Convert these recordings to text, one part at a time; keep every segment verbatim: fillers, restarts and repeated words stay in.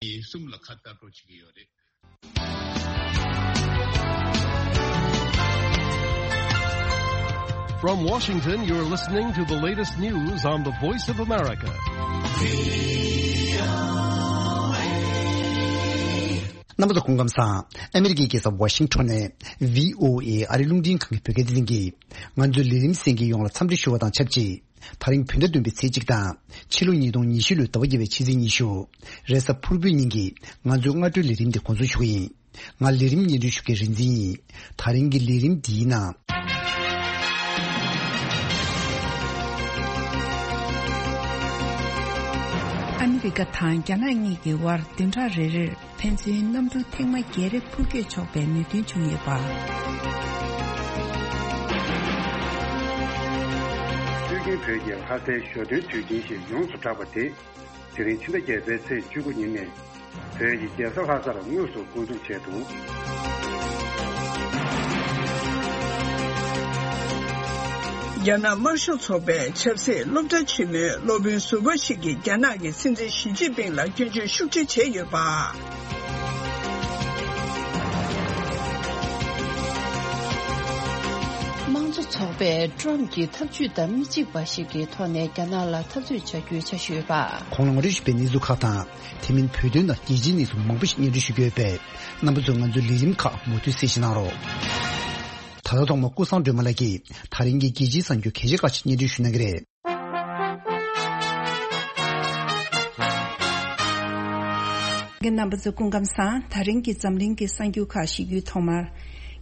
གསུམ་ལ་ཁ་བཏགས་འགྲོ་བྱེད་ཀྱི་ཡོད་རེད། From Washington, you're listening to the latest news on the Voice of America. རྣམ་པ་ཚོ་སྐུ་ཁམས་བཟང་། ཨ་མི་རི་ཀའི་རྒྱལ་ས་ཝ་ཤིང་ཊོན་ནས་བྷི་ཨོ་ཨེ་ཨ་རིའི་རླུང་འཕྲིན་ཁང་གི་བོད་སྐད་སྡེ་ཚན་གྱིས་ང་ཚོའི་ལས་རིམ་གསན་མཁན་ཡོངས་ལ་འཚམས་འདྲི་ཞུ་བ་དང་ཆབས་ཅིག་ད་རིང་བོད་ཟླ་བདུན་པའི་ཚེས་གཅིག་དང་ཕྱི་ལོ་ཉིས་སྟོང་ཉི་ཤུ་ལོའི་ཟླ་བ་བརྒྱད་པའི་ཕྱི་ཚེས་ཉི་ཤུ། རེས་གཟའ་ཕུར་བུའི་ཉིན་གྱི་ང་ཚོའི་སྔ་དྲོའི་ལས་རིམ་འདི་འགོ་འཛུགས་ཞུ་གི་ཡིན། ང་ལས་རིམ་སྙན་སྒྲོན་ཞུ་མཁན་རིག་འཛིན་ཡིན། ད་རིང་གི་ལས་རིམ་འདིའི་ནང་། ཨ་མི་རི་ཀ་དང་རྒྱ་ནག་གཉིས་ཀྱི་དབར་བདུན་ཕྲག་རེ་རེར་ཕན་ཚུན་གནམ་གྲུ་ཐེངས་མ་བརྒྱད་རེ་འཕུར་སྐྱོད་ཆོག་པའི་མོས་མཐུན་བྱུང་ཡོད་པ། དབུས་རྒྱན་བོད་ཀྱི་ལྷ་སའི་ཞོ་སྟོན་དུས་ཆེན་ཞེས་ཡོངས་སུ་གྲགས་པ་དེ། དེ་རིང་ཕྱི་ཟླ་བརྒྱད་པའི་ཚེས་བཅུ་དགུ་ཉིན་ནས་བོད་ཀྱི་རྒྱལ་ས་ལྷ་སར་དངོས་སུ་འགོ་འཛུགས་བྱས་འདུག། རྒྱ་ནག་དམར་ཤོག་ཚོགས་པའི་ཆབ་སྲིད་སློབ་གྲྭ་ཆེན་མོའི་སློབ་དཔོན་ཟུར་པ་ཞིག་གིས་རྒྱ་ནག་གི་སྲིད་འཛིན་ཞི་ཅིན་ཕིང་ལ་སྐྱོན་བརྗོད་ཤུགས་ཆེ་བྱས་ཡོད་པ། དམངས་གཙོ་ཚོགས་པས་ཀྲམ་གྱི་ཐབས་ཇུས་དང་མི་གཅིག་པ་ཞིག་གི་ཐོག་ནས་རྒྱ་ནག་ལ་འཐབ་རྩོད་བྱ་རྒྱུའི་འཆར་གཞི་ཡོད་པ། གོང་ལ་ངོ་སྤྲོད་ཞུས་པའི་གནས་ཚུལ་ཁག་དང་། དེ་མིན་བོད་དོན་དང་རྒྱལ་སྤྱིའི་གནས་ཚུལ་མང་པོ་ཞིག་སྙན་སྒྲོན་ཞུ་རྒྱུ་ཡོད་པས། རྣམ་པ་ཚོས་ང་ཚོའི་ལས་རིམ་ཁག་མུ་མཐུད་གསན་བཞེས་གནང་རོགས། ད་ལྟ་ཐོག་མར་ཀུན་བཟང་སྒྲོལ་མ་ལགས་ཀྱིས་ད་རིང་གི་རྒྱལ་སྤྱིའི་གསར་འགྱུར་གལ་ཆེ་ཁག་ཅིག་སྙན་སྒྲོན་ཞུ་གནང་གི་རེད། རྣམ་པ་ཚོ་སྐུ་ཁམས་བཟང་། ད་རིང་གི་འཛམ་གླིང་གི་གསར་འགྱུར་ཁག་ཞུ་རྒྱུའི་ཐོག་མར།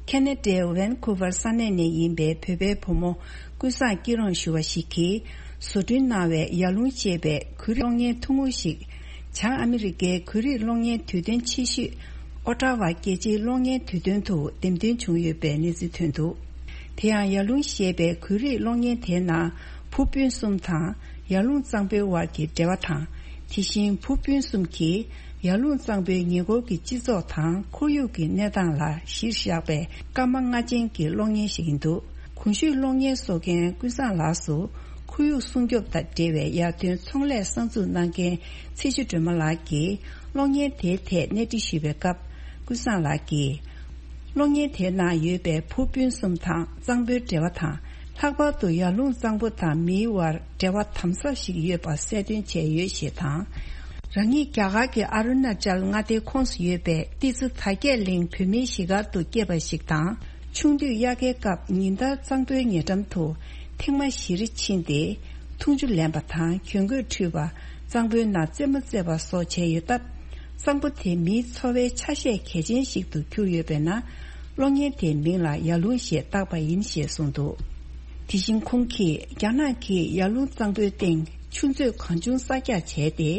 ཁེ་ན་ཌའི་ཝན་ཀུ་ཝར་ས་གནས་ནས་ཡིན་པའི་བོད་པའི་བུ་མོ་ཀུན་བཟང་སྐྱིད་རོང་ཞུ་བ་ཞིག་གིས། བཟོ་སྐྲུན་གནང་བའི་ཡར་ཀླུང་ཞེས་པའི་གོས་རིགས་གློག་བརྙན་ཐུང་ངུ་ཞིག་བྱང་ཨ་མི་རི་ཀའི་གོས་རིགས་གློག་བརྙན་དུས་སྟོན་ཆེ་ཤོས་ཨོ་ཊ་ཝ་རྒྱལ་སྤྱིའི་གློག་བརྙན་དུས་སྟོན་དུ་འདེམས་ཐོན་བྱུང་ཡོད་པའི་གནས་ཚུལ་ཐོན་འདུག། དེ་ཡང་ཡར་ཀླུང་ཞེས་པའི་གོས་རིགས་གློག་བརྙན་དེའི་ནང་བུ་སྤུན་གསུམ་དང་ཡར་ཀླུང་གཙང་པོའི་དབར་གྱི་འབྲེལ་བ་དང་། དེ་བཞིན་བུ་སྤུན་གསུམ་གྱིས་ཡར་ཀླུང་གཙང་པོའི་ཉེ་འཁོར་གྱི་སྤྱི་ཚོགས་དང་ཁོར་ཡུག་གི་གནས་སྟངས་ལ་གཞིར་བཞག་པའི་སྐར་མ་ལྔ་ཅན་གྱི་གློག་བརྙན་ཞིག་ཡིན་འདུག། གོང་ཞུས་གློག་བརྙན་བཟོ་མཁན་ཀུན་བཟང་ལགས་སུ་ཁོར་ཡུག་སྲུང་སྐྱོབ་དང་འབྲེལ་བའི་ཡར་ཐོན་ཚོང་ལས་གསར་འཛུགས་གནང་མཁན་ཚེ་ཆུ་སྒྲོལ་མ་ལགས་ཀྱིས་གློག་བརྙན་དེའི་ཐད་གནས་འདྲི་ཞུས་པའི་སྐབས། ཀུན་བཟང་ལགས་ཀྱིས། གློག་བརྙན་དེའི་ནང་ཡོད་པའི་བུ་སྤུན་གསུམ་དང་གཙང་པོའི་འབྲེལ་བ་དང་། ལྷག་པར་དུ་ཡར་ཀླུང་གཙང་པོ་དང་མིའི་དབར་འབྲེལ་བ་དམ་ཟབ་ཞིག་ཡོད་པ་གསལ་སྟོན་བྱས་ཡོད་ཞེས་དང་། རང་ཉིད་རྒྱ་གར་གྱི་ཨ་རུ་ན་ཅལ་མངའ་སྡེའི་ཁོངས་སུ་ཡོད་པའི་ཏི་སི་དར་རྒྱས་གླིང་བོད་མིའི་གཞིས་སྒར་དུ་སྐྱེས་པ་ཞིག་དང་། ཆུང་དུས་དབྱར་ཁའི་སྐབས་ཉིན་ལྟར་གཙང་པོའི་ཉེ་འགྲམ་དུ་ཐེངས་མ་བཞི་རེ་ཕྱིན་ཏེ། འཐུང་ཆུ་ལེན་པ་དང་གྱོན་གོས་འཁྲུད་པ། གཙང་པོའི་ནང་རྩེད་མོ་རྩེ་བ་སོགས་བྱས་ཡོད་སྟབས། གཙང་པོ་དེ་མིའི་འཚོ་བའི་ཆ་ཤས་གལ་ཆེན་ཞིག་ཏུ་གྱུར་ཡོད་པས་ན། གློག་བརྙན་དེའི་མིང་ལ་ཡར་ཀླུང་ཞེས་བཏགས་པ་ཡིན་ཞེས་གསུངས་འདུག། དེ་བཞིན་ཁོང་གིས་རྒྱ་ནག་གིས་ཡར་ཀླུང་གཙང་པོའི་སྟེང་ཆུ་མཛོད་གང་བྱུང་གསར་རྒྱག་བྱས་ཏེ།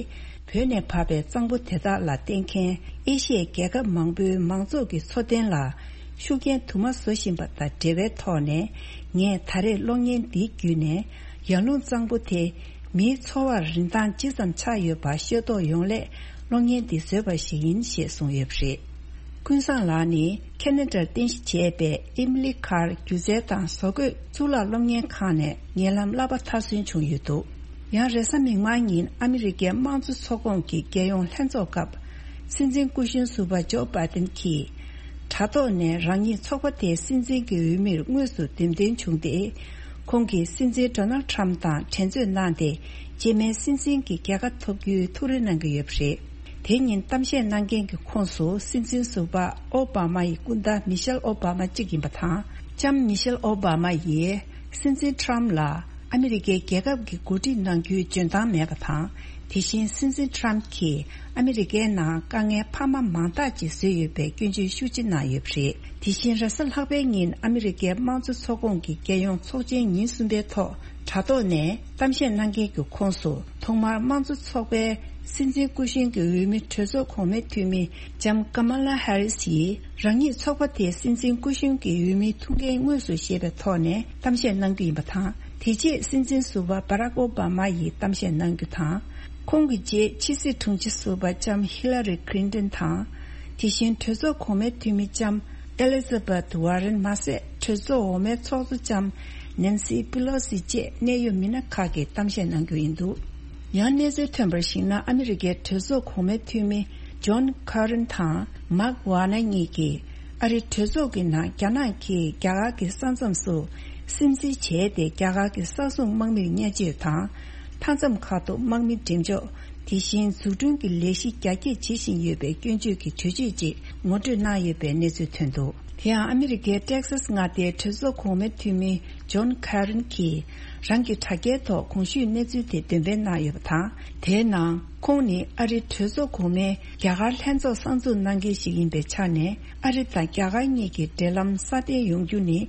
བོད་ནས་བབས་པའི་གཙང་པོ་དེ་དག་ལ་བརྟེན་མཁན་ཨེ་ཤི་ཡའི་རྒྱལ་ཁབ་མང་པོའི་མང་ཚོགས་ཀྱི་འཚོ་རྟེན་ལ་ཤུགས་རྐྱེན་དུ་མ་བཟོ་བཞིན་པ་དང་འབྲེལ་བའི་ཐོག་ནས། ངས་ད་རེས་གློག་བརྙན་འདི་བརྒྱུད་ནས་ཡར་ཀླུང་གཙང་པོ་དེ་མིའི་འཚོ་བར་རིན་ཐང་ཇི་ཙམ་ཆགས་ཡོད་པ་ཤེས་རྟོགས་ཡོང་སླད། གློག་བརྙན་འདི་བཟོས་པ་ཞིག་ཡིན་ཞེས་གསུངས་ཡོད་པ་རེད། ཀུན་བཟང་ལགས་ནི་ཁེ་ན་ཌར་རྟེན་གཞི་བྱས་པའི་ཨེམ་ལི་ཁར་སྒྱུ་རྩལ་དང་བཟོ་བཀོད་གཙུག་ལག་སློབ་གཉེར་ཁང་ནས་ཉེ་ལམ་བསླབ་པ་མཐར་སོན་བྱུང་ཡོད་འདུག། ཡང་རེས་གཟའ་མིག་དམར་ཉིན་ཨ་མི་རི་ཀའི་དམངས་གཙོ་ཚོགས་ཁོངས་ཀྱི་རྒྱལ་ཡོངས་ལྷན་ཚོགས་སྐབས། སྲིད་འཛིན་སྐུ་གཞོན་ཟུར་པ་ཇོ་བྷའི་ཏིན་གྱིས། དྲ་ཐོག་ནས་རང་ཉིད་ཚོགས་པ་དེའི་སྲིད་འཛིན་གྱི་འོས་མིར་དངོས་སུ་འདེམས་ཐོན་བྱུང་སྟེ། ཁོང་གིས་སྲིད་འཛིན་ཌོ་ནལ་ཌི་ཊརམ་ཕི་དང་འགྲན་རྩོད་གནང་སྟེ། རྗེས་མའི་སྲིད་འཛིན་གྱི་རྒྱལ་ཁ་ཐོབ་རྒྱུའི་ཐུགས་རེ་གནང་གི་ཡོད་པ་རེད། དེ་ཉིན་གཏམ་བཤད་གནང་མཁན་གྱི་ཁོངས་སུ་སྲིད་འཛིན་ཟུར་པ་ཨོ་བྷ་མ་ཡི་སྐུ་ཟླ་མི་ཤེལ་ཨོ་བྷ་མ་གཅིག་ཡིན་པ་དང་། ལྕམ་མི་ཤེལ་ཨོ་བྷ་མ་ཡིས་སྲིད་འཛིན་ཊརམ་ཕི་ལ་ཨ་མི་རི་ཀའི་རྒྱལ་ཁབ་ཀྱི་འགོ་ཁྲིད་གནང་རྒྱུའི་འཇོན་ཐང་མེད་པ་དང་། དེ་བཞིན་སྲིད་འཛིན་ཊརམ་ཕི་གྱིས་ཨ་མི་རི་ཀའི་ནང་དཀའ་ངལ་འཕར་མ་མང་དག་ཅིག་བཟོས་ཡོད་པའི་སྐྱོན་བརྗོད་ཤུགས་ཆེ་གནང་ཡོད་པ་རེད། དེ་བཞིན་རེས་གཟའ་ལྷག་པའི་ཉིན་ཨ་མི་རི་ཀའི་དམངས་གཙོ་ཚོགས་ཁོངས་ཀྱི་རྒྱལ་ཡོངས་ཚོགས་ཆེན་ཉིན་གསུམ་པའི་ཐོག་དྲ་ཐོག་ནས་གཏམ་བཤད་གནང་མཁན་གྱི་ཁོངས་སུ། ཐོག་མར་དམངས་གཙོ་ཚོགས་པའི་སྲིད་འཛིན་སྐུ་གཞོན་གྱི་འོས་མི་གྲོས་ཚོགས་གོང་མའི་འཐུས་མི་ལྕམ་ཀ་མ་ལ་ཧེ་རི་སི་ཡིས། རང་ཉིད་ཚོགས་པ་དེའི་སྲིད་འཛིན་སྐུ་གཞོན་གྱི་འོས་མིའི་ཐུགས་འགན་དངོས་སུ་བཞེས་པའི་ཐོག་ནས་གཏམ་བཤད་གནང་རྒྱུ་ཡིན་པ་དང་། དེ་རྗེས་སྲིད་འཛིན་ཟུར་པ་བྷ་རག་ཨོ་བྷ་མ་ཡིས་གཏམ་བཤད་གནང་རྒྱུ་དང་། ཁོང་གི་རྗེས་ཕྱི་སྲིད་དྲུང་ཆེ་ཟུར་པ་ལྕམ་ཧི་ལ་རི་ཁི་ལིན་ཏོན་དང་། དེ་བཞིན་གྲོས་ཚོགས་གོང་མའི་འཐུས་མི་ལྕམ་ཨེ་ལི་ཛ་བྷེཐ་ཝ་རེན་མ་ཟད། གྲོས་ཚོགས་འོག་མའི་ཚོགས་གཙོ་ལྕམ་ནན་སི་པི་ལོ་སི་བཅས་གནད་ཡོད་མི་སྣ་ཁག་གིས་གཏམ་བཤད་གནང་རྒྱུ་ཡིན་འདུག། ཡང་གནས་ཚུལ་ཐོན་པར་གཞིགས་ན། ཨ་མི་རི་ཀའི་གྲོས་ཚོགས་གོང་མའི་འཐུས་མི་ ཇོན་ཁ་རན་དང་མཱག་ཝ་ན་གཉིས་ཀྱིས་ཨ་རི་གྲོས་ཚོགས་ཀྱི་ནང་རྒྱ་ནག་གིས་རྒྱ་གར་གྱི་ས་མཚམས་སུ་སིམ་འཛུལ་བྱས་ཏེ། རྒྱ་གར་གྱི་ས་སྲུང་དམག་མིར་བརྙས་བཅོས་དང་། མཐའ་མཚམས་ཁག་ཏུ་དམག་མི་འགྲེམས་འཇོག་དེ་བཞིན་འཛུགས་སྐྲུན་གྱི་ལས་གཞི་རྒྱ་སྐྱེད་བྱེད་བཞིན་ཡོད་པའི་སྐྱོན་བརྗོད་ཀྱི་གྲོས་ཆོད་ཅིག་ངོ་སྤྲོད་གནང་ཡོད་པའི་གནས་ཚུལ་ཐོན་འདུག་དེ་ཡང་ཨ་མི་རི་ཀའི་ཏེག་སཱས་མངའ་སྡེའི་གྲོས་ཚོགས་གོང་མའི་འཐུས་མི་ཇོན་ཁ་རན་གྱིས་རང་གི་དྲ་རྒྱའི་ཐོག་གོང་ཞུས་གནས་ཚུལ་དེ་འདོན་སྤེལ་གནང་ཡོད་པ་དང་། དེའི་ནང་ཁོང་ནི་ཨ་རིའི་གྲོས་ཚོགས་གོང་མས་རྒྱ་གར་ལྷན་ཚོགས་གསར་འཛུགས་གནང་མཁན་ཞིག་ཡིན་པའི་ཆ་ནས། ཨ་རི་དང་རྒྱ་གར་གཉིས་ཀྱི་འབྲེལ་ལམ་སྲ་བརྟན་ཡོང་རྒྱུ་ནི་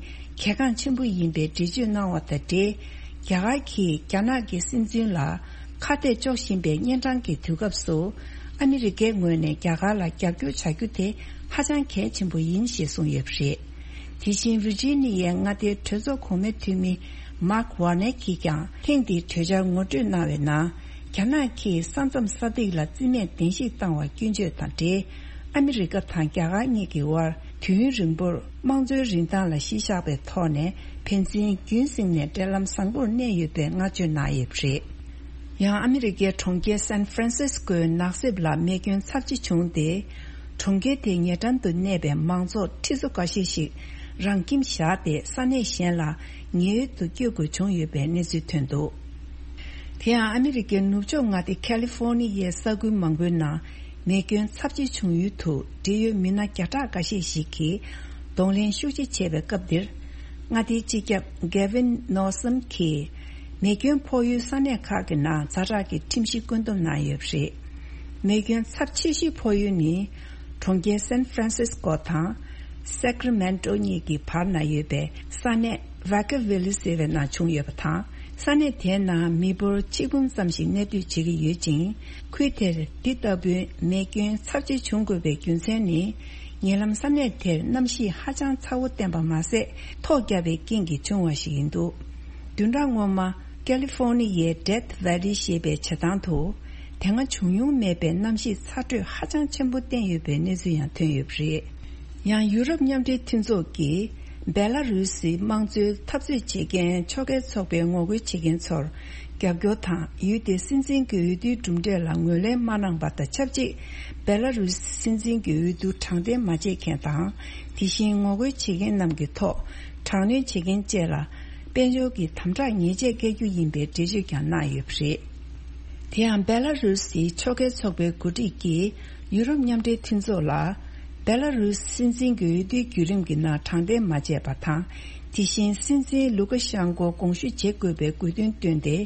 གལ་འགངས་ཆེན་པོ་ཡིན་པའི་འགྲེལ་བརྗོད་གནང་བ་དང་འབྲེལ། རྒྱ་གར་གྱིས་རྒྱ་ནག་གི་སྲིད་འཛིན་ལ་ཁ་གཏད་གཅོག་བཞིན་པའི་གཉན་འཕྲང་གི་དུས་སྐབས་སུ། ཨ་མི་རི་ཀའི་ངོས་ནས་རྒྱ་གར་ལ་རྒྱབ་སྐྱོར་བྱ་རྒྱུ་དེ་ཧ་ཅང་གལ་ཆེན་པོ་ཡིན་ཞེས་གསུངས་ཡོད་པ་རེད། དེ་བཞིན་ཝིར་ཇི་ནི་ཡའི་མངའ་སྡེའི་གྲོས་ཚོགས་གོང་མའི་འཐུས་མི་མཱག་ཝར་ནེ་གིས་ཀྱང་ཐེངས་འདིའི་གྲོས་འཆར་ངོ་སྤྲོད་གནང་བའི་ནང་། རྒྱ་ནག་གིས་ས་མཚམས་ས་ཐིག་ལ་རྩིས་མེད་གདན་ཞིག་བཏང་བར་སྐྱོན་བརྗོད་དང་འབྲེལ། ཨ་མི་རི་ཀ་དང་རྒྱ་གར་གཉིས་ཀྱི་དབར་དུས་ཡུན་རིང་པོར་དམངས་གཙོའི་རིན་ཐང་ལ་གཞི་བཞག་པའི་ཐོག་ནས། ཕན་ཚུན་རྒྱུན་བསྲིངས་ནས་འབྲེལ་ལམ་བཟང་པོར་གནས་ཡོད་པའི་བསྔགས་བརྗོད་གནང་ཡོད་པ་རེད། ཡང་ཨ་མི་རི་ཀའི་གྲོང་ཁྱེར་སན་ཧྥ་རན་སིས་ཀོའི་ནགས་གསེབ་ལ་རྨས་སྐྱོན་ཚབས་ཆེ་བྱུང་སྟེ། གྲོང་ཁྱེར་དེའི་ཉེ་འགྲམ་དུ་གནས་པའི་མང་ཚོགས་ཁྲི་ཚོ་འགའ་ཤས་ཤིག་རང་ཁྱིམ་བཞག་སྟེ་ས་གནས་གཞན་ལ་ཉེན་གཡོལ་དུ་བསྐྱོད་དགོས་བྱུང་ཡོད་པའི་གནས་ཚུལ་ཐོན་འདུག་དེ་ཡང་ཨ་མི་རི་ཀའི་ནུབ་ཕྱོགས་མངའ་སྡེ་ཁ་ལི་ཧྥོ་ནི་ཡའི་ས་ཁུལ་མང་པོའི་ནང་རྨས་སྐྱོན་ཚབས་ཆེ་བྱུང་ཡུལ་དུ་འབྲེལ་ཡོད་མི་སྣ་བརྒྱ་ཕྲག་འགའ་ཤས་ཤིག་གིས་གདོང་ལེན་ཤུགས་ཆེ་བྱས་པའི་སྐབས་འདིར། མངའ་སྡེའི་སྤྱི་ཁྱབ་གེ་ཝིན་ནོ་སམ་གྱིས་རྨས་སྐྱོན་ཕོག་ཡུལ་ས་གནས་ཁག་གི་ནང་ཛ་དྲག་གི་ཁྲིམས་གཞི་བཀོད་འདོམས་གནང་ཡོད་པ་རེད། རྨས་སྐྱོན་ཚབས་ཆེ་ཤོས་ཕོག་ཡུལ་ནི། གྲོང་ཁྱེར་སན་ཧྥ་རན་སིས་ཀོ་དང་སེག་ར་མེན་ཏོ་གཉིས་ཀྱི་བར་ན་ཡོད་པའི་ས་གནས་ཝ་ཀ་ཝི་ལི་ཟེར་བའི་ནང་བྱུང་ཡོད་པ་དང་། ས་གནས་དེའི་ནང་མི་འབོར་ཆིག་འབུམ་ཙམ་ཞིག་གནས་སྡོད་བྱེད་ཀྱི་ཡོད་ཅིང་། ཁུལ་དེར་འདི་ལྟ་བུའི་རྨས་སྐྱོན་ཚབས་ཆེ་བྱུང་དགོས་པའི་རྒྱུ་མཚན་ནི། ཉེ་ལམ་ས་གནས་དེར་གནམ་གཤིས་ཧ་ཅང་ཚ་བོ་བསྟན་པ་མ་ཟད། ཐོག་བརྒྱབ་པའི་རྐྱེན་གྱིས་བྱུང་བ་ཞིག་ཡིན་འདུག་བདུན་ཕྲག་སྔོན་མ། ཀ་ལི་ཧྥོ་ནི་ཡའི་ཌེཐ་ཝེ་ལི་ཞེས་པའི་བྱེ་ཐང་དུ། དེ་སྔ་བྱུང་མྱོང་མེད་པའི་གནམ་གཤིས་ཚ་དྲོད་ཧ་ཅང་ཆེན་པོ་བསྟན་ཡོད་པའི་གནས་ཚུལ་ཡང་ཐོན་ཡོད་པ་རེད། ཡང་ཡུ་རོབ་མཉམ་འབྲེལ་མཐུན་ཚོགས་ཀྱིས་སྦེ་ལ་རུ་སིའི་དམངས་གཙོའི་འཐབ་རྩོད་བྱེད་མཁན་ཕྱོགས་འགལ་ཚོགས་པའི་ངོ་རྒོལ་བྱེད་མཁན་ཚོར་རྒྱབ་སྐྱོར་དང་། ཡུལ་དེའི་སྲིད་འཛིན་གྱི་འོས་བསྡུའི་གྲུབ་འབྲས་ལ་ངོས་ལེན་མ་གནང་པ་དང་ཆབས་ཅིག་སྦེ་ལ་རུ་སི་སྲིད་འཛིན་གྱི་འོས་བསྡུ་དྲང་བདེན་མ་བྱེད་མཁན་དང་། དེ་བཞིན་ངོ་རྒོལ་བྱེད་མཁན་རྣམས་ཀྱི་ཐོག་དྲག་གནོན་བྱེད་མཁན་བཅས་ལ། དཔལ་འབྱོར་གྱི་དམ་དྲག་ཉེས་ཆད་བཀལ་རྒྱུ་ཡིན་པའི་འགྲེལ་བརྗོད་ཀྱང་གནང་ཡོད་པ་རེད། དེ་ཡང་སྦེ་ལ་རུ་སིའི་ཕྱོགས་འགལ་ཚོགས་པའི་འགོ་ཁྲིད་ཀྱིས་ཡུ་རོབ་མཉམ་འབྲེལ་མཐུན་ཚོགས་ལ། སྦེ་ལ་རུ་སི་སྲིད་འཛིན་གྱི་འོས་བསྡུའི་བརྒྱུད་རིམ་གྱི་ནང་དྲང་བདེན་མ་བྱས་པ་དང་། དེ་བཞིན་སྲིད་འཛིན་ལུ་ཀ་ཤང་ཀོ་དགོངས་ཞུ་བྱེད་དགོས་པའི་དགོས་འདུན་བཏོན་ཏེ།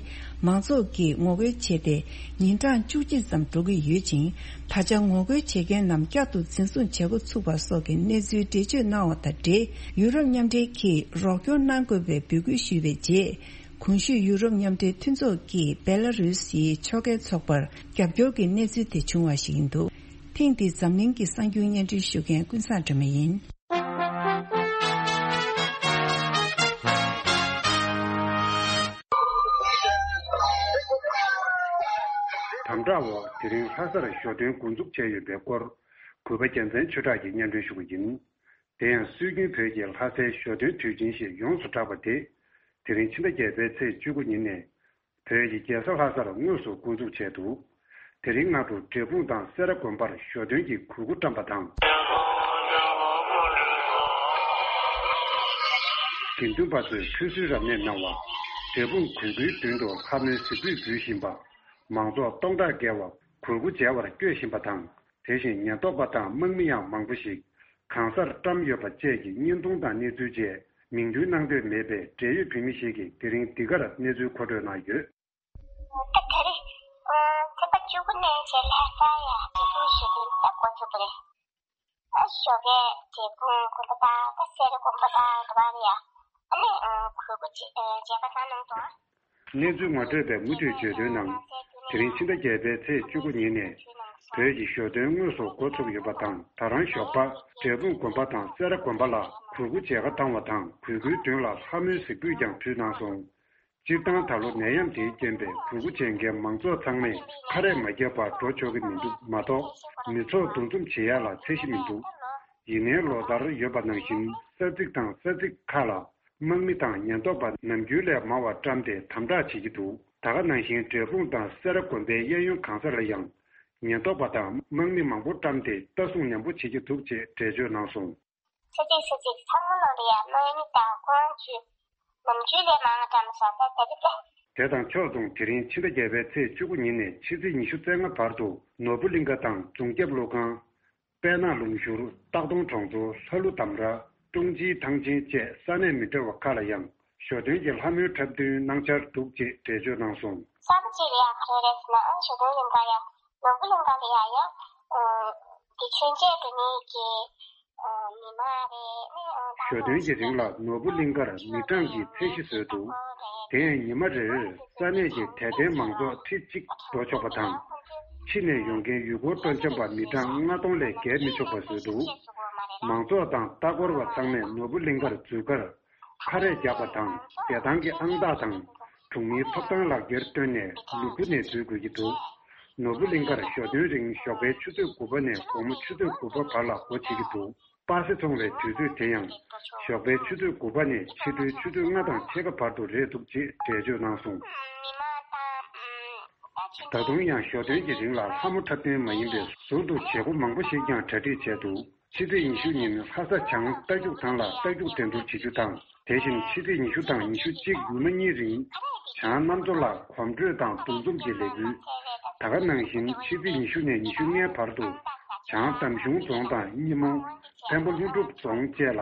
མང་ཚོགས་ཀྱིས་ངོ་རྒོལ་བྱས་ཏེ། ཉིན་གྲངས་བཅུ་གཅིག་ཙམ་འགྲོ་གི་ཡོད་ཅིང་། ད་ཆ་ངོ་རྒོལ་བྱེད་མཁན་རྣམས་བསྐྱར་དུ་འཛིན་བཟུང་བྱེད་འགོ་ཚུགས་པ་སོགས་ཀྱི་གནས་ཚུལ་འགྲེལ་བརྗོད་གནང་བ་དང་འབྲེལ། ཡུ་རོབ་མཉམ་འབྲེལ་གྱིས་རོགས་སྐྱོར་གནང་དགོས་པའི་འབོད་སྐུལ་ཞུས་པའི་རྗེས། གོང་ཞུས་ཡུ་རོབ་མཉམ་འབྲེལ་མཐུན་ཚོགས་ཀྱིས་སྦེ་ལ་རུ་སིའི་ཕྱོགས་འགལ་ཚོགས་པར་རྒྱབ་སྐྱོར་གྱི་གནས་ཚུལ་དེ་བྱུང་བ་ཞིག་ཡིན་འདུག་ཐེངས་འདིའི་འཛམ་གླིང་གི་གསར་འགྱུར་སྙན་སྒྲོན་ཞུ་མཁན་ཀུན་བཟང་སྒྲོལ་མ་ཡིན། དམ་དྲག་འོག་དེ་རིང་ལྷ་སར་ཞོ་སྟོན་འགོ་འཛུགས་བྱས་ཡོད་པའི་སྐོར། གུས་པ་རྒྱལ་མཚན་ཆོས་གྲགས་ཀྱིས་སྙན་སྒྲོན་ཞུ་བ་ཡིན། དེ་ཡང་སྲོལ་རྒྱུན་བོད་ཀྱི་ལྷ་སའི་ཞོ་སྟོན་དུས་ཆེན་ཞེས་ཡོངས་སུ་གྲགས་པ་དེ། དེ་རིང་ཕྱི་ཟླ་བརྒྱད་པའི་ཚེས་བཅུ་དགུ་ཉིན་ནས། བོད་ཀྱི་རྒྱལ་ས་ལྷ་སར་དངོས་སུ་འགོ་འཛུགས་བྱས་འདུག་དེ་རིང་སྔ་དྲོ་འབྲས་སྤུངས་དང་སེ་ར་དགོན་པར་ཞོ་སྟོན་གྱི་གོས་སྐུ་བཀྲམ་པ་དང་། དགེ་འདུན་པ་ཚོས་ཁྲུས་གསོལ་རབ་གནས་གནང་བ། འབྲས་སྤུངས་གུས་སྐུའི་མདུན་དུ་ལྷ་མོའི་གཟིགས་ཕུད་འབུལ་བཞིན་པ། མང་ཚོགས་སྟོང་ཕྲག་བརྒལ་བ་གོས་སྐུ་མཇལ་བར་བསྐྱོད་བཞིན་པ་དང་། དེ་བཞིན་ཉེན་རྟོག་པ་དང་དམག་མི་ཡང་མང་པོ་ཞིག་གང་སར་བཀྲམ་ཡོད་པ་བཅས་ཀྱི་བརྙན་ཐུང་དང་གནས་ཚུལ་བཅས་མིང་འདོན་གནང་འདོད་མེད་པའི་འབྲེལ་ཡོད་བོད་མི་ཞིག་གིས་དེ་རིང་འདི་གར་གནས་ཚུལ་མཁོ་སྤྲོད་གནང་ཡོད། ད་དེ་རིང་ཚེས་པ་བཅུ་དགུ་ནས་བྱས་ལྷ་ས་ཡ་སྤྱི་ཚོགས་ཞི་བདེའི་ད་འགོ་ཚུགས་པ་རེད། ཨ་ཞོགས་ཀས་འབྲས་སྤུངས་དགོན་པ་དང་ད་སེ་ར་དགོན་པ་དང་དེ་བར་ཡ་ཨ་ནི་གུས་སྐུ་མཇལ་ཁ་གནང་འདུག་གནས་ཚུལ་ངོ་སྤྲོད་པས་མུ་མཐུད་བརྗོད་དོན་ནང་། དེ་རིང་ཕྱི་ཟླ་བརྒྱད་པའི་ཚེས་བཅུ་དགུ་ཉིན་ནས་བོད་ཀྱི་ཞོ་སྟོན་དངོས་སུ་འགོ་ཚུགས་ཡོད་པ་དང་། ད་རང་ཞོགས་པ་འབྲས་སྤུངས་དགོན་པ་དང་སེ་ར་དགོན་པ་ལ་གུས་སྐུ་མཇལ་ཁ་བཏང་བ་དང་། གུས་སྐུའི་མདུན་ལ་ལྷ་མོའི་གཟིགས་ཕུད་ཀྱང་ཕུལ་གནང་སོང་། སྤྱིར་བཏང་ད་ལོ་ནད་ཡམས་དེའི་རྐྱེན་པས་གུས་སྐུ་མཇལ་མཁན་མང་ཚོགས་ཚང་མས་ཁ་རས་མ་བརྒྱབ་པར་འགྲོ་ཆོག་གི་མི་འདུག་མ་གཏོགས་མི་ཚོགས་འདུ་འཛོམས་བྱེད་ཡ་ལ་ཚད་གཞི་མི་འདུག་ཡིན་ནའི་ལོ་ལྟར་ཡོད་པ་ནང་བཞིན་ས་ཚིགས་དང་ས་ཚིགས་ཁག་ལ་དམག་མི་དང་ཉེན་རྟོག་པ་ནམ་རྒྱུན་ལས་མང་བ་བཀྲམ་སྟེ་དམ་དྲག་བྱེད་ཀྱི་འདུག་ད་ག་ནང་བཞིན་འབྲས་སྤུངས་དང་སེ་ར་དགོན་པའི་གཡས་གཡོན་གང་སར་ཡང་ ཉེན་རྟོག་པ་དང་དམག་མི་མང་པོ་བཀྲམ་སྟེ་ལྟ་སྲུང་ནན་པོ་བྱེད་ཀྱི་འདུག་ཅེས་འགྲེལ་བརྗོད་གནང་སོང་། ཕྱི་རྒྱལ་སུ་གཅིག་ཚང་མ་ནང་དུ་ཡང་དམག་མི་དང་དཔུང་ཆུ་ནམ་རྒྱུན་ལས་མང་བ་བཀྲམ་སོང་ད་ལྟ་དེ་ལ། དེ་དང་ཕྱོགས་མཚུངས། དེ་རིང་ཕྱི་ཟླ་བརྒྱད་པའི་ཚེས་བཅུ་དགུ་ཉིན་ནས་ཕྱི་ཚེས་ཉི་ཤུ་རྩ་ལྔ་བར་དུ་ནོར་བུ་གླིང་ཁ་དང་རྫོང་རྒྱབ་ཀླུ་ཁང་། དཔལ་ནག་ལུང་ཤུར། སྟག་དོང་གྲོང་ཚོ། ལྷ་ཀླུ་དམ་ར། ཀྲུང་ཅིའི་ཐང་ཆེན་བཅས་ས་གནས་མི་འདྲ་བ་ཁག་ལ་ཡང་ཞོ་སྟོན་གྱི་ལྷ་མོའི་འཁྲབ་སྟོན་གནང་འཆར་འདུག་ཅེས་འགྲེལ་བརྗོད་གནང་སོང་། ས་གནས་གཅིག་ལ་ཡང་ག་རེ་རེད་ཟེར་ན་ཨང་ཞོ་སྟོན་ཡིན་པ་ཡང་ནོར་བུ་གླིང་ཁ་ལ་ཡང་ཡང་དེ་མཆོད་མཇལ་འགྲོ་མཁན་གྱི་མི་མང་རེད། ཞོ་སྟོན་གྱི་རིང་ལ་ནོར་བུ་གླིང་ཁར་མི་གྲངས་ཀྱི་ཚད་གཞི་བཟོས་འདུག་དེ་ཡང་ཉི་མ་རེར་ས་གནས་ཀྱི་དད་ལྡན་མང་ཚོགས་ཁྲི་གཅིག་འགྲོ་ཆོག་པ་དང་། ཕྱི་ནས་ཡོང་མཁན་ཡུལ་སྐོར་སྤྲོ་འཆམ་པ་མི་གྲངས་ལྔ་སྟོང་ལས་བརྒལ་མི་ཆོག་པ་བཟོས་འདུག་མང་ཚོགས་དང་ལྟ་སྐོར་བ་ཚང་མས་ནོར་བུ་གླིང་ཁར་འཛུལ་ཁར་ཁ་རས་རྒྱག་པ་དང་བདེ་ཐང་གི་ཨང་རྟགས་དང་གྲོང་མིའི་ཐོབ་ཐང་ལག་འཁྱེར་བཏོན་ནས་ལུས་ཕུང་ནས་འཛུལ་དགོས་ཀྱི་འདུག་ནོར་བུ་གླིང་ཁར་ཞོ་སྟོན་རིང་ཞོགས་པའི་ཆུ་ཚོད་དགུ་པ་ནས་དགོང་མོ་ཆུ་ཚོད་དགུ་པ་བར་ལ་སྒོ་ཕྱེ་གི་འདུག་པ་སེ་འཚོང་བའི་དུས་ཚོད་དེ་ཡང་ཞོགས་པའི་ཆུ་ཚོད་དགུ་པ་ནས་ཕྱི་དྲོའི་ཆུ་ཚོད་ལྔ་དང་ཕྱེད་ཀ་བར་དུ་རེད་འདུག་ཅེས་འགྲེལ་བརྗོད་གནང་སོང་། ད་དུང་ཡང་ཞོ་སྟོན་གྱི་རིང་ལ་ལྷ་མོ་འཁྲབ་སྟོན་མ་ཡིན་པའི་ཟུར་དུ་བྱེད་སྒོ་མང་པོ་ཞིག་ཀྱང་གྲ་སྒྲིག་བྱས་འདུག་ཕྱི་ཚེས་ཉི་ཤུ་ཉིན་ལྷ་ས་བྱང་རྟ་རྒྱུག་ཐང་ལ་རྟ་རྒྱུག་འགྲན་བསྡུར་བྱེད་རྒྱུ་དང་། དེ་བཞིན་ཕྱི་ཚེས་ཉི་ཤུ་དང་ཉི་ཤུ་གཅིག་ཡུལ་མ་གཉིས་རིང་བྱང་གནམ་མཚོ་ལ་གོམ་བགྲོད་དང་འདུ་འཛོམས་ཀྱི་ལས་འགུལ། ད་ག་ནང་བཞིན་ཕྱི་ཚེས་ཉི་ཤུ་ནས་ཉི་ཤུ་ལྔའི་བར་དུ་བྱང་འདམ་གཞུང་རྫོང་དང་སྙེ་མོ། འཕན་པོ་ཀླུ་སྒྲུབ་རྫོང་བཅས་ལ་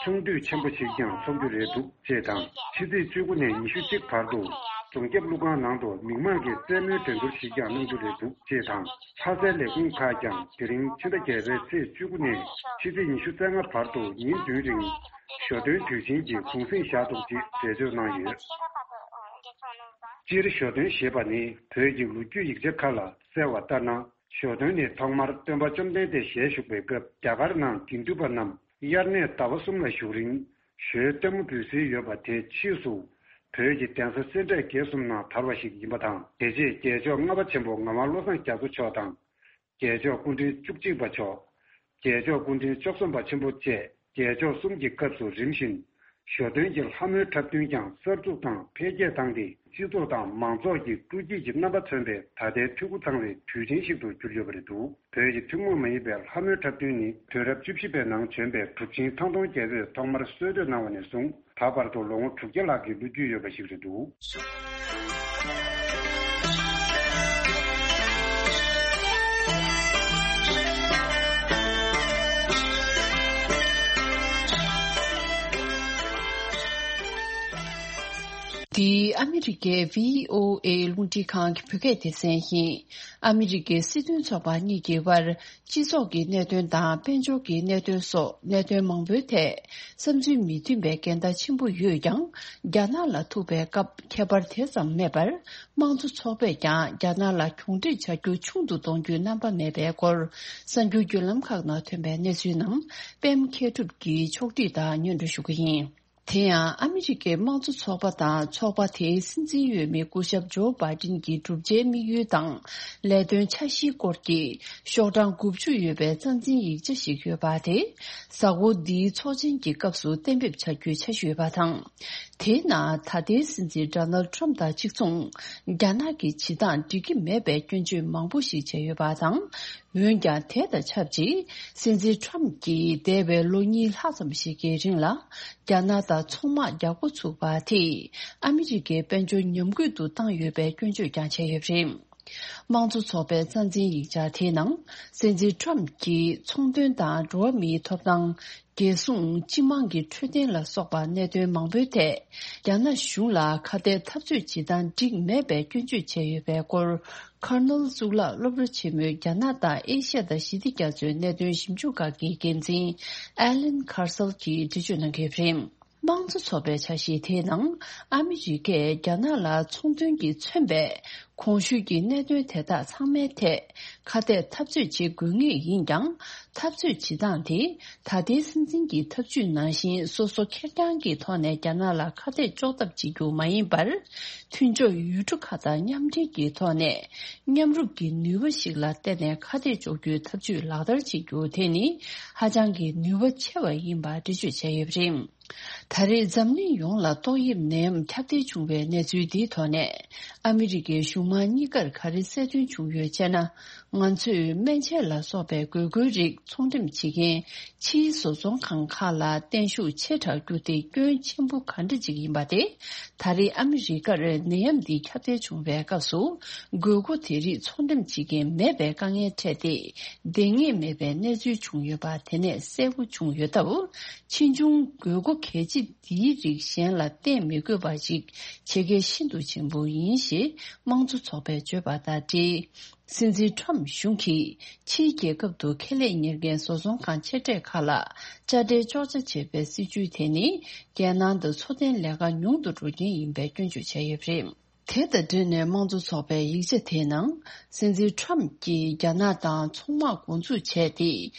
ཆུང་དུས་ཆེན་པོ་ཞིག་ཀྱང་འཚོགས་རྒྱུ་རེད་འདུག་ཅེས་དང་། ཕྱི་ཚེས་བཅུ་དགུ་ནས་ཉི་ཤུ་གཅིག་བར་དུ་རྫོང་རྒྱབ་ཀླུ་ཁང་ནང་དུ་མིག་མངས་ཀྱི་རྩེད་མོའི་འགྲན་བསྡུར་ཞིག་ཀྱང་གནང་རྒྱུ་རེད་འདུག་ཅེས་དང་། ལྷ་སའི་ལས་ཁུངས་ཁག་ཀྱང་དེ་རིང་ཕྱི་ཟླ་བརྒྱད་པའི་ཚེས་བཅུ་དགུ་ནས་ཕྱི་ཚེས་ཉི་ཤུ་རྩ་ལྔ་བར་དུ་ཉིན་བདུན་རིང་ཞོ་སྟོན་དུས་ཆེན་གྱི་གུང་གསེང་བཞག་འདུག་ཅེས་འགྲེལ་བརྗོད་གནང་ཡོད། སྤྱིར་ཞོ་སྟོན་ཞེས་པ་ནི་བོད་ཀྱི་ལོ་རྒྱུས་ཡིག་ཆ་ཁག་ལ་གསལ་བ་ལྟར་ན། ཞོ་སྟོན་ནི་ཐོག་མར་སྟོན་པ་བཅོམ་ལྡན་འདས་ཞལ་བཞུགས་པའི་སྐབས་རྒྱ་གར་ནང་དགེ་འདུན་པ་རྣམས་དབྱར་གནས་ཟླ་བ་གསུམ་ལ་བཞུགས་རིང་ཞོའི་སྟོན་མོ་འབུལ་སྲོལ་ཡོད་པ་དེ་ཕྱིས་སུ་བོད་ཀྱི་གདན་ས་སེ་འབྲས་དགེ་གསུམ་ནང་དར་བ་ཞིག་ཡིན་པ་དང་། དེ་རྗེས་རྒྱལ་མཆོག་ལྔ་པ་ཆེན་པོ་ངག་དབང་བློ་བཟང་རྒྱ་མཚོ་མཆོག་དང་། རྒྱལ་མཆོག་སྐུ་ཕྲེང་བཅུ་གཅིག་པ་མཆོག་རྒྱལ་མཆོག་སྐུ་ཕྲེང་བཅུ་གསུམ་པ་ཆེན་པོ་བཅས་རྒྱལ་མཆོག་གསུམ་གྱི་སྐབས་སུ་རིམ་བཞིན་ཞོ་སྟོན་གྱི་ལྷ་མོའི་འཁྲབ་སྟོན་ཀྱང་གསར་འཛུགས་དང་འཕེལ་རྒྱས་བཏང་སྟེ། སྤྱི་ཚོགས་དང་མང་ཚོགས་ཀྱི་སྤྲོ་སྐྱིད་ཀྱི་རྣམ་པ་མཚོན་པའི་ད་ལྟའི་འཐུས་སྒོ་ཚང་བའི་དུས་ཆེན་ཞིག་ཏུ་གྱུར་ཡོད་པ་རེད་འདུག་བོད་ཀྱི་ཐུན་མོང་མ་ཡིན་པའི་ལྷ་མོའི་འཁྲབ་སྟོན་ནི་དུས་རབས་བཅུ་བཞི་པའི་ནང་བྱོན་པའི་གྲུབ་ཆེན་ཐང་སྟོང་རྒྱལ་པོས་ཐོག་མར་སྲོལ་གཏོད་གནང་བ་ནས་བཟུང་ད་བར་དུ་ལོ་ངོ་དྲུག་བརྒྱ་ལྷག་གི་ལོ་རྒྱུས་ཡོད་པ་ཞིག་རེད་འདུག་འདི་ཨ་མི་རི་ཀའི་བྷི་ཨོ་ཨེ་རླུང་འཕྲིན་ཁང་གི་བོད་སྐད་སྡེ་ཚན་ཡིན། ཨ་མི་རི་ཀའི་སྲིད་དོན་ཚོགས་པ་གཉིས་ཀྱི་དབར་སྤྱི་ཚོགས་ཀྱི་གནད་དོན་དང་དཔལ་འབྱོར་གྱི་གནད་དོན་སོགས་གནད་དོན་མང་པོའི་ཐད་བསམ་ཚུལ་མི་མཐུན་པའི་འགལ་ཟླ་ཆེན་པོ་ཡོད་ཀྱང་། རྒྱ་ནག་ལ་ཐུག་པའི་སྐབས་ཁྱད་པར་དེ་ཙམ་མེད་པར། དམངས་གཙོ་ཚོགས་པས་ཀྱང་རྒྱ་ནག་ལ་གྱོང་འཕྲད་བྱ་རྒྱུ་ཆུང་དུ་གཏོང་རྒྱུའི་རྣམ་པ་མེད་པའི་སྐོར། གསར་འགྱུར་བརྒྱུད་ལམ་ཁག་ནང་ཐོན་པའི་གནས་ཚུལ་རྣམས་པད་མ་མཁས་གྲུབ་ཀྱིས་ཕྱོགས་བསྒྲིགས་དང་སྙན་སྒྲོན་ཞུ་གི་ཡིན། དེ་ཡང་ཨ་མི་རི་ཀའི་དམངས་གཙོ་ཚོགས་པ་དང་ཚོགས་པ་དེའི་སྲིད་འཛིན་འོས་མི་སྐུ་ཞབས་ཇོ་བྷའི་ཌེན་གྱི་བསྒྲུབ་བྱའི་དམིགས་ཡུལ་དང་ལས་དོན་འཆར་གཞིའི་སྐོར་གྱི་ཤོག་གྲངས་དགུ་བཅུ་ཡོད་པའི་རྩ་འཛིན་ཡིག་ཆ་ཞིག་ཡོད་པ་དེ། གཟའ་འཁོར་འདིའི་ཚོགས་ཆེན་གྱི་སྐབས་སུ་གཏན་འབེབས་བྱ་རྒྱུའི་འཆར་གཞི་ཡོད་པ་དང་། དེའི་ནང་ད་ལྟའི་སྲིད་འཛིན་ཌོ་ནལ་ཌི་ཊརམ་ཕི་དང་གཅིག་མཚུངས། རྒྱ་ནག་གི་བྱེད་སྟངས་འགྲིག་གི་མེད་པའི་སྐྱོན་བརྗོད་མང་པོ་ཞིག་བྱས་ཡོད་པ་དང་། འོན་ཀྱང་། དེ་དང་ཆབས་ཅིག་སྲིད་འཛིན་ཊརམ་ཕི་གྱིས་འདས་པའི་ལོ་གཉིས་ལྷག་ཙམ་ཞིག་གི་རིང་ལ། རྒྱ་ནག་དང་ཚོང་དམག་རྒྱག་འགོ་ཚུགས་པ་དེས། ཨ་མི་རི་ཀའི་དཔལ་འབྱོར་ཉམས་རྒུད་དུ་བཏང་ཡོད་པའི་སྐྱོན་བརྗོད་ཀྱང་བྱས་ཡོད་པ་རེད། དམངས་གཙོ་ཚོགས་པའི་རྩ་འཛིན་ཡིག་ཆ་དེའི་ནང་། སྲིད་འཛིན་ཊརམ་ཕི་གྱིས་ཚོང་དོན་དང་འགྲོ་བ་མིའི་ཐོབ་ཐང་། རྒྱལ་སྲུང་། སྤྱི་དམངས་ཀྱི་འཕྲོད་བསྟེན་ལ་སོགས་པ་གནད་དོན་མང་པོའི་ཐད། རྒྱ་ནག་གཞུང་ལ་ཁ་གཏད་འཐབ་རྩོད་བྱེད་སྟངས་འགྲིག་མེད་པའི་སྐྱོན་བརྗོད་བྱས་ཡོད་པའི་སྐོར། ཁར་ནལ་གཙུག་ལག་སློབ་གྲྭ་ཆེན་མོའི་རྒྱ་ནག་དང་ཨེ་ཤ་ཡ་དང་ཞི་བདེ་རྒྱ་མཚོའི་གནད་དོན་ཞིབ་འཇུག་ཁང་གི་འགན་འཛིན་ཨེ་ལན་ཁར་སལ་གྱིས་འགྲེལ་བརྗོད་གནང་གི་ཡོད་པ་རེད། དམངས་གཙོ་ཚོགས་པའི་འཆར་གཞི་དེའི་ནང་། ཨ་མི་རི་ཀས་རྒྱ་ནག་ལ་ཚོང་དོན་གྱིས་མཚོན་པའི་གོང་ཞུས་ཀྱི་གནད་དོན་དེ་དག་ཚང་མའི་ཐད། ཁ་གཏད་འཐབ་རྩོད་བྱེད་དགོས་ངེས་ཡིན་ཀྱང་། འཐབ་རྩོད་བྱེད་སྟངས་དེ། ད་ལྟའི་སྲིད་འཛིན་གྱི་ཐབས་ཇུས་ནང་བཞིན། སོ་སོ་ཁེར་རྐྱང་གི་ཐོག་ནས་རྒྱ་ནག་ལ་ཁ་གཏད་གཅོག་ཐབས་བྱེད་རྒྱུ་མ་ཡིན་པར། མཐུན་ཕྱོགས་ཡུལ་གྲུ་ཁག་དང་མཉམ་འབྲེལ་གྱི་ཐོག་ནས། མཉམ་རུབ་ཀྱི་ནུས་པ་ཞིག་ལ་བརྟེན་ནས་ཁ་གཏད་གཅོག་རྒྱུའི་ཐབས་ཇུས་ལག་བསྟར་བྱེད་རྒྱུ་དེ་ནི། ཧ་ཅང་གི་ནུས་པ་ཆེ་བ་ཡིན་པ་འགྲེལ་བརྗོད་བྱས་ཡོད་པ་རེད། ད་རེས་འཛམ་གླིང་ཡོངས་ལ་ཏོག་དབྱིབས་ནད་ཡམས་ཁྱབ་གདལ་བྱུང་བའི་གནས་ཚུལ་འདིའི་ཐོག་ནས། ཨ་མི་རི་ཀའི་གཞུང་ མ་གཉིས་ཀར་ག་རེ་གསལ་སྟོན་བྱུང་ཡོད་ཅེ་ན། ང་ཚོས་སྨན་ཆས་ལ་སོགས་པའི་དགོས་མཁོའི་རིགས་ཚོང་འགྲེམས་བྱེད་མཁན་ཕྱིའི་བཟོ་ཚོང་ཁང་ཁག་ལ་བརྟན་ཤུགས་ཆེ་དྲགས་བསྒྱུར་ཏེ་སྐྱོན་ཆེན་པོ་ག་འདྲ་ཅིག་ཡིན་པ་དེ། ད་རེས་ཨ་མི་རི་ཀར་ནད་ཡམས་འདི་ཁྱབ་གདལ་བྱུང་བའི་སྐབས་སུ། དགོས་མཁོ་དེ་རིགས་ཚོང་འགྲེམས་བྱེད་མཁན་མེད་པའི་དཀའ་ངལ་འཕྲད་དེ། བསྡད་ངེས་མེད་པའི་གནས་ཚུལ་བྱུང་ཡོད་པ་དེ་ནས་གསལ་པོ་བྱུང་ཡོད་སྟབས། ཕྱིས་འབྱུང་དགོས་མཁོ་གལ་ཆེ་འདིའི་རིགས་གཞན་ལ་བརྟེན་མི་དགོས་པ་ཞིག་བྱེད་གལ་ཤིན་ཏུ་ཆེན་པོ་ཡིན་ཞེས་དམངས་གཙོ་ཚོགས་པས་བརྗོད་པ་དང་འབྲེལ། སྲིད་འཛིན་ཁྲོམ་གཞུང་གིས་ཕྱིའི་རྒྱལ་ཁབ་ཏུ་ཁེ་ལས་གཉེར་མཁན་བཟོ་ཚོང་ཁང་ཆེ་གྲས་ཁག་ལ་དཔྱ་ཁྲལ་གཅོག་ཆ་བྱེད་པའི་སྲིད་བྱུས་དེ་ནི། རྒྱལ་ནང་དུ་འཚོ་རྟེན་ལས་ཀ་ཉུང་དུ་འགྲོ་རྐྱེན་ཡིན་པའི་སྐྱོན་བརྗོད་བྱས་ཡོད་པ་རེད། དེ་དང་འབྲེལ་ནས་དམངས་གཙོ་ཚོགས་པའི་ཡིག་ཆ་དེའི་ནང་། སྲིད་འཛིན་ཁྲོམ་གྱིས་རྒྱ་ནག་དང་ཚོང་དམག་འགོ་འཛུགས་བྱས་ཏེ།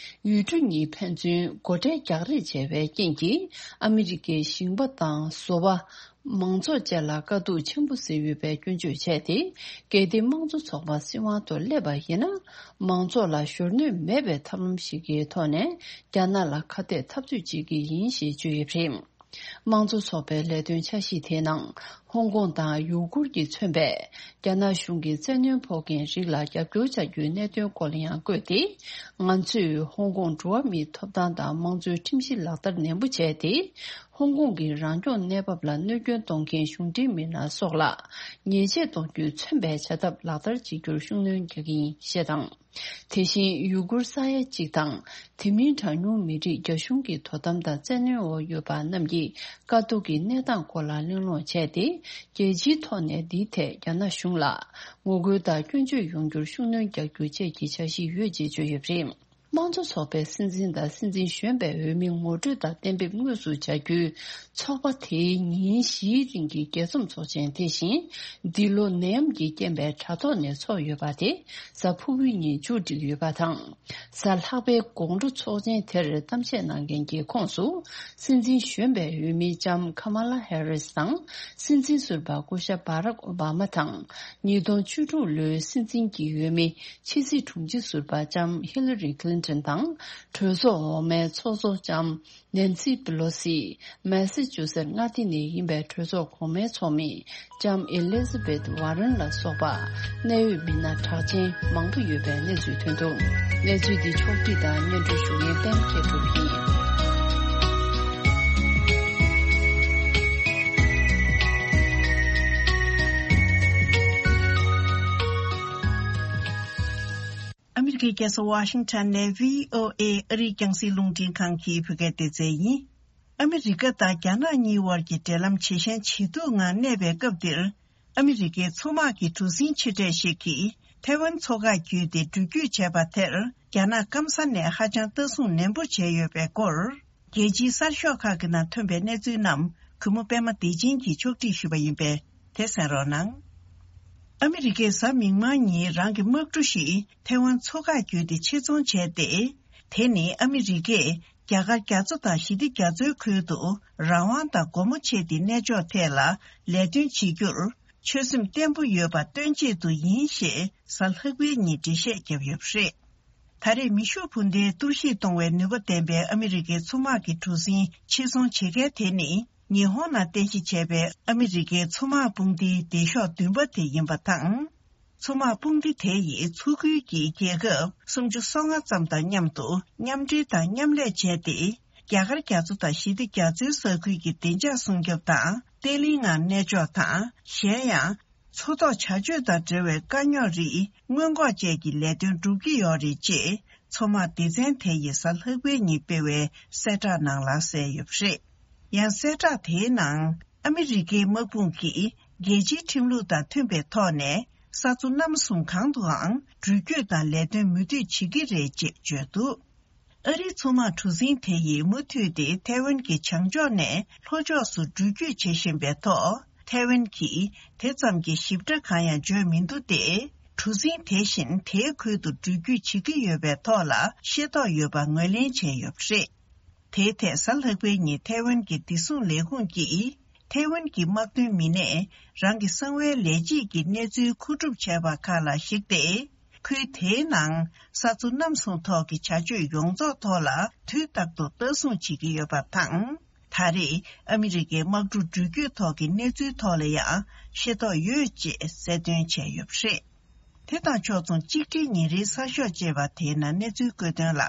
ཡུལ་གྲུ་གཉིས་ཕན་ཚུན་སྒོ་ཁྲལ་རྒྱག་རེས་བྱས་པའི་རྐྱེན་གྱིས། ཨ་མི་རི་ཀའི་ཞིང་པ་དང་བཟོ་པ། མང་ཚོགས་བཅས་ལ་དཀའ་སྡུག་ཆེན་པོ་བཟོས་ཡོད་པའི་སྐྱོན་བརྗོད་བྱས་ཏེ། གལ་ཏེ་དམངས་གཙོ་ཚོགས་པ་སྲིད་དབང་ཐོག་སླེབས་པ་ཡིན་ན། མང་ཚོགས་ལ་ཞོར་གནོད་མེད་པའི་ཐབས་ལམ་ཞིག་གི་ཐོག་ནས། རྒྱ་ནག་ལ་ཁ་གཏད་འཐབ་རྩོད་བྱེད་ཀྱི་ཡིན་ཞེས་བརྗོད་ཡོད་པ་རེད། དམངས་གཙོ་ཚོགས་པའི་ལས་དོན་འཆར་གཞི་དེའི་ནང་། ཧོང་ཀོང་དང་ཡུ་གུར་གྱིས་མཚོན་པའི་རྒྱ་ནག་གཞུང་གིས་བཙན་གནོན་ཕོག་མཁན་རིགས་ལ་རྒྱབ་སྐྱོར་བྱ་རྒྱུའི་གནད་དོན་སྐོར་ལ་ཡང་བཀོད་དེ། ང་ཚོས་ཧོང་ཀོང་འགྲོ་བ་མིའི་ཐོབ་ཐང་དང་དམངས་གཙོའི་ཁྲིམས་གཞི་ལག་བསྟར་ནན་པོ་བྱས་ཏེ། ཧོང་ཀོང་གི་རང་སྐྱོང་གནས་བབ་ལ་གནོད་སྐྱོན་གཏོང་མཁན་གཞུང་འབྲེལ་མི་སྣ་སོགས་ལ་ཉེས་ཆད་གཏོང་རྒྱུས་མཚོན་པའི་བྱ་ཐབས་ལག་བསྟར་བྱེད་རྒྱུར་ཤུགས་སྣོན་རྒྱག་གི་ཡིན་ཞེས་དང་། དེ་བཞིན་ཡུ་གུར་ས་ཡ་གཅིག་དང་། དེ་མིན་གྲངས་ཉུང་མི་རིགས་རྒྱ་གཞུང་གི་དོ་དམ་དང་བཙན་གནོན་འོག་ཡོད་པ་རྣམས་ཀྱི་དཀའ་སྡུག་གི་གནས་སྟངས་སྐོར་ལ་གླེང་སློང་བྱས་ཏེ། རྒྱལ་སྤྱིའི་ཐོག་ནས་འདིའི་ཐད་རྒྱ་ནག་གཞུང་ལ་ངོ་རྒོལ་དང་སྐྱོན་བརྗོད་ཡོང་རྒྱུར་ཤུགས་སྣོན་རྒྱག་རྒྱུ་བཅས་ཀྱི་འཆར་གཞི་ཡོད་ཅེས་བརྗོད་ཡོད་པ་རེད། དམངས་གཙོ་ཚོགས་པའི་སྲིད་འཛིན་དང་སྲིད་འཛིན་གཞོན་པའི་འོས་མི་ངོ་སྤྲོད་དང་གཏན་འབེབས་དངོས་སུ་བྱ་རྒྱུའི་ཚོགས་པ་དེའི་ཉིན་བཞིའི་རིང་གི་རྒྱས་འཛོམས་ཚོགས་ཆེན་དེ་བཞིན། འདི་ལོ་ནད་ཡམས་ཀྱི་རྐྱེན་པས་དྲ་ཐོག་ནས་ཚོགས་ཡོད་པ་དེ་གཟའ་ཕུར་བུའི་ཉིན་མཇུག་བསྒྲིལ་ཡོད་པ་དང་། གཟའ་ལྷག་པའི་དགོང་དྲོ་ཚོགས་ཆེན་དེར་གཏམ་བཤད་གནང་མཁན་གྱི་ཁོངས་སུ། སྲིད་འཛིན་གཞོན་པའི་འོས་མི་ལྕམ་ཁ་མ་ལ་ཧེ་རིས་དང་། སྲིད་འཛིན་ཟུར་པ་སྐུ་ཞབས་བྷ་རག་ཨོ་བྷ་མ་དང་། ཉིས་སྟོང་བཅུ་དྲུག་ལོའི་སྲིད་འཛིན་གྱི་འོས་མི། ཕྱི་སྲིད་དྲུང་ཆེ་ཟུར་པ་ལྕམ་ཧི་ལ་རི་ཁི་ལིན་ཏོན་དང་། གྲོས་ཚོགས་འོག་མའི་ཚོགས་གཙོ་ལྕམ་ནན་སི་པི་ལོ་སི། མེ་སི་ཅུ་སེ་མངའ་སྡེ་ནས་ཡིན་པའི་གྲོས་ཚོགས་གོང་མའི་ཚོགས་མི་ལྕམ་ཨེ་ལི་ཟ་བེད་ཝ་རན་ལ་སོགས་པ། གནད་ཡོད་མི་སྣ་གྲགས་ཅན་མང་པོ་ཡོད་པའི་གནས་ཚུལ་ཐོན་འདུག་གནས་ཚུལ་འདི་ཕྱོགས་བསྒྲིགས་དང་སྙན་སྒྲོན་ཞུ་མཁན་པད་མ་མཁས་གྲུབ་ཡིན། ཨ་མི་རི་ཀའི་རྒྱལ་ས་ཝ་ཤིང་ཊོན་ནས་བྷི་ཨོ་ཨེ་ཨ་རིའི་རྒྱང་སྲིང་རླུང་འཕྲིན་ཁང་གི་བོད་སྐད་སྡེ་ཚན་ཡིན། ཨ་མི་རི་ཀ་དང་རྒྱ་ནག་གཉིས་དབར་གྱི་འབྲེལ་ལམ་ཇེ་ཞན་ཇེ་སྡུག་ངང་གནས་པའི་སྐབས་འདིར། ཨ་མི་རི་ཀའི་མཚོ་དམག་གི་གྲུ་གཟིངས་ཆེ་གྲས་ཤིག་གིས་ཐའེ་ཝན་མཚོ་འགག་བརྒྱུད་དེ་འགྲུལ་སྐྱོད་བྱས་པ་དེར། རྒྱ་ནག་སྐམ་ས་ནས་ཧ་ཅང་ལྟ་སྲུང་ནན་པོ་བྱས་ཡོད་པའི་སྐོར། རྒྱལ་སྤྱིའི་གསར་ཤོག་ཁག་གི་ནང་ཐོན་པའི་གནས་ཚུལ་རྣམས་གུས་མོ་པད་མ་བདེ་ཆེན་གྱིས་ཕྱོགས་སྒྲིག་ཞུས་པ་ཡིན་པས་དེ་གསན་རོགས་གནང་། ཨ་མི་རི་ཀས་གཟའ་མིག་དམར་ཉིན་རང་གི་དམག་གྲུ་ཞིག་ཐའེ་ཝན་མཚོ་འགག་བརྒྱུད་དེ་ཆེད་རྫོང་བྱས་ཏེ། དེ་ནི་ཨ་མི་རི་ཀས་རྒྱ་གར་རྒྱ་མཚོ་དང་ཞི་བདེ་རྒྱ་མཚོའི་ཁུལ་དུ་རང་དབང་དང་སྒོ་མོ་ཕྱེ་སྟེ་གནས་མཆོག་ཐད་ལ་ལས་དོན་བྱེད་རྒྱུར་ཆོད་སེམས་བརྟན་པོ་ཡོད་པ་སྟོན་ཆེད་དུ་ཡིན་ཞེས་གཟའ་ལྷག་པའི་ཉིན་འགྲེལ་བཤད་བརྒྱབ་ཡོད་པ་རེད། ད་རེས་མེ་ཤུགས་འཕུར་མདེལ་གཏོར་བཤིག་གཏོང་བའི་ནུས་པ་ལྡན་པའི་ཨ་མི་རི་ཀའི་མཚོ་དམག་གི་གྲུ་གཟིངས་ཆེད་རྫོང་བྱེད་མཁན་དེ་ནི་ཉི་ཧོང་ནང་རྟེན་གཞི་བྱས་པའི་ཨ་མི་རི་ཀའི་མཚོ་དམག་དཔུང་སྡེའི་སྡེ་ཤོག་བདུན་པ་དེ་ཡིན་པ་དང་། མཚོ་དམག་དཔུང་སྡེ་དེ་ཡིས་མཚོ་ཁུལ་གྱི་རྒྱལ་ཁབ་སུམ་ཅུ་སོ་ལྔ་ཙམ་དང་མཉམ་དུ་མཉམ་འབྲེལ་དང་མཉམ་ལས་བྱས་ཏེ། རྒྱ་གར་རྒྱ་མཚོ་དང་ཞི་བདེ་རྒྱ་མཚོའི་ས་ཁུལ་གྱི་བདེ་འཇགས་སྲུང་སྐྱོབ་དང་བརྟན་ལྷིང་ངང་གནས་ཕྱོགས་དང་། གཞན་ཡང་། མཚོ་ཐོག་བྱ་སྤྱོད་དང་འབྲེལ་བའི་དཀའ་རྙོག་རིགས་སྔོན་འགོག་བཅས་ཀྱི་ལས་དོན་སྒྲུབ་ཀྱི་ཡོད་རེད་ཅེས་མཚོ་དམག་སྡེ་ཚན་དེ་ཡིས་གཟའ་ལྷག་པའི་ཉིན་སྤེལ་བའི་གསལ་བསྒྲགས་ནང་ལ་གསལ་ཡོད་པ་རེད། ཡང་གསལ་བསྒྲགས་དེའི་ནང་ཨ་མི་རི་ཀའི་དམག་དཔུང་གིས་རྒྱལ་སྤྱིའི་ཁྲིམས་ལུགས་དང་མཐུན་པའི་ཐོག་ནས་ས་མཚོ་གནམ་གསུམ་གང་དུའང་འགྲུལ་སྐྱོད་དང་ལས་དོན་མུ་མཐུད་བྱེད་ཀྱི་རེད་ཅེས་བརྗོད་འདུག་ཨ་རིའི་མཚོ་དམག་གྲུ་གཟིངས་དེ་ཡིས་མུ་མཐུད་དེ་ཐའེ་ཝན་གྱི་བྱང་ཕྱོགས་ནས་ལྷོ་ཕྱོགས་སུ་འགྲུལ་སྐྱོད་བྱེད་བཞིན་པའི་ཐོག་ཐའེ་ཝན་གྱིས་དེ་ཙམ་གྱི་ཞིབ་ཕྲ་གང་ཡང་བརྗོད་མི་འདུག་སྟེ། གྲུ་གཟིངས་དེ་བཞིན་དེའི་ཁུལ་དུ་འགྲུལ་སྐྱོད་བྱེད་ཀྱི་ཡོད་པའི་ཐོག་ལ་ཤེས་རྟོགས་ཡོད་པ་ངོས་ལེན་བྱས་ཡོད་པ་རེད། དེའི་ཐད་གཟའ་ལྷག་པའི་ཉིན་ཐའེ་ཝན་གྱི་བདེ་སྲུང་ལས་ཁུངས་ཀྱིས། ཐའེ་ཝན་གྱི་དམག་དོན་མི་སྣས་རང་གི་གསང་བའི་ལས་བྱེད་ཀྱི་གནས་ཚུལ་མཁོ་སྒྲུབ་བྱས་པ་ཁག་ལ་གཞིགས་ཏེ། ཁུལ་དེའི་ནང་ས་མཚོ་གནམ་གསུམ་ཐོག་གི་བྱ་སྤྱོད་ཡོངས་རྫོགས་ཐོག་ལ་དུས་རྟག་ཏུ་ལྟ་སྲུང་བྱེད་ཀྱི་ཡོད་པ་དང་། ད་ ད་རེས་ཨ་མི་རི་ཀའི་དམག་གྲུ་འགྲུལ་སྐྱོད་ཐོག་གི་གནས་ཚུལ་ཐོག་ལ་ཡང་ཤེས་རྟོགས་ཡོད་ཅེས་གསལ་སྟོན་བྱས་ཡོད་པ་རེད། དེ་དང་ཕྱོགས་མཚུངས་གཅིག་སྒྲིལ་ཉིན་རེའི་གསར་ཤོག་ཅེས་པ་དེའི་ནང་གནས་ཚུལ་བཀོད་དོན་ལ།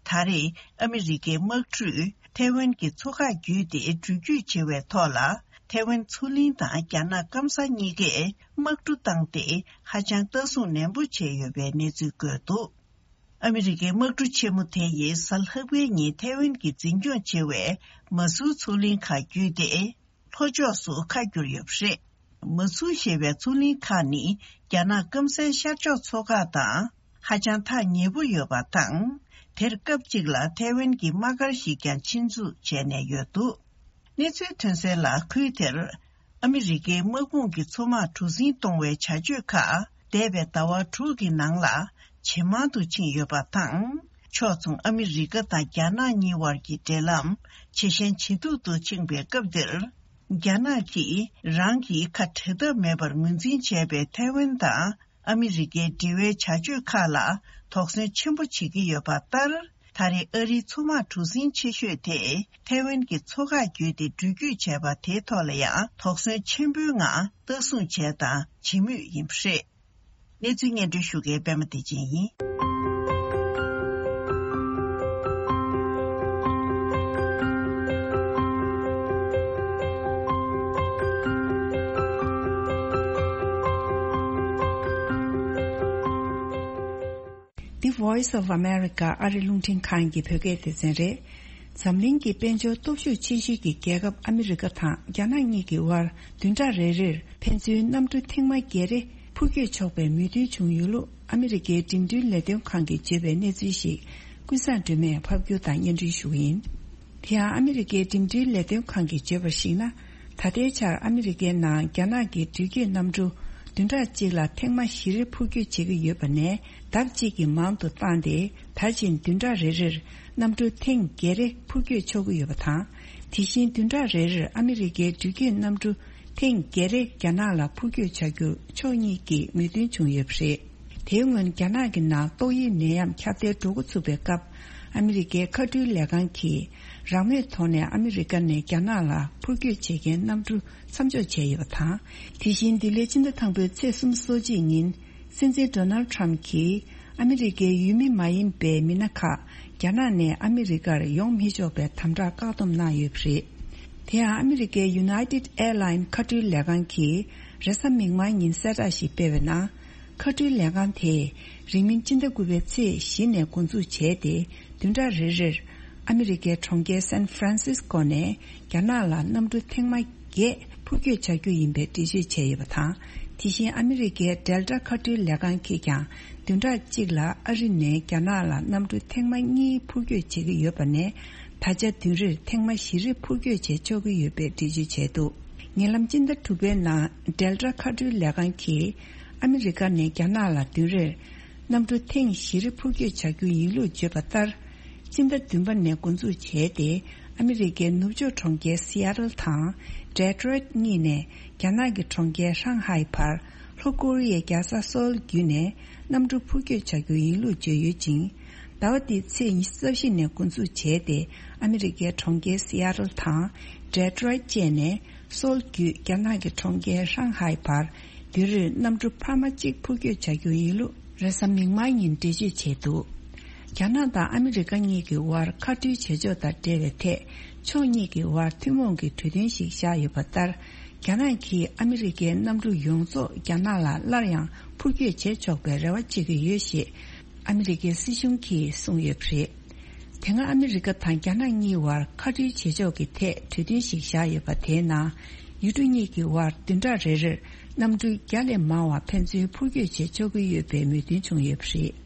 ད་རེས་ཨ་མི་རི་ཀའི་དམག་གྲུས་ཐའེ་ཝན་གྱི་མཚོ་ཁ་བརྒྱུད་དེ་འགྲུལ་སྐྱོད་བྱེད་པའི་ཐོག་ལ། ཐའེ་ཝན་མཚོ་གླིང་དང་རྒྱ་ནག་སྐམ་ས་གཉིས་ཀས་དམག་གྲུ་བཏང་སྟེ་ཧ་ཅང་ལྟ་སྲུང་ནན་པོ་བྱས་ཡོད་པའི་གནས་ཚུལ་བཀོད་འདུག་ཨ་མི་རི་ཀའི་དམག་གྲུ་ཆེན་མོ་དེ་ཡིས་གཟའ་ལྷག་པའི་ཉིན་ཐའེ་ཝན་གྱི་འཛིན་སྐྱོང་བྱེད་པའི་མ་སུའུ་མཚོ་གླིང་ཁག་བརྒྱུད་དེ། ལྷོ་ཕྱོགས་སུ་ཁ་བསྒྱུར་ཡོད་པ་རེད། མ་སུའུ་ཞེས་པའི་མཚོ་གླིང་ཁག་ནི་རྒྱ་ནག་སྐམ་སའི་ཤར་ཕྱོགས་མཚོ་ཁག་དང་ཧ་ཅང་ཐག་ཉེ་པོ་ཡོད་པ་དང་། དེར་སྐབས་གཅིག་ལ་ཐའེ་ཝན་གྱི་དམག་སྒར་ཞིག་ཀྱང་ཆེད་འཛུགས་བྱས་ནས་ཡོད་འདུག་གནས་ཚུལ་ཐོན་གསལ་ལ། ཁུལ་དེར་ཨ་མི་རི་ཀའི་དམག་དཔུང་གི་མཚོ་དམག་གྲུ་གཟིངས་གཏོང་བའི་བྱ་སྤྱོད་ཁག་འདས་པའི་ཟླ་བ་དྲུག་གི་ནང་ལ་ཇེ་མང་དུ་ཕྱིན་ཡོད་པ་དང་། ཕྱོགས་མཚུངས་ཨ་མི་རི་ཀ་དང་རྒྱ་ནག་གཉིས་བར་གྱི་འབྲེལ་ལམ་ཇེ་ཞན་ཇེ་སྡུག་ཏུ་ཕྱིན་པའི་སྐབས་འདིར། རྒྱ་ནག་གིས་རང་གི་ཁ་བྲལ་ཐབས་མེད་པར་ངོས་འཛིན་བྱས་པའི་ཐའེ་ཝན་དང་ཨ་མི་རི་ཀའི་འབྲེལ་བའི་བྱ་སྤྱོད་ཁག་ལ་དོགས་ཟོན་ཆེན་པོ་བྱེད་ཀྱི་ཡོད་པ་ལྟར། ད་རེས་ཨ་རིའི་མཚོ་དམག་གྲུ་གཟིངས་ཆེ་ཤོས་དེ་ཐའེ་ཝན་གྱི་མཚོ་ཁ་བརྒྱུད་དེ་འགྲུལ་སྐྱོད་བྱས་པ་དེའི་ཐོག་ལ་ཡང་དོགས་ཟོན་ཆེན་པོའི་ངང་ལྟ་སྲུང་བྱས་དང་བྱེད་མུས་ཡིན་པ་རེད། གནས་ཚུལ་སྙན་སྒྲོན་ཞུ་མཁན་པད་མ་བདེ་ཆེན་ཡིན། The Voice of America ཨ་རི་རླུང་འཕྲིན་ཁང་གི་བོད་སྐད་སྡེ་ཚན་རེད། འཛམ་གླིང་གི་དཔལ་འབྱོར་སྟོབས་ཤུགས་ཆེ་ཤོས་ཀྱི་རྒྱལ་ཁབ་ཨ་མི་རི་ཀ་དང་རྒྱ་ནག་གཉིས་ཀྱི་དབར་བདུན་ཕྲག་རེ་རེར་ཕན་ཚུན་གནམ་གྲུ་ཐེངས་མ་བརྒྱད་རེ་འཕུར་སྐྱོད་ཆོག་པའི་མོས་མཐུན་བྱུང་ཡོད་ལུགས་ཨ་མི་རི་ཀའི་འགྲིམ་འགྲུལ་ལས་དོན་ཁང་གིས་བརྗོད་པའི་གནས་ཚུལ་ཞིག་ཀུན་བཟང་སྒྲོལ་མས་ཕབ་སྒྱུར་དང་སྙན་སྒྲོན་ཞུ་གི་ཡིན། དེ་ཡང་ཨ་མི་རི་ཀའི་འགྲིམ་འགྲུལ་ལས་དོན་ཁང་གིས་བརྗོད་པར་གཞིགས་ན། ད་ལྟའི་ཆར་ཨ་མི་རི་ཀའི་ནང་རྒྱ་ནག་གི་འགྲུལ་སྐྱོད་གནམ་གྲུ་བདུན་ཕྲག་གཅིག་ལ་ཐེངས་མ་བཞི་རེ་འཕུར་སྐྱོད་བྱེད་ཀྱི་ཡོད་པ་ནས་ལྡབ་གཅིག་གིས་མང་དུ་བཏང་སྟེ། ད་ཕྱིན་བདུན་ཕྲག་རེ་རེར་གནམ་གྲུ་ཐེངས་བརྒྱད་རེ་འཕུར་སྐྱོད་ཆོག་གི་ཡོད་པ་དང་། དེ་བཞིན་བདུན་ཕྲག་རེ་རེར་ཨ་མི་རི་ཀའི་འགྲུལ་སྐྱོད་གནམ་གྲུ་ཐེངས་བརྒྱད་རེ་རྒྱ་ནག་ལ་འཕུར་སྐྱོད་བྱ་རྒྱུར་ཕྱོགས་གཉིས་ཀྱིས་མོས་མཐུན་བྱུང་ཡོད་པ་རེད། དེའི་སྔོན་རྒྱ་ནག་གི་ནང་ཏོག་དབྱིབས་ནད་ཡམས་ཁྱབ་གདལ་འགྲོ་འགོ་ཚུགས་པའི་སྐབས། ཨ་མི་རི་ཀའི་མཁའ་འགྲུལ་ལས་ཁང་གིས་རང་མོས་ཐོག་ནས་ཨ་མི་རི་ཀ་ནས་རྒྱ་ནག་ལ་འཕུར་སྐྱོད་བྱེད་མཁན་གནམ་གྲུ་མཚམས་འཇོག་བྱས་ཡོད་པ་དང་། དེ་བཞིན་འདི་ལོའི་སྤྱི་ཟླ་དང་པོའི་ཚེས་སོ་གཅིག་ཉིན། སྲིད་འཛིན་ཌོ་ནལ་ཊམ་གྱིས་ཨ་མི་རི་ཀའི་ཡུལ་མི་མ་ཡིན་པའི་མི་སྣ་ཁག་རྒྱ་ནག་ནས་ཨ་མི་རི་ཀར་ཡོང་མི་ཆོག་པའི་དམ་དྲག་བཀག་སྡོམ་གནང་ཡོད་པ་རེད། དེ་ཡང་ཨ་མི་རི་ཀའི་United Airline མཁའ་འགྲུལ་ལས་ཁང་གིས་རེས་གཟའ་མིག་དམར་ཉིན་གསལ་བསྒྲགས་ཤིག་སྤེལ་བའི་ནང་། མཁའ་འགྲུལ་ལས་ཁང་དེས་རིང་མིན་སྤྱི་ཟླ་དགུ་པའི་ཚེས་བཞི་ནས་འགོ་འཛུགས་བྱས་ཏེ། བདུན་ཕྲག་རེ་རེར་ཨ་མི་རི་ཀའི་གྲོང་ཁྱེར་སན་ཧྥ་རན་སིས་ཀོ་ནས་རྒྱ་ནག་ལ་གནམ་གྲུ་ཐེངས་མ་བརྒྱད་འཕུར་སྐྱོད་བྱ་རྒྱུ་ཡིན་པའི་འགྲེལ་བརྗོད་བྱས་ཡོད་པ་དང་། དེ་བཞིན་ཨ་མི་རི་ཀའི་Delta མཁའ་འགྲུལ་ལས་ཁང་གིས་ཀྱང་བདུན་ཕྲག་གཅིག་ལ་ཨ་རི་ནས་རྒྱ་ནག་ལ་གནམ་གྲུ་ཐེངས་མ་གཉིས་འཕུར་སྐྱོད་བྱེད་ཀྱི་ཡོད་པ་ནས། ད་ཆ་བདུན་རེར་ཐེངས་མ་བཞི་རེ་འཕུར་སྐྱོད་བྱེད་ཆོག་གི་ཡོད་པའི་འགྲེལ་བརྗོད་བྱས་འདུག་ཉེ་ལམ་སྤྱི་ཟླ་དྲུག་པའི་ནང་Delta མཁའ་འགྲུལ་ལས་ཁང་གིས་ཨ་མི་རི་ཀ་ནས་རྒྱ་ནག་ལ་བདུན་རེར་གནམ་གྲུ་ཐེངས་བཞི་རེ་འཕུར་སྐྱོད་བྱ་རྒྱུ་ཡིན་ལུགས་བརྗོད་པ་ལྟར། སྤྱི་ཟླ་བདུན་པ་ནས་འགོ་འཛུགས་བྱས་ཏེ། ཨ་མི་རི་ཀའི་ནུབ་ཕྱོགས་གྲོང་ཁྱེར་Seattle དང་Detroit གཉིས་ནས་རྒྱ་ནག་གི་གྲོང་ཁྱེར་ཧྲང་ཧའེ་བར། ལྷོ་ཀོ་རི་ཡའི་རྒྱལ་ས་སོལ་བརྒྱུད་ནས་གནམ་གྲུ་འཕུར་སྐྱོད་བྱ་རྒྱུ་ཡིན་ལུགས་བརྗོད་ཡོད་ཅིང་། ཟླ་བ་འདིའི་ཚེས་ཉི་ཤུ་རྩ་བཞི་ནས་འགོ་འཛུགས་བྱས་ཏེ། ཨ་མི་རི་ཀའི་གྲོང་ཁྱེར་Seattle དང་Detroit བཅས་ནས་སོལ་བརྒྱུད་རྒྱ་ནག་གི་གྲོང་ཁྱེར་ཧྲང་ཧའེ་བར། དུས་རེར་གནམ་གྲུ་འཕར་མ་གཅིག་འཕུར་སྐྱོད་བྱ་རྒྱུ་ཡིན་ལུགས་རེས་གཟའ་མིག་དམར་ཉིན་འགྲེལ་བརྗོད་བྱས་འདུག་རྒྱ་ནག་དང་ཨ་མི་རི་ཀ་གཉིས་ཀྱི་དབར་མཁའ་འགྲུལ་བྱེད་ཕྱོགས་དང་འབྲེལ་བའི་ཐད། ཕྱོགས་གཉིས་ཀྱི་དབར་ཐུན་མོང་གི་གྲོས་མཐུན་ཞིག་བཞག་ཡོད་པ་ལྟར། རྒྱ་ནག་གིས་ཨ་མི་རི་ཀའི་གནམ་གྲུ་ཡོངས་རྫོགས་རྒྱ་ནག་ལ་སླར་ཡང་འཕུར་སྐྱོད་བྱེད་ཆོག་པའི་རེ་བ་བྱེད་ཀྱི་ཡོད་ཞེས་ཨ་མི་རི་ཀའི་སྲིད་གཞུང་གིས་གསུངས་ཡོད་པ་རེད། དེ་སྔ་ཨ་མི་རི་ཀ་དང་རྒྱ་ནག་གཉིས་བར་མཁའ་འགྲུལ་བྱེད་ཕྱོགས་ཀྱི་ཐད་གྲོས་མཐུན་ཞིག་བཞག་ཡོད་པ། དེའི་ནང་ཡུལ་གྲུ་གཉིས་ཀྱི་དབར་བདུན་ཕྲག་རེ་རེར་གནམ་གྲུ་བརྒྱ་ལས་མང་བ་ཕན་ཚུན་འཕུར་སྐྱོད་བྱེད་ཆོག་གི་ཡོད་པའི་མོས་མཐུན་བྱུང་ཡོད་པ་རེད།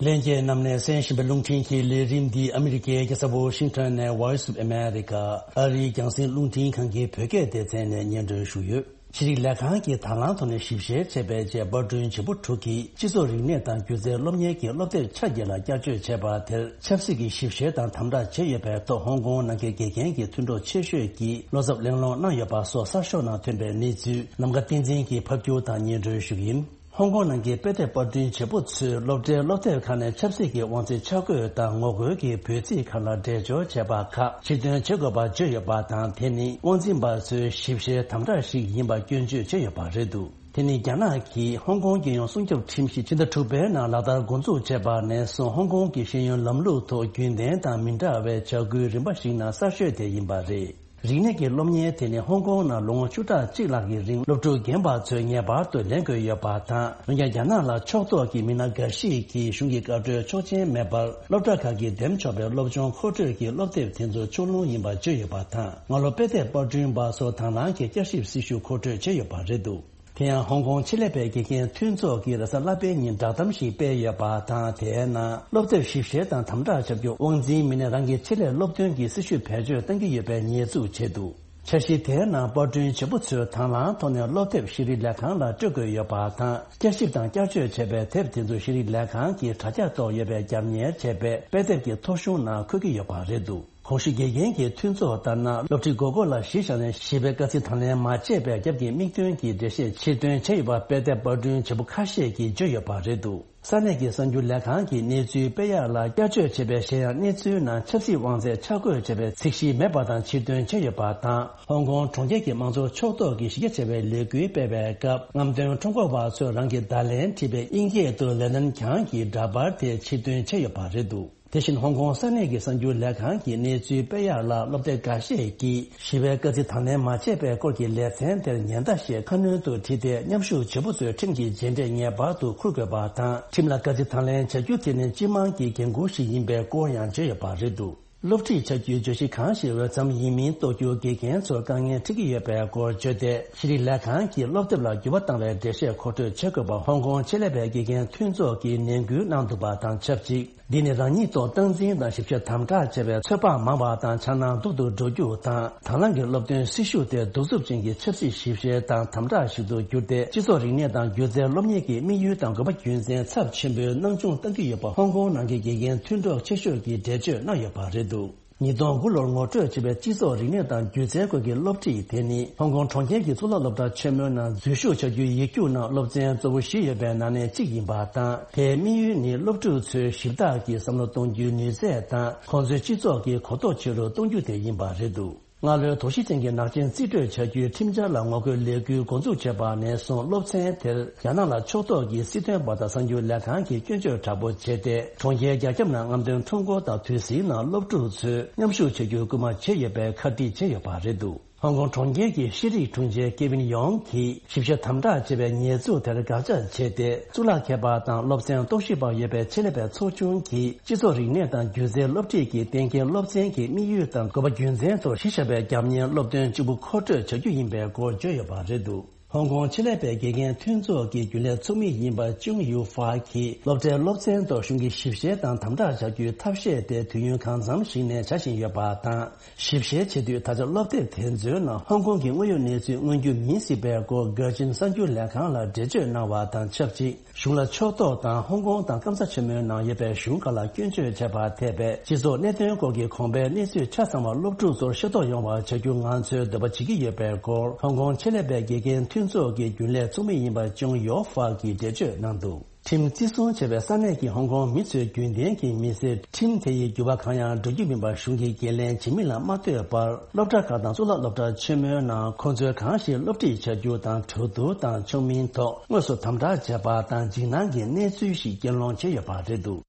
ལྷན་རྒྱས་རྣམས་ནས་གསན་བཞིན་པའི་རླུང་འཕྲིན་གྱི་ལས་རིམ་འདི་ཨ་མི་རི་ཀའི་རྒྱལ་ས་ཝོ་ཤིང་ཊོན་ནས་Voice of America ཨ་རིའི་རྒྱང་སྲིང་རླུང་འཕྲིན་ཁང་གི་བོད་སྐད་སྡེ་ཚན་ནས་སྙན་སྒྲོན་ཞུས་ཡོད། ཤེས་རིག་ལས་ཁང་གིས་དང་བླངས་ཐོག་ནས་ཞིབ་བཤེར་བྱས་པའི་རྗེས། པར་སྐྲུན་བྱེད་པོ་དྲུག་གིས་སྤྱི་ཚོགས་རིག་གནས་དང་སྒྱུ་རྩལ་སློབ་གཉེར་གྱི་སློབ་དེབ་ཆ་བརྒྱད་ལ་བསྐྱར་བཅོས་བྱས་པ་དེར། ཆབ་སྲིད་ཀྱི་ཞིབ་བཤེར་དང་དམ་དྲག་བྱས་ཡོད་པའི་ཐོག་ཧོང་ཀོང་ནང་གི་དགེ་རྒན་གྱི་མཐུན་གྲོགས་ཆེ་ཤོས་ཀྱིས་བློ་འཚབ་གླེང་སློང་གནང་ཡོད་པ་སོགས་གསར་ཤོག་ནང་ཐོན་པའི་གནས་ཚུལ་ནམ་མཁའ་བསྟན་འཛིན་གྱིས་ཕབ་སྒྱུར་དང་སྙན་སྒྲོན་ཞུ་གི་ཡིན། ཧོང་ཀོང་ནང་གི་དཔེ་དེབ་པར་སྐྲུན་བྱེད་པོ་ཚོས་སློབ་གྲྭའི་སློབ་དེབ་ཁག་ནས་ཆབ་སྲིད་ཀྱི་དབང་ཚད་ཆ་བགོས་དང་ངོ་རྒོལ་གྱི་འབོད་ཚིག་ཁག་ལ་འགྲེལ་སྦྱོར་བྱས་པ་ཁག་ཕྱིར་འདོན་བྱེད་དགོས་པ་བརྗོད་ཡོད་པ་དང་། དེ་ནི་དབང་འཛིན་པ་ཚོའི་ཞིབ་བཤེར་དམ་དྲག་ཞིག་ཡིན་པ་སྐྱོན་བརྗོད་བྱས་ཡོད་པ་རེད་འདུག་དེ་ནི་རྒྱ་ནག་གིས་ཧོང་ཀོང་རྒྱལ་ཡོངས་སྲུང་སྐྱོབ་ཁྲིམས་གཞི་ཕྱི་ཟླ་དྲུག་པའི་ནང་ལག་བསྟར་འགོ་འཛུགས་བྱས་པ་ནས་བཟུང་ཧོང་ཀོང་གི་ཤེས་ཡོན་ལམ་ལུགས་ཐོག་རྒྱུན་ལྡན་དང་མི་འདྲ་བའི་བྱ་འགུལ་རིམ་པ་ཞིག་ནང་གསར་ཤོས་དེ་ཡིན་པ་རེད། རིག་གནས་ཀྱི་སློབ་གཉེར་དེ་ནི་ཧོང་ཀོང་ནང་ལོ་ངོ་བཅུ་ཕྲག་གཅིག་ལྷག་གི་རིང་སློབ་ཕྲུག་རྒན་པ་ཚོས་ངེས་པར་དུ་ལེན་དགོས་ཡོད་པ་དང་། འོན་ཀྱང་རྒྱ་ནག་ལ་ཕྱོགས་གཏོགས་ཀྱི་མི་སྣ་འགའ་ཞིག་གིས་གཞུང་གི་བཀའ་འཁྲོལ་ཆོག་མཆན་མེད་པར་སློབ་གྲྭ་ཁག་གིས་འདེམས་ཆོག་པའི་སློབ་སྦྱོང་མཁོ་སྤྲོད་ཀྱི་སློབ་དེབ་དེ་ཚོ་ཕྱོགས་ལྷུང་ཡིན་པ་བརྗོད་ཡོད་པ་དང་། སྔ་ལོ་དཔེ་དེབ་པར་སྐྲུན་པ་ཚོ་དང་བླངས་ཀྱིས་བསྐྱར་ཞིབ་སྲི་ཞུ་མཁོ་སྤྲོད་བྱས་ཡོད་པ་རེད་འདུག་དེ་ཡང་ཧོང་ཀོང་ཆེད་ལས་པའི་དགེ་རྒན་མཐུན་ཚོགས་ཀྱིས་རེས་གཟའ་ལྷག་པའི་ཉིན་བསྒྲགས་གཏམ་ཞིག་སྤེལ་ཡོད་པ་དང་། དེའི་ནང་སློབ་དེབ་ཞིབ་བཤེར་དང་དམ་དྲག་བྱ་རྒྱུ་དབང་འཛིན་མི་སྣས་རང་གི་ཆེད་ལས་སློབ་ཐོན་གྱི་སྲི་ཞུ་བེད་སྤྱོད་གཏང་གི་ཡོད་པའི་ཉེས་འཛུགས་བྱས་འདུག་འཆར་གཞི་དེའི་ནང་པར་སྐྲུན་བྱེད་པོ་ཚོས་དང་བླངས་ཐོག་ནས་སློབ་དེབ་ཤེས་རིག་ལས་ཁང་ལ་སྤྲོད་དགོས་ཡོད་པ་དང་། བསྐྱར་ཞིབ་དང་བསྐྱར་བཅོས་བྱས་པའི་དེབ་དེ་ཚོ་ཤེས་རིག་ལས་ཁང་གིས་དྲ་རྒྱ་ཐོག་ཡོད་པའི་རྒྱབ་གཉེར་བྱས་པའི་དཔེ་དེབ་ཀྱི་ཐོ་གཞུང་ནང་འཁོད་ཀྱི་ཡོད་པ་རེད་འདུག་གོང་ཞུས་དགེ་རྒན་གྱི་མཐུན་ཚོགས་ལྟར་ན། སློབ་ཁྲིད་དགོས་མཁོ་ལ་གཞི་བཞག་ནས་ཞིབ་པའི་དཀའ་ཚེགས་དང་ལེན་མ་བྱས་པའི་རྒྱབ་ཀྱི་དམིགས་དོན་གྱི་འགྲེལ་བཤད་ཕྱིར་འདོན་བྱས་ཡོད་པ་དཔེ་དེབ་པར་སྐྲུན་བྱེད་པོ་ཁ་ཤས་ཀྱིས་བརྗོད་ཡོད་པ་རེད་འདུག་ས་གནས་ཀྱི་གསར་འགྱུར་ལས་ཁང་གིས་གནས་ཚུལ་སྤེལ་ཡག་ལ་བསྐྱར་བཅོས་བྱས་པའི་གཞན་ཡང་གནས་ཚུལ་ནང་ཆབ་སྲིད་དབང་ཚད་ཆ་བགོས་བྱས་པའི་ཚིག་གཞི་མེད་པ་དང་ཕྱིར་འདོན་བྱས་ཡོད་པ་དང་། ཧོང་ཀོང་གྲོང་ཁྱེར་གྱི་དམངས་གཙོ་ཕྱོགས་གཏོགས་ཀྱི་གཞི་རྒྱ་ཆེ་བའི་ལས་འགུལ་སྤེལ་བའི་སྐབས། རྔམ་སྟོན་ཁྲོམ་སྐོར་བ་ཚོས་རང་གི་བརྡ་ལན་བྲིས་པའི་དབྱིན་སྐད་དུ་ལན་ནན་གྱང་གི་འདྲ་པར་དེ་ཕྱིར་འདོན་བྱས་ཡོད་པ་རེད་འདུག་དེ་བཞིན་ཧོང་ཀོང་ས་གནས་ཀྱི་གསར་འགྱུར་ལས་ཁང་གིས་གནས་ཚུལ་སྤེལ་ཡག་ལ། སློབ་སྡེ་འགའ་ཤས་ཀྱིས་ཞི་བའི་དཀའ་ཚེགས་དང་ལེན་མ་བྱས་པའི་སྐོར་གྱི་ལེ་ཚན་དེར་ཉེན་བརྡ་ཞེས་ཁ་སྣོན་དུ་བྲིས་ཏེ། མཉམ་ཞུགས་བྱེད་པོ་ཚོས་ཁྲིམས་ཀྱི་རྗེས་འབྲས་ངེས་པར་དུ་འཁུར་དགོས་པ་དང་། ཁྲིམས་ལ་དཀའ་ཚེགས་དང་ལེན་བྱ་རྒྱུ་དེ་ནི་སྤྱི་དམངས་ཀྱི་འགན་ཁུར་ཞིག་ཡིན་པའི་སྐོར་ཡང་བརྗོད་ཡོད་པ་རེད་འདུག་སློབ་ཁྲིད་བྱ་རྒྱུའི་བརྗོད་གཞི་གང་ཞིག་འོས་འཚམ་ཡིན་མིན་རྟོགས་རྒྱུར་དགེ་རྒན་ཚོར་དཀའ་ངལ་འཕྲད་ཀྱི་ཡོད་པའི་སྐོར་བརྗོད་དེ། ཤེས་རིག་ལས་ཁང་གིས་སློབ་དེབ་ལ་འགྱུར་བ་བཏང་བའི་འགྲེལ་བཤད་མཁོ་སྤྲོད་བྱེད་དགོས་པ། ཧོང་ཀོང་ཆེད་ལས་པའི་དགེ་རྒན་མཐུན་ཚོགས་ཀྱིས་ནན་སྐུལ་གནང་འདུག་པ་དང་ཆབས་ཅིག་འདི་ནི་རང་ཉིད་ཐོག་སྟངས་འཛིན་དང་ཞིབ་བཤེར་དམ་དྲག་བྱས་པའི་ཚོད་དཔག་མང་བ་དང་འཆར་སྣང་སྡུག་ཏུ་འགྲོ་རྒྱུ་དང་། དང་བླངས་ཀྱི་སློབ་ཐོན་སྲི་ཞུ་དེ་གདུག་རྩུབ་ཅན་གྱི་ཆབ་སྲིད་ཞིབ་བཤེར་དང་དམ་དྲག་ཞིག་ཏུ་གྱུར་ཏེ། སྤྱི་ཚོགས་རིག་གནས་དང་སྒྱུ་རྩལ་སློབ་གཉེར་གྱི་དམིགས་ཡུལ་དང་དགོས་པ་རྒྱུ་མཚན་ཚབས་ཆེན་པོའི་སྣང་ཆུང་གཏང་གི་ཡོད་པ། ཧོང་ཀོང་ནང་གི་དགེ་རྒན་མཐུན་གྲོགས་ཆེ་ཤོས་ཀྱིས་འགྲེལ་བརྗོད་གནང་ཡོད་པ་རེད་འདུག་ཉིས་སྟོང་དགུ་ལོར་ངོ་སྤྲོད་བྱས་པའི་སྤྱི་ཚོགས་རིག་གནས་དང་སྒྱུ་རྩལ་སྐོར་གྱི་སློབ་ཁྲིད་དེ་ནི། ཧོང་ཀོང་གྲོང་ཁྱེར་གྱི་གཙུག་ལག་སློབ་གྲྭ་ཆེན་མོའི་ནང་འཛུལ་ཞུགས་བྱ་རྒྱུའི་ཡིག་རྒྱུགས་ནང་སློབ་ཚན་གཙོ་བོ་བཞི་ཡོད་པའི་ནང་ནས་གཅིག་ཡིན་པ་དང་། དེའི་དམིགས་ཡུལ་ནི་སློབ་ཕྲུག་ཚོའི་ཞིབ་བརྟག་གི་བསམ་བློ་གཏོང་རྒྱུའི་ནུས་ཚད་དང་། ཁོང་ཚོའི་སྤྱི་ཚོགས་ཀྱི་གོ་རྟོགས་ཆེ་རུ་གཏོང་རྒྱུ་དེ་ཡིན་པ་རེད་འདུག་སྔ་ལོའི་དོགས་གཞི་ཅན་གྱི་ནག་ཅན་རྩིས་སྤྲོད་བྱ་རྒྱུའི་ཁྲིམས་འཆར་ལ་ངོ་རྒོལ་ལས་འགུལ་འགོ་འཛུགས་བྱས་པ་ནས་བཟུང་། སློབ་ཚན་དེར་རྒྱ་ནག་ལ་ཕྱོགས་གཏོགས་ཀྱི་སྲིད་དོན་པ་དང་གསར་འགྱུར་ལས་ཁང་གིས་སྐྱོན་བརྗོད་དྲག་པོ་བྱས་ཏེ། གྲོང་ཁྱེར་རྒྱ་ཁྱབ་ནང་རྔམ་སྟོན་ཁྲོམ་སྐོར་དང་དུས་ཟིང་ནང་སློབ་ཕྲུག་ཚོས་མཉམ་ཞུགས་བྱ་རྒྱུར་སྐུལ་མ་བྱས་ཡོད་པའི་ཁ་བྲིས་བྱས་ཡོད་པ་རེད་འདུག་ཧོང་ཀོང་གྲོང་ཁྱེར་གྱི་ཤེས་རིག་དྲུང་ཆེ་ཀེ་ཝིན་ཡོང་གིས་ཞིབ་བཤེར་དམ་དྲག་བྱས་པའི་ཉེས་འཛུགས་དེར་དགག་བྱ་བྱས་ཏེ། གཙུག་ལག་མཁས་པ་དང་སློབ་ཚན་རྟོག་ཞིབ་པ་ཡོད་པའི་ཆེད་ལས་པའི་ཚོགས་ཆུང་གིས་སྤྱི་ཚོགས་རིག་གནས་དང་སྒྱུ་རྩལ་སློབ་ཁྲིད་ཀྱི་གཏན་འཁེལ་སློབ་ཚན་གྱི་དམིགས་ཡུལ་དང་དགོས་པ་རྒྱུ་མཚན་ཐོག་གཞི་བཞག་པའི་རྒྱབ་གཉེར་སློབ་སྟོན་གཅིག་པུ་མཁོ་སྤྲོད་བྱ་རྒྱུ་ཡིན་པའི་སྐོར་བརྗོད་ཡོད་པ་རེད་འདུག་ཧོང་ཀོང་ཆེད་ལས་པའི་དགེ་རྒན་མཐུན་ཚོགས་ཀྱི་རྒྱུན་ལས་ཚོགས་མི་ཡིན་པ་ཅུང་ཡུ་ཧྥ་གྱིས། སློབ་གྲྭའི་སློབ་ཚན་ཐོག་གཞུང་གིས་ཞིབ་བཤེར་དང་དམ་དྲག་བྱ་རྒྱུའི་ཐབས་ཤེས་དེ་དུས་ཡུན་གང་འཚམ་ཞིག་ནས་བྱ་བཞིན་ཡོད་པ་དང་། ཞིབ་བཤེར་བྱེད་དུས་ད་ཆ་སློབ་དེབ་དེ་ཚོའི་ནང་ཧོང་ཀོང་གི་དངོས་ཡོད་གནས་ཚུལ་མངོན་རྒྱུ་མིན་སྲིད་པའི་སྐོར་གྷར་ཅིན་གསར་འགྱུར་ལས་ཁང་ལ་འགྲེལ་བརྗོད་གནང་བ་དང་ཆབས་ཅིག་གཞུང་ལ་ཕྱོགས་གཏོགས་དང་ཧོང་ཀོང་དང་སྐམ་ས་ཆེན་མོའི་ནང་ཡོད་པའི་གཞུང་ཁག་ལ་སྐྱོན་བརྗོད་བྱས་པར་ཐེ་བའི་སྤྱི་ཚོགས་གནད་དོན་སྐོར་གྱི་གོང་འཕེལ་གནས་ཚུལ་ཆ་ཚང་བ་སློབ་ཕྲུག་ཚོར་ཤེས་རྟོགས་ཡོང་བར་བྱ་རྒྱུ་ང་ཚོས་འདོད་པ་བྱེད་ཀྱི་ཡོད་པའི་སྐོར་ཧོང་ཀོང་ཆེད་ལས་པའི་དགེ་རྒན་མཐུན་ཚོགས་ཀྱི་རྒྱུན་ལས་ཚོགས་མི་ཡིན་པ་ཅུང་ཡོ་ཧྥ་གྱིས་འགྲེལ་བརྗོད་གནང་འདུག་ཁྲིམས་བརྩི་སྲུང་བྱས་པའི་ས་གནས་ཀྱི་ཧོང་ཀོང་མི་ཚོས་རྒྱུན་ལྡན་གྱི་མི་ཚེར་ཁྲིམས་དེ་ཡི་འགྱུར་བ་གང་ཡང་འགྲོ་རྒྱུ་མིན་པར་གཞུང་གི་འགན་ལེན་བྱེད་མིན་ལ་མ་ལྟོས་པར། སློབ་གྲྭ་ཁག་དང་གཙུག་ལག་སློབ་གྲྭ་ཆེན་མོའི་ནང་ཁོང་ཚོས་གང་ཞིག་སློབ་ཁྲིད་བྱ་རྒྱུ་དང་གྲོས་བསྡུར་དང་ཆོག་མིན་ཐོག་དངོས་སུ་དམ་དྲག་བྱས་པ་དང་འཇིགས་སྣང་གི་གནས་ཚུལ་ཞིག་རྒྱུན་སློང་བྱས་ཡོད་པ་རེད་འདུག་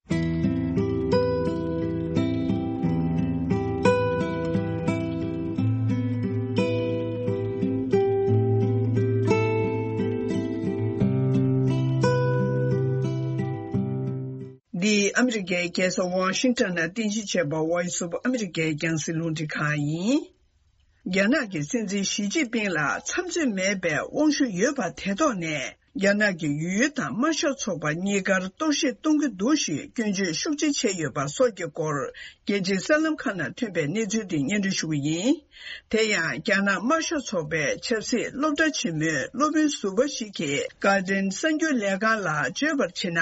འདི་ཨ་མི་རི་ཀའི་རྒྱལ་ས་ཝ་ཤིང་ཊོན་ནས་རྟེན་གཞི་བྱས་པ་Voice of America རྒྱང་སྲིང་རླུང་འཕྲིན་ཁང་ཡིན། རྒྱ་ནག་གི་སྲིད་འཛིན་ཞི་ཅིན་ཕིང་ལ་འཚམས་འཚོལ་མེད་པའི་དབང་ཤུགས་ཡོད་པ་དེ་ཐོག་ནས། རྒྱ་ནག་གི་ཡུལ་དབྱེ་དང་དམར་ཤོག་ཚོགས་པ་གཉིས་ཀར་གཏོར་བཤིག་གཏོང་གི་འདུག་ཞེས་སྐྱོན་བརྗོད་ཤུགས་ཆེ་བྱས་ཡོད་པ་སོགས་ཀྱི་སྐོར། རྒྱལ་སྤྱིའི་གསར་ལམ་ཁག་ནང་ཐོན་པའི་གནས་ཚུལ་དེ་སྙན་སྒྲོན་ཞུ་གི་ཡིན། དེ་ཡང་རྒྱ་ནག་དམར་ཤོག་ཚོགས་པའི་ཆབ་སྲིད་སློབ་གྲྭ་ཆེན་མོའི་སློབ་དཔོན་ཟུར་པ་ཞིག་གིས་Guardian་གསར་འགྱུར་ལས་ཁང་ལ་བརྗོད་པར་བྱས་ན།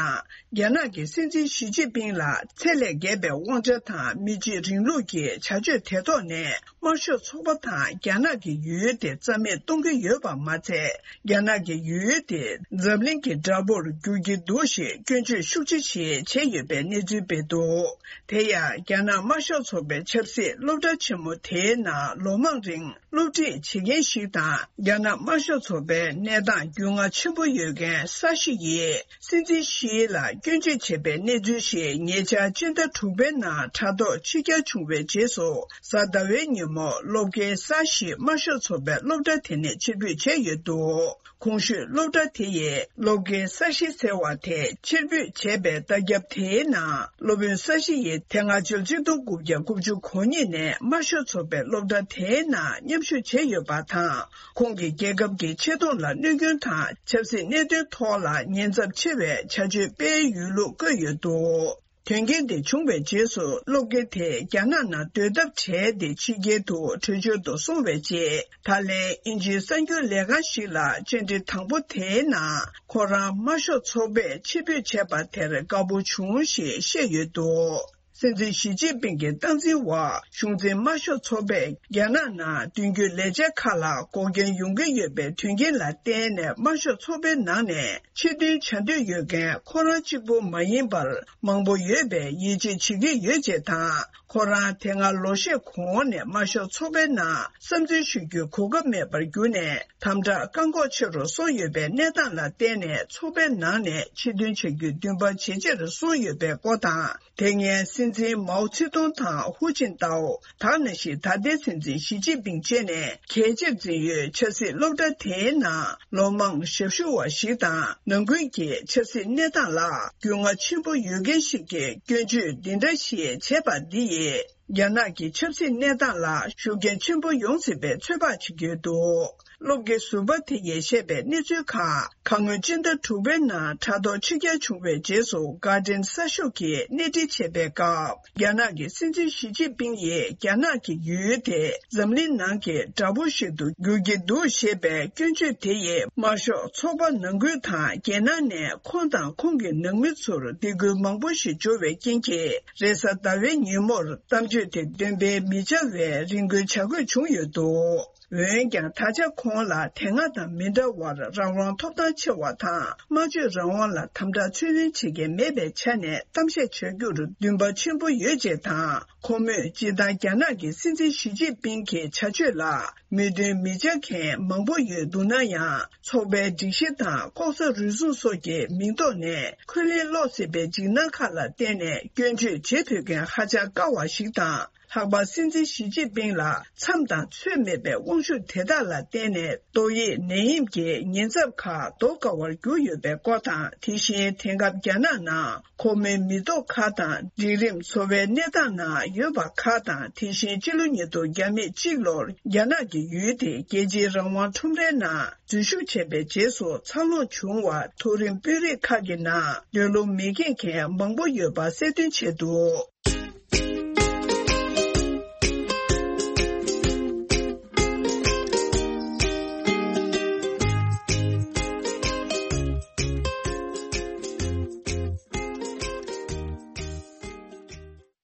རྒྱ་ནག་གི་སྲིད་འཛིན་ཞི་ཅིན་ཕིང་ལ་ཚད་ལས་བརྒལ་བའི་དབང་ཆ་དང་མི་གཅིག་རིང་ལུགས་ཀྱི་བྱ་སྤྱོད་དེ་ཐོག་ནས། དམར་ཤོག་ཚོགས་པ་དང་རྒྱ་ནག་གི་ཡུལ་དེ་རྩ་མེད་གཏོང་གི་ཡོད་པ་མ་ཚད། རྒྱ་ནག་གི་ཡུལ་དེ་འཛམ་གླིང་གི་དགྲ་བོར་འགྱུར་གྱི་འདུག་ཞེས་སྐྱོན་བརྗོད་ཤུགས་ཆེ་ཞིག་བྱས་ཡོད་པའི་གནས་ཚུལ་སྤེལ་འདུག་དེ་ཡང་རྒྱ་ནག་དམར་ཤོག་ཚོགས་པའི་ཆབ་སྲིད་སློབ་གྲྭ་ཆེན་མོ་དེའི་ནང་ལོ་མང་རིང་སློབ་ཁྲིད་བྱེད་མཁན་ཞིག་དང་། རྒྱ་ནག་དམར་ཤོག་ཚོགས་པའི་གནས་སྟངས་རྒྱུས་མངའ་ཆེན་པོ་ཡོད་མཁན་ས་ཞི་ཡིས། སྲིད་འཛིན་ཞི་ལ་སྐྱོན་བརྗོད་བྱས་པའི་གནས་ཚུལ་ཞིག་ཉེ་ཆར་སྤྱི་ཟླ་དྲུག་པའི་ནང་དྲ་ཐོག་ཕྱི་གྱར་བྱུང་བའི་རྗེས་སུ། གཟའ་ཟླ་བའི་ཉིན་མོ་སློབ་དགེ་ས་ཞི་དམར་ཤོག་ཚོགས་པའི་སློབ་གྲྭ་དེ་ནས་ཕྱིར་འབུད་བྱས་ཡོད་འདུག་གོང་ཞུས་སློབ་གྲྭ་དེ་ཡི་སློབ་དགེ་ས་ཞི་ཟེར་བ་དེ་ཕྱིར་འབུད་བྱས་པའི་ལྟག་རྒྱབ་དེའི་ནང་། སློབ་དཔོན་ས་ཞི་ཡིས་དེ་སྔ་ཕྱི་ལོ་ཆིག་སྟོང་དགུ་བརྒྱ་དགུ་བཅུ་གོ་གཉིས་ནས་དམར་ཤོག་ཚོགས་པའི་སློབ་གྲྭ་དེའི་ནང་མཉམ་ཞུགས་བྱས་ཡོད་པ་དང་། ཁོང་གིས་རྒྱལ་ཁབ་ཀྱི་ཆེ་མཐོང་ལ་གནོད་སྐྱོན་དང་། ཆབ་སྲིད་གནད་དོན་ཐོག་ལ་ཉེན་ཚབས་ཆེ་བའི་བྱ་སྤྱོད་སྤེལ་ཡོད་ལུགས་བཀོད་ཡོད་འདུག་དོན་རྐྱེན་དེ་བྱུང་བའི་རྗེས་སུ། སློབ་དགེ་དེ་རྒྱ་ནག་ནང་སྡོད་ཐབས་བྲལ་ཏེ། ཕྱི་རྒྱལ་དུ་བྲོས་བྱོལ་དུ་སོང་བའི་རྗེས། ད་ལན་དབྱིན་ཇིའི་གསར་འགྱུར་ལས་ཁང་ཞིག་ལ་བཅར་འདྲི་དང་པོ་དེའི་ནང་། ཁོ་རང་དམར་ཤོག་ཚོགས་པས་ཕྱིར་འབུད་བྱས་པ་དེར་དགའ་པོ་བྱུང་ཞེས་བཤད་ཡོད་འདུག་སྲིད་འཛིན་ཞི་ཅིན་ཕིང་གི་སྟངས་འཛིན་འོག་གཞུང་འཛིན་དམར་ཤོག་ཚོགས་པས་རྒྱ་ནག་ནང་མདུན་སྐྱོད་ལས་འཆར་ཁག་ལ་འགོག་རྐྱེན་ཡོང་གི་ཡོད་པའི་དོན་རྐྱེན་ལ་བརྟེན་ནས། དམར་ཤོག་ཚོགས་པའི་ནང་ནས་ཕྱིར་ཐོན་བྱ་འདོད་ཡོད་མཁན་ཁོ་རང་གཅིག་པུ་མ་ཡིན་པར་མང་པོ་ཡོད་པའི་ཡིད་ཆེས་བྱེད་ཀྱི་ཡོད་ཅེས་དང་། ཁོ་རང་དེ་སྔ་ལོ་ཤས་གོང་ནས་དམར་ཤོག་ཚོགས་པའི་ནང་བསམ་ཚུལ་ཞུ་རྒྱུའི་གོ་སྐབས་མེད་པར་གྱུར་ནས། དམ་དྲག་བཀག་འགོག་ཆེ་རུ་སོང་ཡོད་པའི་གནས་སྟངས་ལ་བརྟེན་ནས། ཚོགས་པའི་ནང་ནས་ཕྱིར་ཐོན་བྱ་རྒྱུའི་འདུན་པ་ཇེ་ཆེར་སོང་ཡོད་པའི་སྐོར་དང་། དེ་སྔའི་སྲིད་འཛིན་མའོ་ཙེ་ཏུང་དང་ཧུའུ་ཅིན་ཏའོ། ད་ནང་བཞིན་ད་ལྟའི་སྲིད་འཛིན་ཞི་ཅིན་ཕིང་བཅས་ནས་གལ་ཆེར་འཛིན་ཡོད་ཆབ་སྲིད་སློབ་གྲྭ་དེའི་ནང་ལོ་མང་ཞབས་ཞུ་བ་ཞིག་དང་། ནང་ཁུལ་གྱི་ཆབ་སྲིད་གནས་སྟངས་ལ་རྒྱུས་མངའ་ཆེན་པོ་ཡོད་མཁན་ཞིག་གིས་སྐྱོན་བརྗོད་འདི་འདྲ་ཞིག་བྱས་པ་འདི་ཡིས། རྒྱ་ནག་གི་ཆབ་སྲིད་གནས་སྟངས་ལ་ཤུགས་རྐྱེན་ཆེན་པོ་ཡོང་སྲིད་པའི་ཚོད་དཔག་བྱེད་ཀྱི་ཡོད་འདུག་སློབ་དགེ་ཟུར་པ་དེ་ཡིས་བཤད་པའི་གནས་ཚུལ་ཁག་ཁ་སྔོན་སྤྱི་ཟླ་དྲུག་པའི་ནང་དྲ་ཐོག་ཕྱི་གྱར་བྱུང་བའི་རྗེས་སུ། Guardian་གསར་ཤོག་གིས་སྣེ་ཁྲིད་བྱས་པའི་སྐབས། རྒྱ་ནག་གི་སྲིད་འཛིན་ཞི་ཅིན་ཕིང་ཡིས་རྒྱ་ནག་གི་ཡུལ་དེ་འཛམ་གླིང་ནང་གི་དགྲ་བོ་ཞིག་ཏུ་འགྱུར་གྱི་འདུག་ཞེས་པའི་སྐྱོན་བརྗོད་དེ་ཡིས། དམར་ཤོག་ཚོགས་པ་ནང་ཁུལ་དང་། རྒྱལ་ནང་ནས་ཁོང་དང་ཁོང་གི་ནང་མི་ཚོར་སྡིགས་སྐུལ་མང་པོ་ཞིག་འབྱོར་བའི་རྐྱེན་གྱིས། རེས་གཟའ་ཟླ་བའི་ཉིན་མོར་གཏམ་བརྗོད་དེ་འདོན་སྤེལ་མི་བྱ་བའི་རེ་སྐུལ་བྱ་དགོས་བྱུང་ཡོད་འདུག་འོན་ཀྱང་། ད་ཆ་ཁོང་ལ་དེ་སྔ་དང་མི་འདྲ་བར་རང་དབང་ཐོབ་ཐང་ཆེ་བ་དང་། སྨྲ་བརྗོད་རང་དབང་ལ་དམ་དྲག་ཚུར་ལེན་བྱེད་མཁན་མེད་པའི་ཆ་ནས། གཏམ་བཤད་བྱ་རྒྱུར་འདུན་པ་ཆེན་པོ་ཡོད་ཅེས་དང་། ཁོ་མོས་སྤྱིར་བཏང་རྒྱ་ནག་གི་སྲིད་འཛིན་ཞི་ཅིན་ཕིང་གི་བྱ་སྤྱོད་ལ་མོས་མཐུན་མི་བྱ་མཁན་མང་པོ་ཡོད་འདུག་ན་ཡང་། ཚོགས་པའི་སྒྲིག་གཞི་དང་ལྐོག་ཟ་རུལ་སུངས་སོགས་ཀྱི་མིང་ཐོག་ནས་འཁོན་ལན་སློག་སྲིད་པའི་འཇིགས་སྣང་ཁག་ལ་བརྟེན་ནས། སྐྱོན་བརྗོད་བྱེད་ཕོད་མཁན་ཧ་ཅང་དཀའ་བ་ཞིག་དང་། ལྷག་པར་སྲིད་འཛིན་ཞི་ཅིན་ཕིང་ལ་མཚམས་དང་ཚོད་མེད་པའི་དབང་ཤུགས་དེ་དག་ལ་བརྟེན་ནས། ཏོག་དབྱིབས་ནད་ཡམས་ཀྱི་ཉེན་ཚབས་ཁག་ཟློག་དཀའ་བར་གྱུར་ཡོད་པའི་སྐོར་དང་། དེ་བཞིན་དེང་སྐབས་རྒྱ་ནག་ནང་ཁོ་མོའི་མི་ཐོག་ཁག་དང་། སྒྲིག་རིམ་བཟོ་བའི་གནས་སྟངས་ནང་ཡོད་པ་ཁག་དང་། དེ་བཞིན་ཕྱི་ལོ་ཉིས་སྟོང་བརྒྱ་མེད་གཅིག་ལོར་རྒྱ་ནག་གི་ཡུལ་དེ་རྒྱལ་སྤྱིའི་རང་དབང་ཁྲོམ་རའི་ནང་འཛུལ་ཞུགས་བྱས་པའི་རྗེས་སུ། འཚར་ལོངས་བྱུང་བར་མཐོ་རིམ་དཔོན་རིགས་ཁག་གི་ནང་སྡོད་ལོང་མི་འཁྱེར་མཁན་མང་པོ་ཡོད་པ་གསལ་སྟོན་བྱས་འདུག་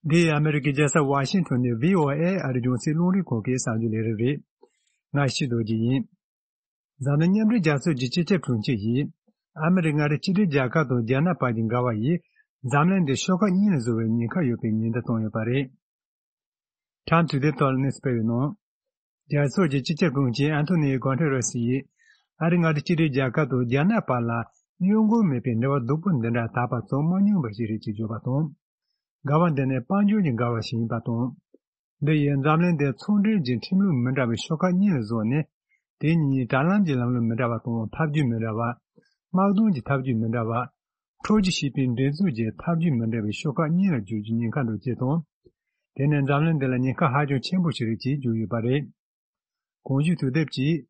འདི་ཨ་མེ་རི་ཀའི་རྒྱལ་ས་ཝ་ཤིང་ཊོན་ནས་བྷི་ཨོ་ཨེ་ཨ་རིའི་རྒྱང་སྲིང་རླུང་འཕྲིན་ཁང་གི་གསར་འགྱུར་ལས་རིམ་རེད། ང་གཞིས་རྡོ་རྗེ་ཡིན། འཛམ་གླིང་མཉམ་འབྲེལ་རྒྱལ་ཚོགས་ཀྱི་སྤྱི་ཁྱབ་དྲུང་ཆེ་ཡིས། ཨ་མེ་རི་ཀ་མངའ་སྡེ་གཅིག་སྒྲིལ་རྒྱལ་ཁབ་དང་རྒྱ་ནག་བར་གྱི་འགལ་བ་ཡིས། འཛམ་གླིང་འདི་ཤོག་ཁག་གཉིས་ལ་བཟོ་བའི་ཉེན་ཁ་ཡོད་པའི་ཉེན་བརྡ་བཏང་ཡོད་པ་རེད། ཊའིམ་ཊུ་ཌེ་ཐོག་ལ་གནས་ཚུལ་སྤེལ་བའི་ནང་། རྒྱལ་ཚོགས་ཀྱི་སྤྱི་ཁྱབ་དྲུང་ཆེ་ཨན་ཐོ་ནི་གོན་ཐེ་རེ་སི་ཡིས། ཨ་རི་མངའ་སྡེ་གཅིག་སྒྲིལ་རྒྱལ་ཁབ་དང་རྒྱ་ནག་བར་ལ་གཡོ་འགུལ་མེད་པའི་འབྲེལ་བ་སྡུག་པོ་འདི་འདྲ་ད་བར་བཙུགས་མ་མྱོང་བ་ཞིག་རེད་ཅེས་བརྗོད་པ་དང་། འགལ་བ་འདི་ནི་དཔལ་འབྱོར་གྱི་འགལ་བ་ཞིག་ཡིན་པ་དང་། འདི་ཡིས་འཛམ་གླིང་འདིར་ཚོང་འབྲེལ་གྱི་ཁྲིམས་ལུགས་མི་འདྲ་བའི་ཤོག་ཁག་གཉིས་ལ་བཟོས་ནས། དེ་གཉིས་དྲ་ལམ་གྱི་ལམ་ལུགས་མི་འདྲ་བ་དང་། ཐབས་ཇུས་མི་འདྲ་བ། དམག་དོན་གྱི་ཐབས་ཇུས་མི་འདྲ་བ། འཕྲོག་རྒྱུ་ཞེས་པའི་འགྲན་རྩོད་ཀྱི་ཐབས་ཇུས་མི་འདྲ་བའི་ཤོག་ཁག་གཉིས་ལ་འགྱུར་རྒྱུའི་ཉེན་ཁ་འདུག་ཅེས་དང་། དེ་ནི་འཛམ་གླིང་འདི་ལ་ཉེན་ཁ་ཧ་ཅང་ཆེན་པོ་ཞིག་རེད་ཅེས་བརྗོད་ཡོད་པ་རེད། གོང་ཞུས་དུས་དེབ་ཀྱིས།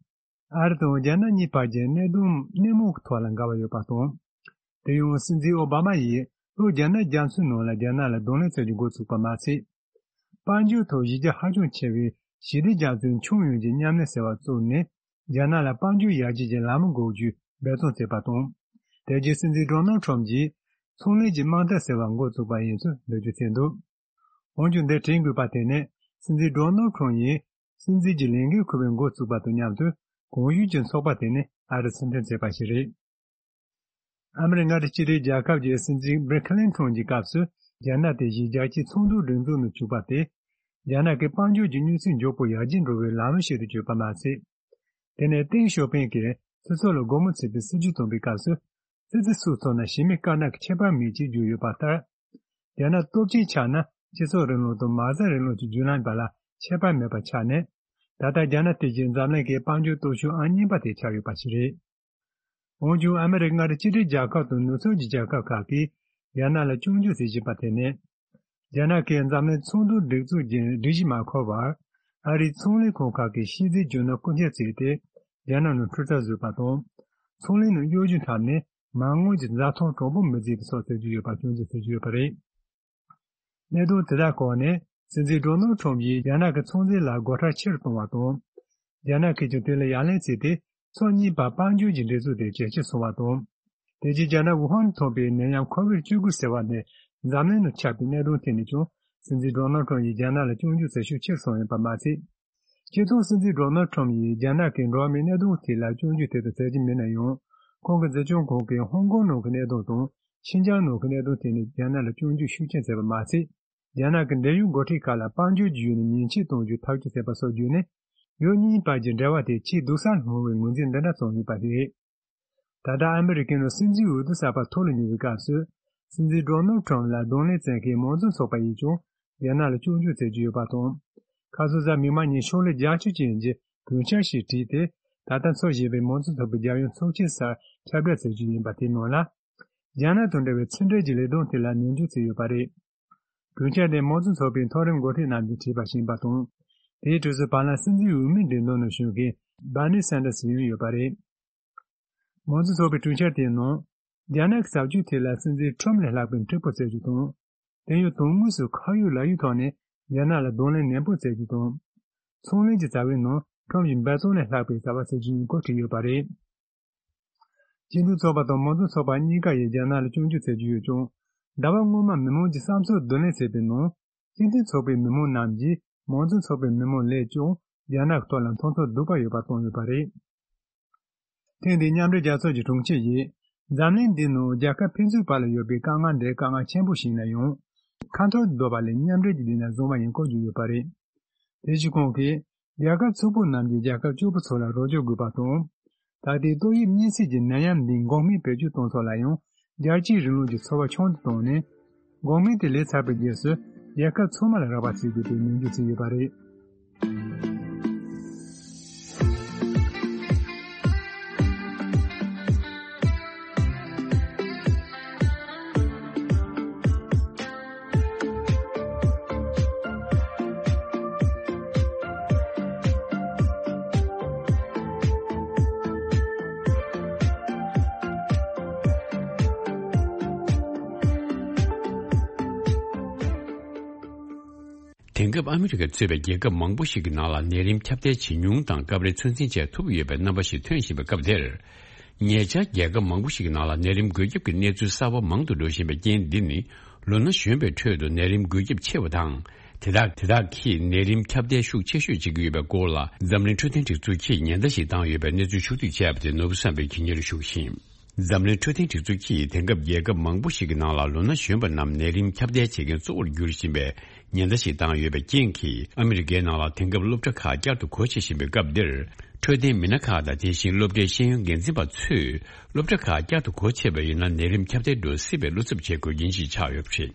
ཨ་རི་དང་རྒྱ་ནག་གཉིས་བར་གྱི་གནད་དོན་སྣེ་མོ་གི་ཐོག་ལ་འགལ་བ་ཡོད་པ་དང་། དེ་ཡང་སྲིད་འཛིན་ཨོ་བྷ་མ་ཡིས་ལྷོ་རྒྱ་ནག་རྒྱ་མཚོའི་ནང་ལ་རྒྱ་ནག་ལ་གདོང་ལེན་བྱ་རྒྱུ་འགོ་ཚུགས་པ་མ་ཟད། དཔལ་འབྱོར་ཐོག་གཞི་རྒྱ་ཧ་ཅང་ཆེ་བའི་ཞི་བདེ་རྒྱ་མཚོའི་ཁྱོན་ཡོངས་ཀྱི་མཉམ་ལས་ཟེར་བ་བཙུགས་ནས། རྒྱ་ནག་ལ་དཔལ་འབྱོར་ཡར་རྒྱས་ཀྱི་ལམ་བུ་འགོད་རྒྱུའི་འབད་བརྩོན་བྱས་པ་དང་། དེ་རྗེས་སྲིད་འཛིན་ཌོ་ནལ་ཁྲོམ་གྱིས་ཚོང་ལས་ཀྱི་དམག་འཐབ་ཟེར་བ་འགོ་བཙུགས་པ་ཡིན་ཚུལ་འགྲེལ་བརྗོད་བྱས་འདུག། འོན་ཀྱང་། འདིར་དྲན་དགོས་པ་དེ་ནི། སྲིད་འཛིན་ཌོ་ནལ་ཁྲོམ་ཡིས་སྲིད་འཛིན་གྱི་ལས་འགན་འཁུར་བའི་འགོ་བཙུགས་པ་དང་མཉམ་དུ། གོང་ཞུས་ཀྱི་ཚོགས་པ་དེ་ནི་ཨ་རི་ཕྱིར་འཐེན་བྱས་པ་ཞིག་རེད། ཨ་མི་རི་ཀ་མངའ་སྡེ་གཅིག་སྒྲིལ་རྒྱལ་ཁབ་ཀྱི་སྲིད་འཛིན་བྷིལ་ཁི་ལིན་ཊོན་གྱི་སྐབས་སུ། རྒྱ་ནག་དེ་བཞིན་རྒྱལ་སྤྱིའི་ཚོགས་འདུའི་སྒྲིག་འཛུགས་ནང་བཅུག་པ་དེ། རྒྱ་ནག་གི་དཔལ་འབྱོར་གྱི་གནས་ཚུལ་མགྱོགས་པོ་ཡར་རྒྱས་འགྲོ་བའི་ལམ་བུ་ཞིག་ཏུ་གྱུར་པ་མ་ཟད། དེ་ནས་ཏེང་ཞའོ་ཕིང་གིས་སྤྱི་ཚོགས་ལ་སྒོ་མོ་ཕྱེ་བའི་སྲིད་ཇུས་བཏོན་པའི་སྐབས་སུ། ཙི་ཙི་སུའུ་མཚོ་ནང་གཞི་མེད་དཀར་ནག་གི་ཁྱད་པར་མེད་ཅེས་བརྗོད་ཡོད་པ་ལྟར། རྒྱ་ནག་སྟོབས་ཆེན་ཆགས་ན། སྤྱི་ཚོགས་རིང་ལུགས་དང་མ་རྩ་རིང་ལུགས་ཀྱི་བརྒྱུད་ལམ་བར་ལ་ཁྱད་པར་མེད་པ་ཆགས་ནས། ད་ལྟ་རྒྱ་ནག་དེ་བཞིན་འཛམ་གླིང་གི་དཔལ་འབྱོར་སྟོབས་ཤུགས་ཨང་གཉིས་པ་དེ་ཆགས་ཡོད་པ་ཞིག་རེད། འོན་ཀྱང་། ཨ་མི་རི་ཀ་མངའ་སྡེ་གཅིག་སྒྲིལ་རྒྱལ་ཁབ་དང་ནུབ་ཕྱོགས་ཀྱི་རྒྱལ་ཁབ་ཁག་གིས་རྒྱ་ནག་ལ་སྐྱོན་བརྗོད་བྱེད་བཞིན་པ་དེ་ནི། རྒྱ་ནག་གིས་འཛམ་གླིང་ཚོགས་འདུའི་སྒྲིག་འཛུགས་ཀྱི་སྒྲིག་གཞི་མ་འཁུར་བར། ཨ་རིའི་ཚོང་ལས་ཁང་ཁག་གིས་ཤེས་རྩིས་རྒྱུ་ནོར་རྐུ་འཁྱེར་བྱས་ཏེ། རྒྱ་ནག་ནང་འཕྲུལ་རྩལ་བཟོས་པ་དང་། ཚོང་ལས་ནང་གཡོ་ཇུས་འཁྲབ་ནས། མ་དངུལ་གྱི་འཛའ་ཐང་དྲང་པོ་མི་བརྩིས་པ་སོགས་བྱེད་ཀྱི་ཡོད་པ་སྐྱོན་བརྗོད་བྱེད་ཀྱི་ཡོད་པ་རེད། གནད་དོན་དེ་དག་སྐོར་ནས། སྲིད་འཛིན་ཌོ་ནལ་ཁྲོམ་ཡིས་རྒྱ་ནག་གི་ཚོང་རྫས་ལ་སྒོ་ཁྲལ་ཆེ་རུ་གཏོང་བ་དང་། རྒྱ་ནག་གིས་ཀྱང་དེ་ལ་ཡ་ལན་བྱས་ཏེ། ཕྱོགས་གཉིས་བར་དཔལ་འབྱོར་གྱི་འབྲེལ་མཐུད་དེ་ཇེ་ཆེར་སོང་བ་དང་། དེ་རྗེས་རྒྱ་ནག་ཝུ་ཧན་ཐོན་པའི་ནད་ཡམས་ཁོ་བིད་བཅུ་དགུ་ཟེར་བ་དེ་འཛམ་གླིང་ནང་ཁྱབ་པའི་གནད་དོན་ཐད་ནས་ཀྱང་། སྲིད་འཛིན་ཌོ་ནལ་ཁྲོམ་ཡིས་རྒྱ་ནག་ལ་སྐྱོན་བརྗོད་བྱེད་ཤུགས་ཆེ་རུ་སོང་ཡོད་པ་མ་ཟད། སྤྱིར་བཏང་སྲིད་འཛིན་ཌོ་ནལ་ཁྲོམ་ཡིས་རྒྱ་ནག་གི་འགྲོ་བ་མིའི་གནད་དོན་ཐད་ལ་སྐྱོན་བརྗོད་དེ་ལྟར་མཛད་ཀྱི་མེད་ན་ཡང་། ཁོང་གི་འཛིན་སྐྱོང་ཁང་གིས་ཧོང་ཀོང་ནང་གི་གནད་དོན་དང་། ཤིན་ཅང་ནང་གི་གནད་དོན་ཐད་ནས་རྒྱ་ནག་ལ་སྐྱོན་བརྗོད་ཤུགས་ཆེན་བྱས་པ་མ་ཟད། རྒྱ་ནག་གི་འབྲེལ་ཡོད་འགོ་ཁྲིད་ཁག་ལ་དཔལ་འབྱོར་གྱི་ཡུལ་ནས་ཉེས་ཆད་གཏོང་རྒྱུའི་ཐག་གཅོད་བྱས་པ་སོགས་བརྒྱུད་ནས། ཡུལ་གཉིས་བར་གྱི་འབྲེལ་བ་དེ་ཆེས་སྡུག་ས་ལྷུང་བའི་ངོས་འཛིན་འདི་འདྲ་བྱུང་ཡོད་པ་རེད། ད་ལྟ་ཨ་མི་རི་ཀའི་ནང་སྲིད་འཛིན་འོས་བསྡུ་གསར་པ་ཐོག་ལ་ཉེ་བའི་སྐབས་སུ། སྲིད་འཛིན་ཌོ་ནལ་ཁྲོམ་ལ་གདོང་ལེན་བྱེད་མཁན་མང་གཙོ་ཚོགས་པ་ཡིས་ཀྱང་རྒྱ་ནག་ལ་སྐྱོན་བརྗོད་བྱེད་ཀྱི་ཡོད་པ་དང་། ཁ་སང་གཟའ་མིག་དམར་ཉིན་ཤོག་ལྷེ་བརྒྱད་ཅུ་ཅན་གྱི་གུས་ཕྱག་ཞིག་བྲིས་ཏེ། ད་ལྟ་འཚོགས་བཞིན་པའི་མང་གཙོ་ཚོགས་པའི་རྒྱལ་ཡོངས་ཚོགས་ཆེན་སར་ཁྱབ་བསྒྲགས་བྱེད་རྒྱུ་ཡིན་པ་དེའི་ནང་ལ། རྒྱ་ནག་དང་འབྲེལ་བའི་ཕྱི་འབྲེལ་གྱི་ལས་དོན་ཐད་ལ་ནན་སྐྱོན་བྱས་ཡོད་པ་རེད། གུས་ཕྱག་དེ་མང་གཙོ་ཚོགས་པའི་མཐོ་རིམ་འགོ་ཁྲིད་རྣམས་ཀྱིས་བྲིས་པ་ཞིག་ཡིན་པ་དང་། དེའི་དུས་སུ་བར་ལམ་སྲིད་འཛིན་འོས་མིའི་མགྲིན་ཚབ་ནང་བཞུགས་མཁན་སྦར་ནི་སན་ཌར་སི་ཡང་ཡོད་པ་རེད། མང་གཙོ་ཚོགས་པའི་གྲོས་འཆར་དེའི་ནང་། རྒྱ་ནག་གི་བྱ་སྤྱོད་ཐད་ལ་སྲིད་འཛིན་ཁྲོམ་ལས་ལྷག་པའི་མཁྲེགས་པོ་བྱེད་རྒྱུ་དང་། དེ་ཡང་དོན་དངོས་སུ་ཁ་ཡོད་ལག་ཡོད་ཐོག་ནས་རྒྱ་ནག་ལ་གདོང་ལེན་ནན་པོ་བྱེད་རྒྱུ་དང་། ཚོང་ལས་ཀྱི་བྱ་བའི་ནང་ཁྲོམ་གྱི་འབད་བརྩོན་ལས་ལྷག་པའི་བྱ་བ་བྱེད་རྒྱུ་ཡིན་སྐོར་བྲིས་ཡོད་པ་རེད། སྤྱི་མཐུན་ཚོགས་པ་དང་མང་གཙོ་ཚོགས་པ་གཉིས་ཀ་ཡིས་རྒྱ་ནག་ལ་སྐྱོན་བརྗོད་བྱེད་ཀྱི་ཡོད་ཀྱང་། ཟླ་བ་སྔོན་མ་མི་མང་གི་བསམ་ཚུལ་བསྡུ་ལེན་བྱས་པའི་ནང་། སྤྱི་མཐུན་ཚོགས་པའི་མི་མང་རྣམས་ཀྱིས་མང་གཙོ་ཚོགས་པའི་མི་མང་ལས་ཀྱང་རྒྱ་ནག་ཐོག་ལ་མཐོང་ཚོར་སྡུག་པ་ཡོད་པ་བཏོན་ཡོད་པ་རེད། ཐེངས་འདིའི་མཉམ་འབྲེལ་རྒྱལ་ཚོགས་ཀྱི་དྲུང་ཆེ་ཡིས། འཛམ་གླིང་འདིའི་ནང་རྒྱལ་ཁབ་ཕན་ཚུན་བར་ལ་ཡོད་པའི་དཀའ་ངལ་འདི་དཀའ་ངལ་ཆེན་པོ་ཞིག་ཡིན་ན་ཡང་། ཁ་འཐོར་བཟློག་པ་ལས་མཉམ་འབྲེལ་གྱི་ལས་ལ་བཟུང་བ་ཡིན་སྐོར་བརྗོད་ཡོད་པ་རེད། དེ་བཞིན་ཁོང་གིས། རྒྱལ་ཁབ་ཕྱུག་པོ་རྣམས་ཀྱིས་རྒྱལ་ཁབ་སྐྱོ་པོ་ཚོ་ལ་རོགས་སྐྱོར་དགོས་པ་དང་། ད་ལྟའི་ཏོག་དབྱིབས་གཉན་སྲིན་གྱི་ནད་ཡམས་འདིའི་འགོག་སྨན་བེད་སྤྱོད་གཏོང་ཕྱོགས་ལ་ཡང་། རྒྱལ་སྤྱིའི་རིང་ལུགས་ཀྱི་འཚོ་བ་ཆུང་དུ་བཏང་ནས། འགོག་སྨན་དེ་ལས་ཚར་བའི་རྗེས་སུ། རྒྱལ་ཁབ་ཚང་མ་ལ་རག་པ་བྱེད་དགོས་པའི་ནན་བརྗོད་བྱས་ཡོད་པ་རེད། དེང་སྐབས་ཨ་མི་རི་ཀ་གཙོས་པའི་རྒྱལ་ཁབ་མང་པོ་ཞིག་གི་ནང་ལ་ནད་རིམས་ཁྱབ་གདལ་ཇེ་ཉུང་དང་སྐབས་རེ་ཚོད་འཛིན་བྱེད་ཐུབ་ཡོད་པའི་རྣམ་པ་ཞིག་ཐོན་བཞིན་པའི་སྐབས་འདིར། ཉེ་ཆར་རྒྱལ་ཁབ་མང་པོ་ཞིག་གི་ནང་ལ་ནད་རིམས་འགོས་ཁྱབ་ཀྱི་གནས་ཚུལ་གསར་པ་མང་དུ་འགྲོ་བཞིན་པའི་རྐྱེན་འདི་ནི། ལོ་ན་གཞོན་པའི་ཁྲོད་དུ་ནད་རིམས་འགོས་ཁྱབ་ཆེ་བ་དང་། དེ་དག་དེ་དག་གིས་ནད་རིམས་ཁྱབ་གདལ་ཤུགས་ཆེ་ཤོས་བྱེད་ཀྱི་ཡོད་པའི་སྐོར་ལ། འཛམ་གླིང་འཕྲོད་བསྟེན་སྒྲིག་འཛུགས་ཀྱིས་ཉེན་བརྡ་ཞིག་བཏང་ཡོད་པའི་གནས་ཚུལ་ཕྱོགས་བསྡུས་བྱས་པ་དེ་ནོར་བུ་བསམ་འཕེལ་གྱིས་སྙན་སྒྲོན་ཞུ་གི་ཡིན། འཛམ་གླིང་འཕྲོད་བསྟེན་སྒྲིག་འཛུགས་ཀྱིས་དེང་སྐབས་རྒྱལ་ཁབ་མང་པོ་ཞིག་གི་ནང་ལ་ལོ་ན་གཞོན་པ་རྣམས་ནད་རིམས་ཁྱབ་གདལ་བྱེད་མཁན་གཙོ་བོར་གྱུར་བཞིན་པའི་ཉེན་བརྡ་ཞིག་བཏང་ཡོད་པའི་རྐྱེན་གྱིས། ཨ་མི་རི་ཀའི་ནང་ལ་དེང་སྐབས་སློབ་གྲྭ་ཁག་བསྐྱར་དུ་སྒོ་ཕྱེ་བཞིན་པའི་སྐབས་འདིར། འཕྲོད་བསྟེན་མི་སྣ་ཁག་དང་། དེ་བཞིན་སློབ་གྲྭའི་ཤེས་ཡོན་འགན་འཛིན་པ་ཚོས། སློབ་གྲྭ་ཁག་བསྐྱར་དུ་སྒོ་ཕྱེ་བ་ཡིན་ན། ནད་རིམས་ཁྱབ་གདལ་འགྲོ་སྲིད་པའི་བློ་འཚབ་བྱེད་དགོས་རྐྱེན་ཞིག་ཆགས་ཡོད་པ་རེད།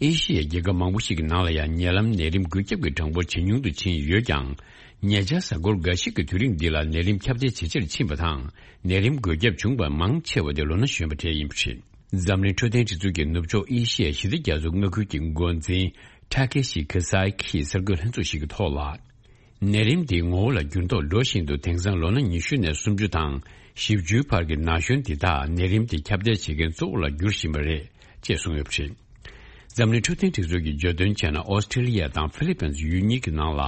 ཨེ་ཤི་ཡའི་རྒྱལ་ཁབ་མང་པོ་ཞིག་གི་ནང་ལ་ཡང་ཉེ་ལམ་ནད་རིམས་འགོས་ཁྱབ་ཀྱི་གྲངས་འབོར་ཇེ་ཉུང་དུ་ཕྱིན་ཡོད་ཀྱང་། ཉེ་ཆར་གཟའ་འཁོར་འགའ་ཞིག་གི་དུས་རིང་འདི་ལ་ནད་རིམས་ཁྱབ་གདལ་ཇེ་ཆེར་ཕྱིན་པ་དང་། ནད་རིམས་འགོས་ཁྱབ་བྱུང་བ་མང་ཆེ་བ་དེ་ལོ་ན་གཞོན་པ་གྲས་ཡིན་པ་རེད། འཛམ་གླིང་འཕྲོད་བསྟེན་སྒྲིག་འཛུགས་ཀྱི་ནུབ་ཕྱོགས་ཨེ་ཤི་ཡའི་ཞི་བདེ་རྒྱ་མཚོ་མངའ་ཁུལ་གྱི་འགོ་འཛིན་ཊ་ཀེ་ཤི་ཁི་སའི་ཁིས་གསར་འགོད་ལྷན་ཚོགས་ཤིག་གི་ཐོག་ལ། ནད་རིམས་འདིའི་ངོ་བོ་ལ་འགྱུར་ལྡོག་འགྲོ་བཞིན་དུ་དེང་སང་ལོ་ན་ཉི་ཤུ་ནས་སུམ་ཅུ་དང་བཞི་བཅུའི་བར་གྱི་ན་གཞོན་འདི་དག་ནད་རིམས་འདི་ཁྱབ་གདལ་བྱེད་མཁན་གཙོ་བོ་ལ་འགྱུར་བཞིན་པ་རེད་ཅེས་གསུངས་ཡོད་པ་རེད། འཛམ་གླིང་འཕྲོད་བསྟེན་སྒྲིག་འཛུགས་ཀྱིས་བརྗོད་དོན་བྱས་ན། ཨོ་སི་ཀྲི་ལི་ཡ་དང་ཧྥི་ལི་པིན་ཡུལ་གཉིས་ཀྱི་ནང་ལ་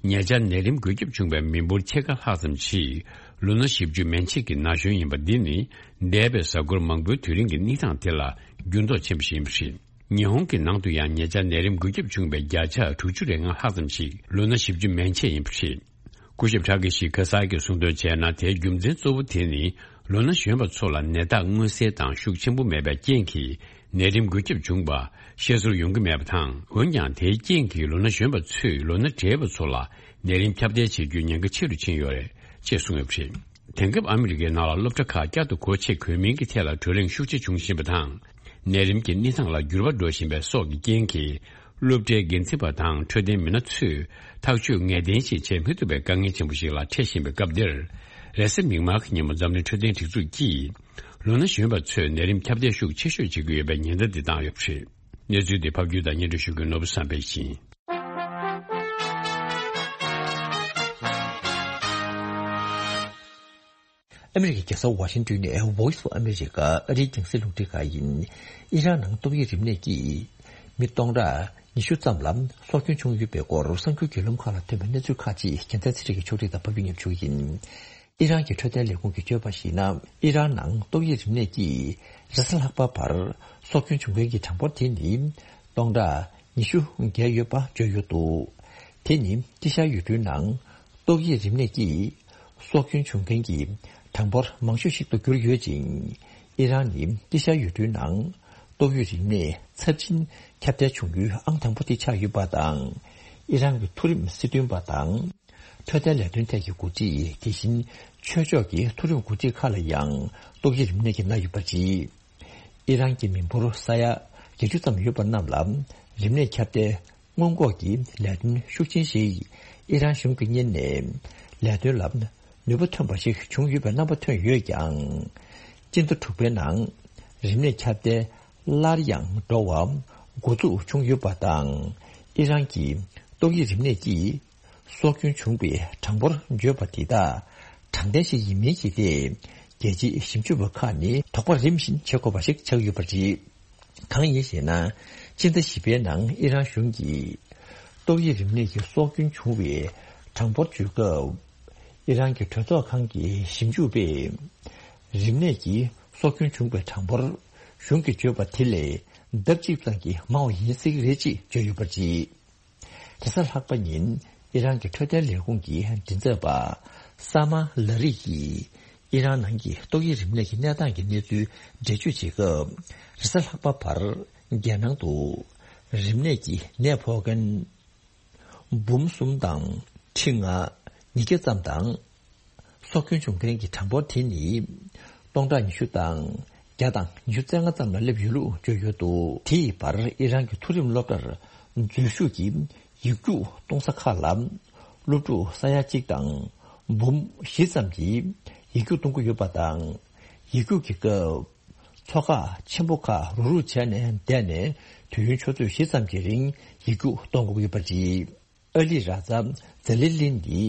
ཉེ་ཆར་ནད་རིམས་འགོས་ཁྱབ་བྱུང་བའི་མི་འབོར་ཕྱེད་ཀ་ལྷག་ཙམ་ཞིག་ལོ་ན་བཞི་བཅུ་མན་ཆད་ཀྱི་ན་གཞོན་ཡིན་པ་འདི་ནི་འདས་པའི་གཟའ་འཁོར་མང་པོའི་དུས་རིང་གི་གནས་སྟངས་དེ་ལ་འགྱུར་ལྡོག་ཆེན་པོ་ཞིག་ཡིན་པ་རེད། ཉི་ཧོང་གི་ནང་དུ་ཡང་ཉེ་ཆར་ནད་རིམས་འགོས་ཁྱབ་བྱུང་བའི་བརྒྱ་ཆ་དྲུག་ཅུ་རེ་ལྔ་ལྷག་ཙམ་ཞིག་ལོ་ན་བཞི་བཅུ་མན་ཆད་ཡིན་པ་རེད། སྐུ་ཞབས་ཁྲ་ཀི་ཤི་ཁ་སཱ་གིས་གསུངས་དོན་བྱས་ན། དེའི་རྒྱུ་མཚན་གཙོ་བོ་དེ་ནི་ལོ་ན་གཞོན་པ་ཚོ་ལ་ནད་རྟགས་མངོན་གསལ་དང་ཤུགས་ཆེན་པོ་མེད་པའི་རྐྱེན་གྱིས་ནད་རིམས་འགོས་ཁྱབ་བྱུང་བ་ཤེས་ཚོར་ཡོང་གི་མེད་པ་དང་། འོན་ཀྱང་དེའི་རྐྱེན་གྱིས་ལོ་ན་གཞོན་པ་ཚོས་ལོ་ན་བགྲེས་པ་ཚོ་ལ་ནད་རིམས་ཁྱབ་གདལ་བྱེད་རྒྱུའི་ཉེན་ཁ་ཆེ་རུ་ཕྱིན་ཡོད་རེད་ཅེས་གསུངས་ཡོད་པ་རེད། དེང་སྐབས་ཨ་མི་རི་ཀའི་ནང་ལ་སློབ་གྲྭ་ཁག་བསྐྱར་དུ་སྒོ་ཕྱེ་དགོས་མིན་གྱི་ཐད་ལ་བགྲོ་གླེང་ཤུགས་ཆེ་འབྱུང་བཞིན་པ་དང་། ནད་རིམས་ཀྱི་གནས་སྟངས་ལ་འགྱུར་བ་འགྲོ་བཞིན་པའི་སོགས་ཀྱི་རྐྱེན་གྱིས། སློབ་གྲྭའི་འགན་འཛིན་པ་དང་འཕྲོད་བསྟེན་མི་སྣ་ཚོས་ཐག་གཅོད་ངེས་གཏན་ཞིག་བྱེད་མི་ཐུབ་པའི་དཀའ་ངལ་ཆེན་པོ་ཞིག་ལ་འཕྲད་བཞིན་པའི་སྐབས་འདིར། རེས་གཟའ་མིག་དམར་གྱི་ཉིན་མོ་འཛམ་གླིང་འཕྲོད་བསྟེན་སྒྲིག་འཛུགས་ཀྱིས་ལོ་ན་གཞོན་པ་ཚོས་ནད་རིམས་ཁྱབ་གདལ་ཤུགས་ཆེ་ཤོས་བྱེད་ཀྱི་ཡོད་པའི་ཉེན་བརྡ་འདི་བཏང་ཡོད་པ་རེད། གནས་ཚུལ་འདི་ཕབ་སྒྱུར་དང་སྙན་སྒྲོན་ཞུ་མཁན་ནོར་བུ་བསམ་འཕེལ་ཡིན། ཨ་མི་རི་ཀའི་རྒྱལ་ས་ཝ་ཤིང་ཏོན་ནས་Voice of America ཨ་རིའི་རྒྱང་སྲིང་རླུང་འཕྲིན་ཁང་ཡིན། ཨི་རན་ནང་ཏོག་དབྱིབས་རིམས་ནད་ཀྱིས་མི་སྟོང་ཕྲག་ཉི་ཤུ་ཙམ་ལ་སྲོག་སྐྱོན་བྱུང་ཡོད་པའི་སྐོར་གསར་འགྱུར་བརྒྱུད་ལམ་ཁག་ལ་ཐོན་པའི་གནས་ཚུལ་ཁག་ཅིག་རྒྱལ་མཚན་ཚེ་རིང་གིས་ཕྱོགས་སྒྲིག་དང་ཕབ་སྒྱུར་སྙན་སྒྲོན་ཞུ་གི་ཡིན། ཨི་རན་གྱི་འཕྲོད་བསྟེན་ལས་ཁུངས་ཀྱིས་བརྗོད་པར་གཞིགས་ན། ཨི་རན་ནང་ཏོག་དབྱིབས་རིམས་ནད་ཀྱིས་རེས་གཟའ་ལྷག་པ་བར་སྲོག་སྐྱོན་བྱུང་མཁན་གྱི་གྲངས་འབོར་དེ་ནི་སྟོང་ཕྲག་ཉི་ཤུ་བརྒལ་ཡོད་པ་བརྗོད་ཡོད་འདུག་དེ་ནི་དཀྱིལ་ཤར་ཡུལ་གྲུའི་ནང་ཏོག་དབྱིབས་རིམས་ནད་ཀྱིས་སྲོག་སྐྱོན་བྱུང་མཁན་གྱི་གྲངས་འབོར་མང་ཤོས་ཤིག་ཏུ་གྱུར་ཡོད་ཅིང་། ཨི་རན་ནི་དཀྱིལ་ཤར་ཡུལ་གྲུའི་ནང་ཏོག་དབྱིབས་རིམས་ནད་ཚབས་ཆེན་ཁྱབ་གདལ་བྱུང་ཡུལ་ཨང་དང་པོ་དེ་ཆགས་ཡོད་པ་དང་། ཨི་རན་གྱི་མཐོ་རིམ་སྲིད་དོན་པ་དང་། འཕྲོད་བསྟེན་ལས་དོན་ཐད་ཀྱི་འགོ་ཁྲིད། དེ་བཞིན་ཆོས་ཕྱོགས་ཀྱི་མཐོ་རིམ་འགོ་ཁྲིད་ཁག་ལ་ཡང་ཏོག་དབྱིབས་རིམས་ནད་ཀྱིས་མནར་ཡོད་པ་རེད། ཨི་རན་གྱི་མི་འབོར་ས་ཡ་བརྒྱད་ཅུ་ཙམ་ཡོད་པ་རྣམས་ལ་རིམས་ནད་ཁྱབ་གདལ་སྔོན་འགོག་གི་ལས་དོན་ཤུགས་ཆེན་ཞིག་ཨི་རན་གཞུང་གིས་གཉེར་ནས་ལས་དོན་ལ་ནུས་པ་ཐོན་པ་ཞིག་བྱུང་ཡོད་པའི་རྣམ་པ་ཐོན་ཡོད་ཀྱང་། སྤྱི་ཟླ་དྲུག་པའི་ནང་རིམས་ནད་ཁྱབ་གདལ་སླར་ཡང་འགྲོ་བ་འགོ་འཛུགས་བྱུང་ཡོད་པ་དང་། ཨི་རན་གྱི་ཏོག་དབྱིབས་རིམས་ནད་ཀྱིས་སྲོག་སྐྱོན་བྱུང་བའི་གྲངས་འབོར་བརྗོད་པ་དེ་དག་དྲང་བདེན་ཞིག་ཡིན་མིན་གྱི་ཐད་རྒྱལ་སྤྱིའི་ཞིབ་འཇུག་པ་ཁག་ནས་དོགས་པ་རིམ་བཞིན་བྱེད་དགོས་པ་ཞིག་ཆགས་ཡོད་པ་རེད། གང་ཡིན་ཞེ་ན། སྤྱི་ཟླ་བཞི་པའི་ནང་ཨི་རན་གཞུང་གིས་ཏོག་དབྱིབས་རིམས་ནད་ཀྱི་སྲོག་སྐྱོན་བྱུང་བའི་གྲངས་འབོར་བརྗོད་སྐབས། ཨི་རན་གྱི་གྲོས་ཚོགས་ཁང་གི་ཞིབ་འཇུག་པས་རིམས་ནད་ཀྱིས་སྲོག་སྐྱོན་བྱུང་བའི་གྲངས་འབོར་གཞུང་གིས་བརྗོད་པ་དེ་ལས་ལྡབ་གཅིག་ཙམ་གྱིས་མང་བ་ཡིན་སྲིད་ཀྱི་རེད་ཅེས་བརྗོད་ཡོད་པ་རེད། རེས་གཟའ་ལྷག་པ་ཉིན་ཨི་རན་གྱི་འཕྲོད་བསྟེན་ལས་ཁུངས་ཀྱི་མགྲིན་ཚབ་པ་ས་མ་ལ་རི་ཡིས་ཨི་རན་ནང་གི་ཏོག་དབྱིབས་རིམས་ནད་ཀྱི་གནས་སྟངས་ཀྱི་གནས་ཚུལ་འགྲེལ་བརྗོད་བྱེད་སྐབས། རེས་གཟའ་ལྷག་པ་བར་རྒྱལ་ནང་དུ་རིམས་ནད་ཀྱི་ནད་ཕོག་མཁན་འབུམ་གསུམ་དང་ཁྲི་ལྔ་ཉིས་བརྒྱ་ཙམ་དང་། སྲོག་སྐྱོན་བྱུང་མཁན་གྱི་གྲངས་འབོར་དེ་ནི་སྟོང་ཕྲག་ཉི་ཤུ་དང་བརྒྱ་དང་ཉི་ཤུ་རྩ་ལྔ་ཙམ་ལ་སླེབས་ཡོད་ལུགས་བརྗོད་ཡོད་འདུག་དེ་ཡི་བར་ཨི་རན་གྱི་མཐོ་རིམ་སློབ་གྲྭར་འཛུལ་ཞུགས་ཀྱིས་ཡིག་རྒྱུགས་གཏོང་ས་ཁག་ལ་སློབ་ཕྲུག་ས་ཡ་གཅིག་དང་འབུམ་བཞི་ཙམ་གྱིས་ཡིག་རྒྱུགས་གཏོང་གི་ཡོད་པ་དང་། ཡིག་རྒྱུགས་ཀྱི་སྐབས། ཚོགས་ཁག་ཆེན་པོ་ཁག་རུག་རུག་བྱས་ནས་བསྡད་ནས་དུས་ཡུན་ཆུ་ཚོད་བཞི་ཙམ་གྱི་རིང་ཡིག་རྒྱུགས་གཏོང་དགོས་ཀྱི་ཡོད་པ་རེད། ཨ་ལི་ར་ཛ་ཛ་ལི་ལིན་ནི་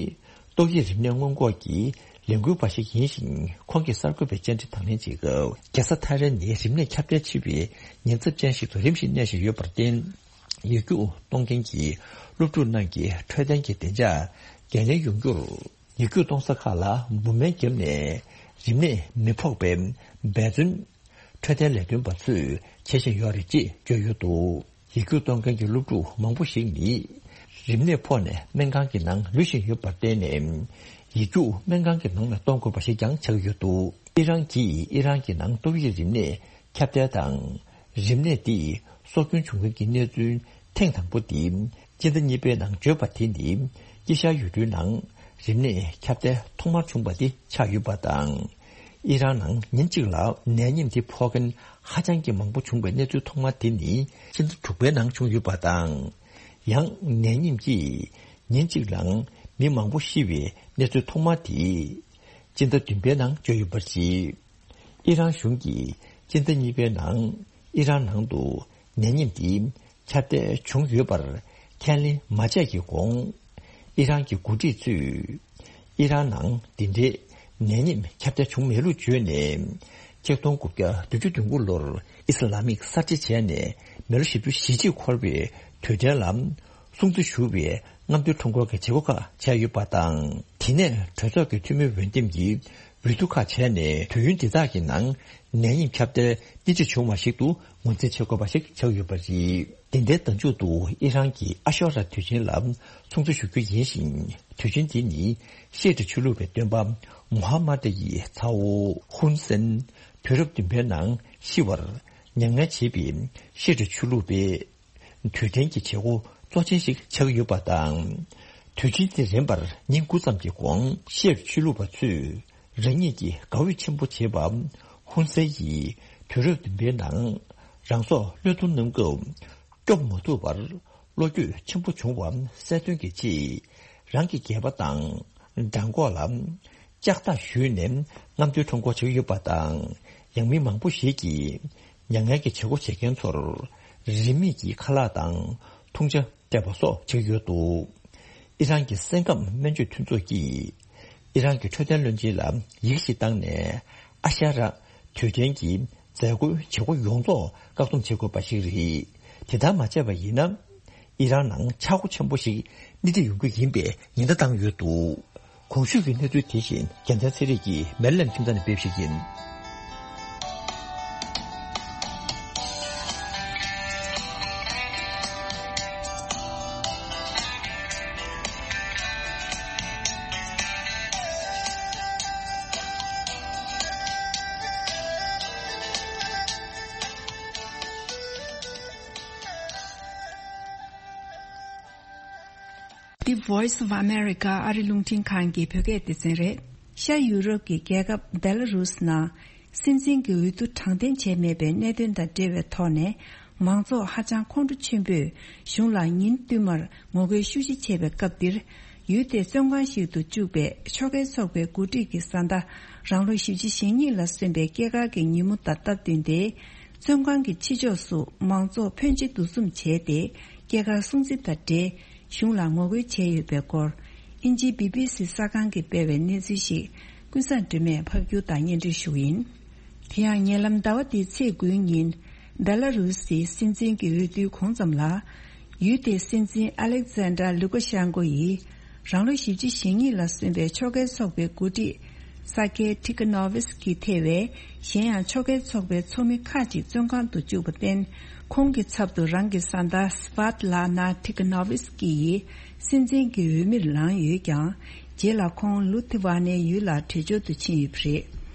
ཏོག་དབྱིབས་རིམས་ནད་སྔོན་འགོག་གི་ལས་འགུལ་བ་ཞིག་ཡིན་ཞིང་། ཁོང་གིས་གསར་འགོད་པའི་བཅར་འདྲི་དང་ལེན་བྱེད་སྐབས། རྒྱལ་ས་ཐ་ཧེ་རན་ནི་རིམས་ནད་ཁྱབ་གདལ་ཆེ་བའི་ཉེན་ཚབས་ཅན་ཞིག་ཏུ་རིམ་བཞིན་གནས་བཞིན་ཡོད་པར་བརྟེན། ཡིག་རྒྱུགས་གཏོང་མཁན་གྱི་སློབ་ཕྲུག་རྣམས་ཀྱི་འཕྲོད་བསྟེན་གྱི་བདེ་འཇགས་འགན་ལེན་ཡོང་རྒྱུར། ཡིག་རྒྱུགས་གཏོང་ས་ཁག་ལ་འབུ་སྨན་བརྒྱབ་ནས་རིམས་ནད་མི་ཕོག་པའི་འབད་བརྩོན་འཕྲོད་བསྟེན་ལས་དོན་པ་ཚོས་བྱེད་བཞིན་ཡོད་རེད་ཅེས་བརྗོད་ཡོད་འདུག་ཡིག་རྒྱུགས་གཏོང་མཁན་གྱི་སློབ་ཕྲུག་མང་པོ་ཞིག་ནི་རིམས་ནད་ཕོག་ནས་སྨན་ཁང་གི་ནང་ལུས་བཞིན་ཡོད་པར་བརྟེན་ནས། ཡིག་རྒྱུགས་སྨན་ཁང་གི་ནང་ནས་གཏོང་དགོས་པ་ཞིག་ཀྱང་ཆགས་ཡོད་འདུག་ཨི་རན་གྱིས་ཨི་རན་གྱི་ནང་ཏོག་དབྱིབས་རིམས་ནད་ཁྱབ་གདལ་དང་། རིམས་ནད་འདིས་སྲོག་སྐྱོན་བྱུང་མཁན་གྱི་གནས་ཚུལ་ཐེངས་དང་པོ་འདི་སྤྱི་ཟླ་གཉིས་པའི་ནང་བརྗོད་པ་དེ་ནི་དཀྱིལ་ཤར་ཡུལ་གྲུའི་ནང་རིམས་ནད་ཁྱབ་གདལ་ཐོག་མར་བྱུང་བ་དེ་ཆགས་ཡོད་པ་དང་། ཨི་རན་ནང་ཉིན་གཅིག་ལ་ནད་ཉིམ་དེ་ཕོག་མཁན་ཧ་ཅང་གི་མང་པོ་བྱུང་བའི་གནས་ཚུལ་ཐོག་མ་དེ་ནི་སྤྱི་ཟླ་དྲུག་པའི་ནང་བྱུང་ཡོད་པ་དང་། ཡང་ནད་ཉིམ་གྱིས་ཉིན་གཅིག་ལ་མི་མང་པོ་ཤི་བའི་གནས་ཚུལ་ཐོག་མ་དེ་སྤྱི་ཟླ་བདུན་པའི་ནང་བརྗོད་ཡོད་པ་རེད། ཨི་རན་གཞུང་གིས་སྤྱི་ཟླ་གཉིས་པའི་ནང་ཨི་རན་ནང་དུ་ནད་ཉིམ་འདི་ཁྱབ་གདལ་བྱུང་ཡོད་པར་ཁས་ལེན་མ་བྱས་ཀྱི་གོང་། ཨི་རན་གྱི་འགོ་ཁྲིད་ཚོས་ཨི་རན་ནང་འདི་འདྲའི་ནད་ཡམས་ཁྱབ་གདལ་བྱུང་མེད་ལུགས་བརྗོད་ནས། ཆིག་སྟོང་དགུ་བརྒྱ་བདུན་ཅུ་དོན་དགུ་ལོར་ཨི་སི་ལ་མིག་གསར་བརྗེ་བྱས་ནས་མི་ལོ་བཞི་བཅུ་ཞེ་གཅིག་འཁོར་བའི་དུས་དྲན་ལ་སྲུང་བརྩི་ཞུ་བའི་རྔམ་སྟོན་ཁྲོམ་སྐོར་གྱི་བྱེད་སྒོ་ཁག་བྱས་ཡོད་པ་དང་། དེ་ནས་གྲོས་ཚོགས་ཀྱི་འཐུས་མི་འོས་འདེམས་ཀྱི་འོས་བསྡུ་ཁག་བྱས་ནས། དུས་ཡུན་འདི་དག་གི་ནང་ནད་ཡམས་ཁྱབ་གདལ་ཏིལ་ཏིལ་བྱུང་བ་ཞིག་ཏུ་ངོས་འཛིན་བྱེད་དགོས་པ་ཞིག་ཆགས་ཡོད་པ་རེད། འདི་ཟླའི་ཟླ་མཇུག་ཏུ་ཨི་རན་གྱི་ཨ་ཤོ་ར་དུས་ཆེན་ལ་སྲུང་བརྩི་ཞུ་རྒྱུ་ཡིན་ཞིང་། དུས་ཆེན་འདི་ནི་ཤི་ཨ་ཊི་ཆོས་ལུགས་པའི་སྟོན་པ་མུ་ཧམ་མ་ཏི་ཡི་ཚ་བོ་ཧུན་སེན་དུས་རབས་བདུན་པའི་ནང་ཤི་བར་མྱ་ངན་བྱེད་པའི་ཤི་ཨ་ཊི་ཆོས་ལུགས་པའི་དུས་དྲན་གྱི་བྱེད་སྒོ་གཙོ་ཆེན་ཞིག་ཆགས་ཡོད་པ་དང་། དུས་ཆེན་དེ་རན་པར་ཉིན་དགུ་ཙམ་གྱི་གོང་ཤི་ཨ་ཊི་ཆོས་ལུགས་པ་ཚོས་རང་ཉིད་ཀྱི་དགའ་འོས་ཆེན་པོ་བྱེད་པ་ཧུན་སེན་ཡིས་དུས་རབས་བདུན་པའི་ནང་རང་སྲོག་བློས་གཏོང་གནང་སྐབས་སྐྱོབ་མ་ཐུབ་པར་བློ་འགྱོད་ཆེན་པོ་བྱུང་བ་གསལ་སྟོན་གྱི་ཆེད་རང་གི་སྒལ་པ་དང་བྲང་ཁོག་ལ་ལྕགས་ཐག་གཞུས་ནས་རྔམ་སྟོན་ཁྲོམ་སྐོར་བྱེད་ཀྱི་ཡོད་པ་དང་། ཡང་མི་མང་པོ་ཞིག་གིས་མྱ་ངན་གྱི་བྱེད་སྒོ་བྱེད་མཁན་ཚོར་རིན་མེད་ཀྱི་ཁ་ལག་དང་འཐུང་ཆ་སྤྲད་པ་སོགས་བྱེད་ཀྱི་ཡོད་འདུག་ཨི་རན་གྱི་སེམས་ཁམས་སྨན་བཅོས་མཐུན་ཚོགས་ཀྱིས་ཨི་རན་གྱི་འཕྲོད་བསྟེན་བློན་ཆེན་ལ་ཡིག་ཞིག་བཏང་ནས། ཨ་ཤ་ར་དུས་དྲན་གྱི་མཛད་སྒོའི་བྱེད་སྒོ་ཡོངས་རྫོགས་བཀག་སྡོམ་བྱེད་དགོས་པ་ཞིག་རེད། དེ་ལྟར་མ་བྱས་པ་ཡིན་ན། ཨི་རན་ནང་ཆག་སྒོ་ཆེན་པོ་ཞིག་སྣེ་ཁྲིད་ཡོང་རྒྱུ་ཡིན་པའི་ཉེན་བརྡ་བཏང་ཡོད་འདུག་གོང་ཞུས་ཀྱི་གནས་ཚུལ་དེ་བཞིན་རྒྱལ་མཚན་ཚེ་རིང་གིས་མེ་རི་ལན་ཁྱིམ་ཚང་ནས་སྤེལ་བ་ཞིག་ཡིན། The Voice of America ཨ་རི་རླུང་འཕྲིན་ཁང་གི་བོད་སྐད་སྡེ་ཚན་རེད། ཤར་ཡུ་རོབ་ཀྱི་རྒྱལ་ཁབ་བེ་ལ་རུས་ནང་སྲིད་འཛིན་གྱི་འོས་བསྡུ་དྲང་བདེན་བྱས་མེད་པའི་གནད་དོན་དང་འབྲེལ་བའི་ཐོག་ནས། མང་ཚོགས་ཧ་ཅང་ཁོང་ཁྲོ་ཆེན་པོས་གཞུང་ལ་ཉིན་བསྟུད་མར་ངོ་རྒོལ་ཤུགས་ཆེ་བྱས་པའི་སྐབས་འདིར། ཡུལ་དེའི་བཙོན་ཁང་ཞིག་ཏུ་བཅུག་པའི་ཕྱོགས་འགལ་ཚོགས་པའི་འགོ་ཁྲིད་ཀྱི་བཟའ་ཟླ་རང་ལོ་བཞི་བཅུ་ཞེ་གཉིས་ལ་སོན་པའི་སྐྱེས་སྐར་གྱི་ཉིན་མོ་དང་སྟབས་བསྟུན་ཏེ། བཙོན་ཁང་གི་ཕྱི་ཕྱོགས་སུ་མང་ཚོགས་ཕོན་ཆེ་འདུ་འཛོམས་བྱས་ཏེ། སྐྱེས་སྐར་སྲུང་བརྩི་དང་འབྲེལ་གཞུང་ལ་ངོ་རྒོལ་བྱས་ཡོད་པའི་སྐོར། དབྱིན་ཇིའི་བི་བི་སི་གསར་ཁང་གིས་སྤེལ་བའི་གནས་ཚུལ་ཞིག་ཀུན་བཟང་སྒྲོལ་མས་ཕབ་སྒྱུར་དང་སྙན་སྒྲོན་ཞུ་གི་ཡིན། དེ་ཡང་ཉེ་ལམ་ཟླ་བ་འདིའི་ཚེས་དགུའི་ཉིན། བེ་ལ་རུ་སིའི་སྲིད་འཛིན་གྱི་འོས་བསྡུའི་གོང་ཙམ་ལ། ཡུལ་དེའི་སྲིད་འཛིན་ཨ་ལེག་ཛན་ཌར་ལུ་ཀ་ཤན་ཀོ་ཡིས། རང་ལོ་བཞི་བཅུ་ཞེ་གཉིས་ལ་སོན་པའི་ཕྱོགས་འགལ་ཚོགས་པའི་འགོ་ཁྲིད་ས་ཀེ་ཐི་ཀ་ནོ་ཝི་སི་ཀྱིས་ཐེ་བའི་གཞན་ཡང་ཕྱོགས་འགལ་ཚོགས་པའི་ཚོགས་མི་ཁག་ཅིག་བཙོན་ཁང་དུ་བཅུག་པར་བརྟེན། ཁོང་གི་ཚབ་ཏུ་རང་གི་བཟའ་ཟླ་སི་ཝཱ་ཏི་ལ་ན་ཐི་ཀ་ནོ་ཝི་སི་ཀི་ཡིས་སྲིད་འཛིན་གྱི་འོས་མིར་ལངས་ཡོད་ཀྱང་། རྗེས་ལ་ཁོང་ལུ་ཐི་ཝ་ནའི་ཡུལ་ལ་བྲོས་བྱོལ་དུ་ཕྱིན་ཡོད་པ་རེད།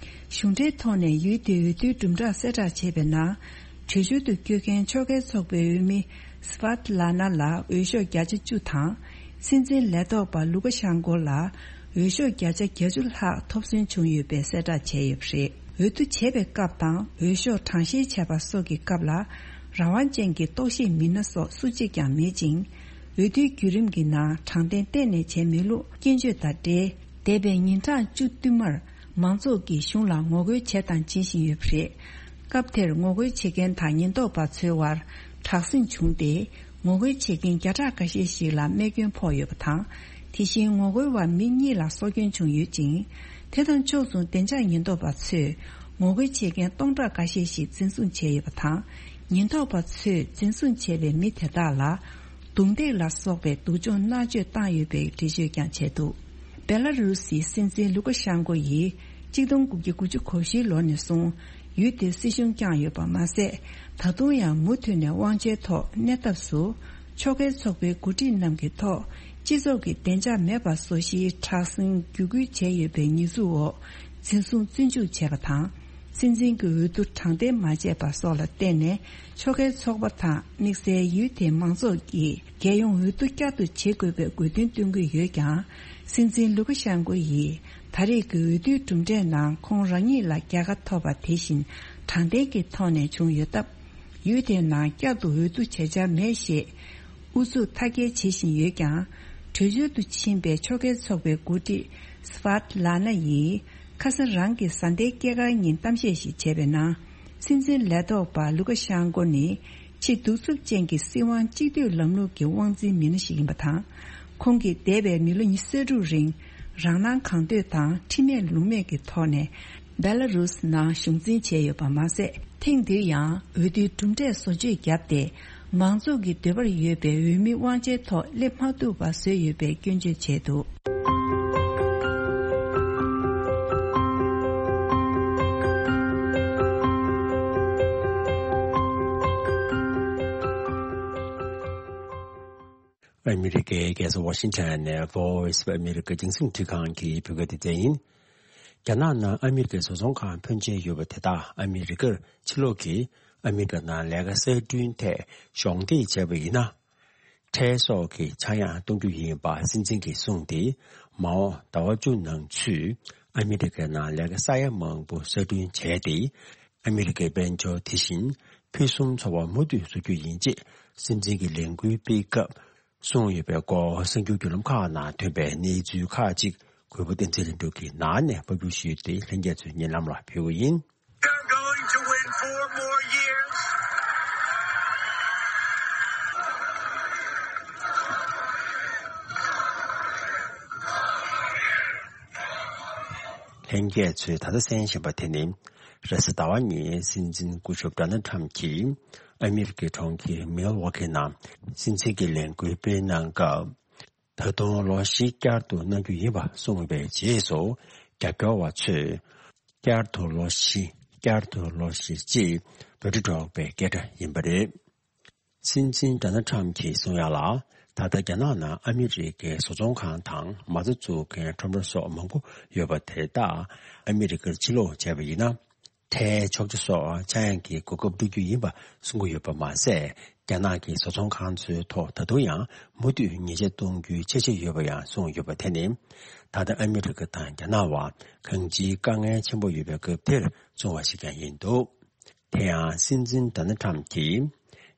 གཞུང་འབྲེལ་ཐོག་ནས་ཡུལ་དེའི་འོས་བསྡུའི་གྲུབ་འབྲས་གསལ་བསྒྲགས་བྱས་པའི་ནང་། བྲོས་བྱོལ་དུ་བསྐྱོད་མཁན་ཕྱོགས་འགལ་ཚོགས་པའི་འོས་མི་སི་ཝཱ་ཏི་ལ་ན་ལ་འོས་ཤོག་བརྒྱ་ཆ་བཅུ་དང་། སྲིད་འཛིན་ལས་ཐོག་པ་ལུ་ཀ་ཤན་ཀོ་ལ་འོས་ཤོག་བརྒྱ་ཆ་བརྒྱད་ཅུ་ལྷག་ཐོབ་སོན་བྱུང་ཡོད་པའི་གསལ་བསྒྲགས་བྱས་ཡོད་པ་རེད། འོས་བསྡུ་བྱེད་པའི་སྐབས་དང་འོས་ཤོག་གྲངས་བཤེར་བྱས་པ་སོགས་ཀྱི་སྐབས་ལ་རང་དབང་ཅན་གྱི་རྟོག་ཞིབ་མི་སྣ་སོགས་སུ་གཅིག་ཀྱང་མེད་ཅིང་། འོས་བསྡུའི་བརྒྱུད་རིམ་གྱི་ནང་དྲང་བདེན་གཏན་ནས་བྱས་མེད་ལུགས་སྐྱོན་བརྗོད་དང་འབྲེལ། འདས་པའི་ཉིན་གྲངས་བཅུ་བསྟུད་མར་མང་ཚོགས་ཀྱིས་གཞུང་ལ་ངོ་རྒོལ་བྱས་དང་བྱེད་བཞིན་ཡོད་པ་རེད། སྐབས་དེར་ངོ་རྒོལ་བྱེད་མཁན་དང་ཉེན་རྟོག་པ་ཚོའི་དབར་དྲག་ཟིང་བྱུང་སྟེ། ངོ་རྒོལ་བྱེད་མཁན་བརྒྱ་ཕྲག་ཁ་ཤས་ཤིག་ལ་རྨས་སྐྱོན་ཕོག་ཡོད་པ་དང་། དེ་བཞིན་ངོ་རྒོལ་བ་མི་གཉིས་ལ་སྲོག་སྐྱོན་བྱུང་ཡོད་ཅིང་། དེ་དང་ཕྱོགས་མཚུངས་བདེ་འཇགས་ཉེན་རྟོག་པ་ཚོས་ངོ་རྒོལ་བྱེད་མཁན་སྟོང་ཕྲག་འགའ་ཤས་ཤིག་འཛིན་བཟུང་བྱས་ཡོད་པ་དང་། ཉེན་རྟོག་པ་ཚོས་འཛིན་བཟུང་བྱས་པའི་མི་དེ་དག་ལ་རྡུང་རྡེག་ལ་སོགས་པའི་སྡུག་སྦྱོང་མནར་གཅོད་བཏང་ཡོད་པའི་འགྲེལ་བརྗོད་ཀྱང་བྱས་འདུག་བེ་ལ་རུ་སིའི་སྲིད་འཛིན་ལུ་ཀ་ཤན་ཀོ་ཡིས་གཅིག་སྟོང་དགུ་བརྒྱ་དགུ་བཅུ་གོ་བཞིའི་ལོ་ནས་བཟུང་ཡུལ་དེར་སྲིད་གཞུང་བསྐྱངས་ཡོད་པ་མ་ཟད། ད་དུང་ཡང་མུ་མཐུད་ནས་དབང་ཆའི་ཐོག་གནས་ཐབས་སུ་ཕྱོགས་འགལ་ཚོགས་པའི་འགོ་ཁྲིད་རྣམས་ཀྱི་ཐོག་སྤྱི་ཚོགས་ཀྱི་བདེ་འཇགས་མེད་པ་བཟོ་གཞིའི་དྲག་ཟིང་བརྒྱུད་སྐུལ་བྱས་ཡོད་པའི་ཉེས་འཛུགས་འོག་འཛིན་བཟུང་བཙོན་འཇུག་བྱས་པ་དང་། སྲིད་འཛིན་གྱི་འོས་བསྡུ་དྲང་བདེན་མ་བྱས་པ་སོགས་ལ་བརྟེན་ནས་ཕྱོགས་འགལ་ཚོགས་པ་དང་དམིགས་བསལ་ཡུལ་དེའི་མང་ཚོགས་ཀྱིས་རྒྱལ་ཡོངས་འོས་བསྡུ་བསྐྱར་དུ་བྱེད་དགོས་པའི་དགོས་འདུན་བཏོན་གྱི་ཡོད་ཀྱང་། སྲིད་འཛིན་ལུ་ཀ་ཤན་ཀོ་ཡིས་ད་རེས་ཀྱི་འོས་བསྡུའི་གྲུབ་འབྲས་ནང་ཁོང་རང་ཉིད་ལ་རྒྱལ་ཁ་ཐོབ་པ་དེ་བཞིན་དྲང་བདེན་གྱི་ཐོག་ནས་བྱུང་ཡོད་སྟབས། ཡུལ་དེའི་ནང་བསྐྱར་དུ་འོས་བསྡུ་བྱེད་འཆར་མེད་ཞེས་ཨུ་ཚུགས་མཐའ་སྐྱེལ་བྱེད་བཞིན་ཡོད་ཀྱང་། བྲོས་བྱོལ་དུ་ཕྱིན་པའི་ཕྱོགས་འགལ་ཚོགས་པའི་འགོ་ཁྲིད་སི་ཕཱ་ཏི་ལ་ན་ཡིས་ཁ་སང་རང་གི་བཟའ་ཟླའི་སྐྱེས་སྐར་ཉིན་གཏམ་བཤད་ཞིག་བྱས་པའི་ནང་། སྲིད་འཛིན་ལས་ཐོག་པ་ལུ་ཀ་ཤན་ཀོ་ནི་ཕྱི་གདུག་རྩུབ་ཅན་གྱི་སྲིད་དབང་གཅིག་སྡུད་ལམ་ལུགས་ཀྱི་དབང་འཛིན་མི་སྣ་ཞིག་ཡིན་པ་དང་། ཁོང་གིས་འདས་པའི་མི་ལོ་ཉི་ཤུ་རྩ་དྲུག་རིང་རང་སྣང་གང་འདོད་དང་ཁྲིམས་མེད་ལུགས་མེད་ཀྱི་ཐོག་ནས་བེ་ལ་རུས་ནང་གཞུང་འཛིན་བྱས་ཡོད་པ་མ་ཟད། ཐེངས་འདིར་ཡང་འོས་བསྡུའི་གྲུབ་འབྲས་བཟོ་བཅོས་བརྒྱབ་སྟེ། མང་ཚོགས་ཀྱི་འདོད་པར་ཡོད་པའི་འོས་མི་དབང་ཆའི་ཐོག་སླེབས་མ་ཐུབ་པ་བཟོས་ཡོད་པའི་སྐྱོན་བརྗོད་བྱས་འདུག། ཨ་མི་རི་ཀའི་རྒྱལ་ས་ཝ་ཤིང་ཊོན་ནས་Voice of America་རྒྱང་སྲིང་འཕྲིན་ཁང་གི་བོད་སྐད་སྡེ་ཚན་ཡིན། རྒྱ་ནག་ནང་ཨ་མི་རི་ཀའི་བཟོ་ཚོང་ཁང་ཕོན་ཆེན་ཡོད་པ་དེ་དག་ཨ་མི་རི་ཀར་ཕྱིར་ལོག་གིས་ཨ་མི་རི་ཀ་ནང་ལས་ཀ་གསར་སྐྲུན་ཐད་གཞོགས་འདེགས་བྱས་པ་ཡིན་ན། ཁྲལ་སོགས་ཀྱི་ཆག་ཡང་གཏོང་རྒྱུ་ཡིན་པ་སྲིད་འཛིན་གྱིས་གསུངས་ཏེ། མ་འོངས་ཟླ་བ་བཅུ་ནང་ཚུད་ཨ་མི་རི་ཀའི་ནང་ལས་ཀ་ས་ཡ་མང་པོ་གསར་སྐྲུན་བྱས་ཏེ། ཨ་མི་རི་ཀའི་དཔལ་འབྱོར་དེ་བཞིན་ཕུན་སུམ་ཚོགས་པ་མུ་མཐུད་བཟོ་རྒྱུ་ཡིན་ཅེས་སྲིད་འཛིན་གྱིས་ལས་འགུལ་སྤེལ་སྐབས་གསུངས་ཡོད་པའི་སྐོར་གསར་འགྱུར་བརྒྱུད་ལམ་ཁག་ནང་ཐོན་པའི་གནས་ཚུལ་ཁག་ཅིག་གུས་པ་བསྟན་འཛིན་ལྷུན་གྲུབ་ཀྱིས་ནང་ནས་ཕབ་སྒྱུར་ཞུས་ཏེ། ལྷན་རྒྱས་ཚོས་ཉན་ལམ་ལ་ཕུལ་གྱི་ཡིན། They're going to win four more years. ལྷན་རྒྱས་ཚོས་ད་ལྟ་གསན་བཞིན་པ་དེ་ནི། རེས་གཟའ་ཟླ་བ་ཉིན་སྲིད་འཛིན་སྐུ་ཞབས་ཌོ་ནལ་ཊམ་གྱིས་ཨ་མི་རི་ཀའི་གྲོང་ཁྱེར་མིལ་ཝོ་ཁི་ནང་སྲིད་འཛིན་གྱི་ལས་འགུལ་སྤེལ་གནང་སྐབས། ད་དུང་ལོ་བཞི་བསྐྱར་དུ་གནང་རྒྱུ་ཡིན་པ་གསུངས་པའི་རྗེས་སུ། རྒྱབ་སྐྱོར་བ་ཚོས་བསྐྱར་དུ་ལོ་བཞི། བསྐྱར་དུ་ལོ་བཞི་ཅེས་འབོད་སྒྲ་སྒྲོག་པའི་སྐད་སྒྲ་ཡིན་པ་རེད། སྲིད་འཛིན་ཌོ་ནལ་ཊམ་གྱིས་གསུངས་ཡག་ལ། ད་ལྟ་རྒྱ་ནག་ནང་ཨ་མི་རི་ཀའི་བཟོ་ཚོང་ཁང་དང་མ་རྩ་འཛུགས་མཁན་ཁྲོམ་ར་སོགས་མང་པོ་ཡོད་པ་དེ་དག་ཨ་མི་རི་ཀར་ཕྱིར་ལོག་བྱས་པ་ཡིན་ན། ཁྲལ་ཆོག་མཆན་སོགས་ཆག་ཡང་གི་གོ་སྐབས་སྤྲོད་རྒྱུ་ཡིན་པ་གསུང་གི་ཡོད་པ་མ་ཟད། རྒྱ་ནག་གི་བཟོ་ཚོང་ཁང་ཚོའི་ཐོག་ད་དུང་ཡང་མུ་མཐུད་ཉེས་ཆད་གཏོང་རྒྱུའི་འཆར་གཞི་ཡོད་པ་ཡང་གསུངས་ཡོད་པ་དེ་ནི། ད་ལྟ་ཨ་མི་རི་ཀ་དང་རྒྱ་ནག་བར་གང་ཅིའི་དཀའ་ངལ་ཆེན་པོ་ཡོད་པའི་སྐབས་དེར་གསུངས་པ་ཞིག་ཀྱང་ཡིན་འདུག། དེ་ཡང་སྲིད་འཛིན་ཌོ་ནལ་ཊམ་གྱིས།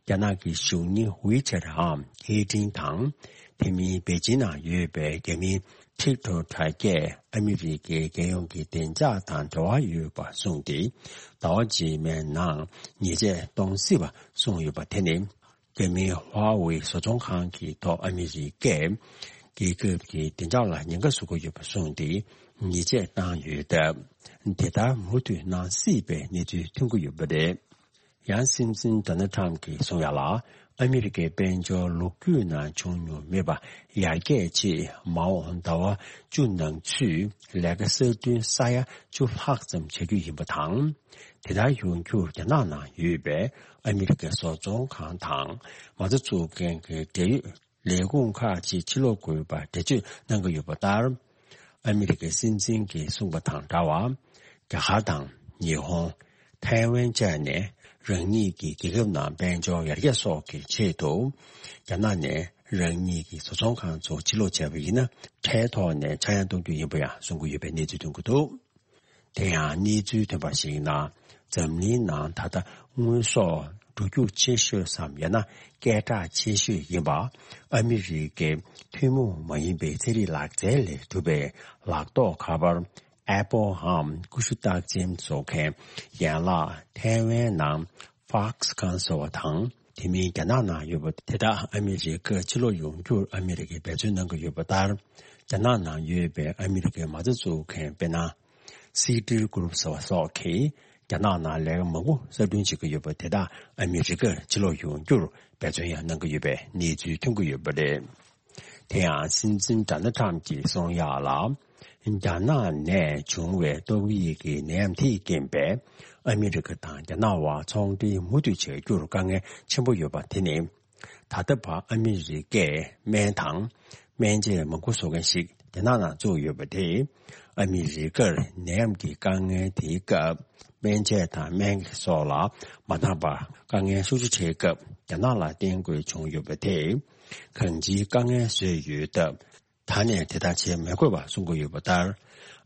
རྒྱ་ནག་གི་གཞུང་གཉེར་ཝི་ཆེ་ཊི་འམ་ཧེ་ཀྲིན་དང་། དེ་མིན་པེ་ཅིན་ནང་ཡོད་པའི་རྒྱ་མིའི་ཊིག་ཊོག་དྲ་རྒྱས་ཨ་མི་རི་ཀའི་རྒྱལ་ཡོངས་ཀྱི་བདེ་འཇགས་དང་འབྲེལ་བ་ཡོད་པ་གསུངས་ཏེ། ཟླ་བ་རྗེས་མའི་ནང་ཉེས་ཆད་གཏོང་སྲིད་པ་གསུངས་ཡོད་པ་དེ་ནི། རྒྱ་མིའི་ཧྭ་ཝེ་བཟོ་ཚོང་ཁང་གི་ཐོག་ཨ་མི་རི་ཀས་རྒྱལ་ཁབ་ཀྱི་བདེ་འཇགས་ལ་ཉེན་ཁ་བཟོ་གི་ཡོད་པ་གསུངས་ཏེ། ཉེས་ཆད་བཏང་ཡོད་སྟབས། དེ་ལྟར་མུ་མཐུད་གནང་སྲིད་པའི་གནས་ཚུལ་ཐོན་གྱི་ཡོད་པ་རེད། ཡང་སྲིད་འཛིན་ཌོ་ནལ་ཊམ་གྱིས་གསུངས་ཡག་ལ། ཨ་མི་རི་ཀའི་དཔལ་འབྱོར་ལོ་རྒྱུས་ནང་བྱུང་མྱོང་མེད་པ་ཡར་རྒྱས་ཆེད། མ་འོངས་ཟླ་བ་བཅུ་ནང་ཚུད་ལས་ཀ་གསར་སྐྲུན་ས་ཡ་བཅུ་ལྷག་ཙམ་བྱ་རྒྱུ་ཡིན་པ་དང་། དེ་ལྟར་ཡོང་རྒྱུར་རྒྱ་ནག་ནང་ཡོད་པའི་ཨ་མི་རི་ཀའི་བཟོ་ཚོང་ཁང་དང་མ་རྩ་འཛུགས་མཁན་གྱི་འབྲེལ་ཡོད་ལས་ཁུངས་ཁག་ཅིག་ཕྱིར་ལོག་དགོས་པ་འགྲེལ་བརྗོད་གནང་གི་ཡོད་པ་ལྟར། ཨ་མི་རི་ཀའི་སྲིད་འཛིན་གྱིས་གསུངས་པ་དང་འདྲ་བར། རྒྱ་གར་དང་ཉི་ཧོང་། ཐའེ་ཝན་བཅས་ནས་རང་ཉིད་ཀྱི་རྒྱལ་ཁབ་ནང་དཔལ་འབྱོར་ཡར་རྒྱས་སོགས་ཀྱི་ཆེད་དུ། རྒྱ་ནག་ནས་རང་ཉིད་ཀྱི་བཟོ་ཚོང་ཁང་ཚོ་ཕྱིར་ལོག་བྱས་པ་ཡིན་ན། ཁྲལ་ཐོག་ནས་ཆག་ཡང་གཏོང་རྒྱུ་ཡིན་པ་ཡང་གསུང་གི་ཡོད་པའི་གནས་ཚུལ་ཐོན་གྱི་འདུག། དེ་ཡང་གནས་ཚུལ་ཐོན་པར་གཞིགས་ན། འཛམ་གླིང་ནང་ད་ལྟ་དངོས་ཟོག་འགྲོ་རྒྱུག་ཆེ་ཤོས་སམ། ཡང་ན་སྐད་གྲགས་ཆེ་ཤོས་ཡིན་པ། ཨ་མི་རི་ཀའི་ཐུན་མོང་མ་ཡིན་པའི་ཚན་རིག་ལག་རྩལ་ལས་གྲུབ་པའི་ལག་ཐོགས་ཁ་པར། ཨེ་པོལ་འམ་ཀུ་ཤུ་རྟགས་ཅན་བཟོ་མཁན་ཡན་ལག་ཐའེ་ཝན་ནང་ཧྥོག་སི་ཁོན་ཟེར་བ་དང་། དེ་མིན་རྒྱ་ནག་ནང་ཡོད་པ་དེ་དག་ཨ་མི་རི་ཀར་ཕྱིར་ལོག་ཡོང་རྒྱུར་ཨ་མི་རི་ཀས་འབད་བརྩོན་གནང་གི་ཡོད་པ་ལྟར། རྒྱ་ནག་ནང་ཡོད་པའི་ཨ་མི་རི་ཀའི་མ་རྩ་འཛུགས་མཁན་དཔེར་ན། སི་ཊི་གུ་རུབ་ཟེར་བ་སོགས་ཀྱིས་རྒྱ་ནག་ནང་ལས་ཀ་མང་པོ་གསར་སྐྲུན་བྱེད་ཀྱི་ཡོད་པ་དེ་དག་ཨ་མི་རི་ཀར་ཕྱིར་ལོག་ཡོང་རྒྱུར་འབད་བརྩོན་ཡང་གནང་གི་ཡོད་པའི་གནས་ཚུལ་ཐོན་གྱི་ཡོད་པ་རེད། དེ་ཡང་སྲིད་འཛིན་ཌོ་ནལ་ཊམ་གྱིས་གསུངས་ཡག་ལ། རྒྱ་ནག་ནས་བྱུང་བའི་ཏོག་དབྱིབས་ཀྱི་ནད་ཡམས་དེས་རྐྱེན་པས། ཨ་མི་རི་ཀ་དང་རྒྱ་ནག་དབར་ཚོང་འབྲེལ་མུ་མཐུད་བྱ་རྒྱུར་དཀའ་ངལ་ཆེན་པོ་ཡོད་པ་དེ་ནི། ད་ལྟ་བར་ཨ་མི་རི་ཀས་སྨན་དང་། སྨན་ཆས་མང་པོ་བཟོ་མཁན་ཞིག་རྒྱ་ནག་ནང་བཙུགས་ཡོད་པ་དེས། ཨ་མི་རི་ཀར་ནད་ཡམས་ཀྱི་དཀའ་ངལ་དེའི་སྐབས། སྨན་ཆས་དང་སྨན་སོགས་ལ་མ་འདང་བར་དཀའ་ངལ་ཤུགས་ཆེ་འཕྲད་སྐབས། རྒྱ་ནག་ལ་བརྟེན་དགོས་བྱུང་ཡོད་པ་དེས། གང་ཅིའི་དཀའ་ངལ་བཟོས་ཡོད་སྟབས། ད་ནས་དེ་ལྟར་བྱེད་མི་དགོས་པ་གསུང་གི་ཡོད་པ་ལྟར།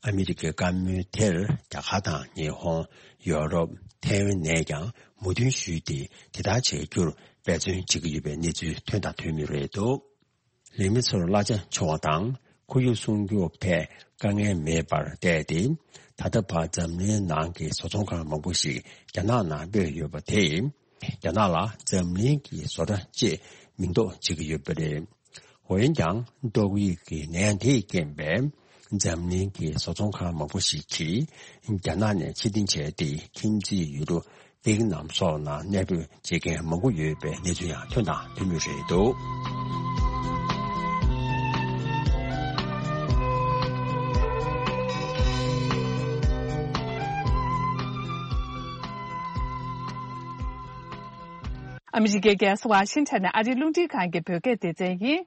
ཨ་མི་རི་ཀའི་བཀའ་མོལ་དེར་རྒྱ་གར་དང་ཉི་ཧོང་། ཡོ་རོབ། ཐའེ་ཝན་ནས་ཀྱང་མོས་མཐུན་ཞུས་ཏེ། དེ་ལྟར་བྱེད་རྒྱུར་འབད་བརྩོན་བྱེད་ཀྱི་ཡོད་པའི་གནས་ཚུལ་ཐོན་དང་ཐོན་མུས་རེད་འདུག། ལས་མི་ཚོར་གླ་ཆ་ཆུང་བ་དང་ཁོར་ཡུག་སྲུང་སྐྱོབ་ཐད་དཀའ་ངལ་མེད་པར་བལྟས་ཏེ། ད་ལྟ་བར་འཛམ་གླིང་ནང་གི་བཟོ་ཚོང་ཁང་མང་པོ་ཞིག་རྒྱ་ནག་ནང་སྤོས་ཡོད་པ་དེས། རྒྱ་ནག་ལ་འཛམ་གླིང་གི་བཟོ་གྲྭ་ཅེས་མིང་འདོགས་བྱེད་ཀྱི་ཡོད་པ་རེད། འོན་ཀྱང་ཏོག་དབྱིབས་ཀྱི་ནད་ཡམས་དེའི་རྐྱེན་པས་འཛམ་གླིང་གི་བཟོ་ཚོང་ཁང་མང་པོ་ཞིག་གིས་རྒྱ་ནག་ནས་ཕྱིར་འཐེན་བྱས་ཏེ། ཁྱིམ་མཚེས་ཡུལ་གྲུ་ཝེ་ཏི་ནམ་སོགས་ནང་གནས་སྤོས་བྱེད་མཁན་མང་པོ་ཡོད་པའི་གནས་ཚུལ་ཡང་ཐོན་དང་ཐོན་མུས་རེད་འདུག། ཨ་མི་རི་ཀའི་རྒྱལ་ས་ཝ་ཤིང་ཊོན་ནས་ཨ་རིའི་རླུང་འཕྲིན་ཁང་གི་བོད་སྐད་སྡེ་ཚན་ཡིན།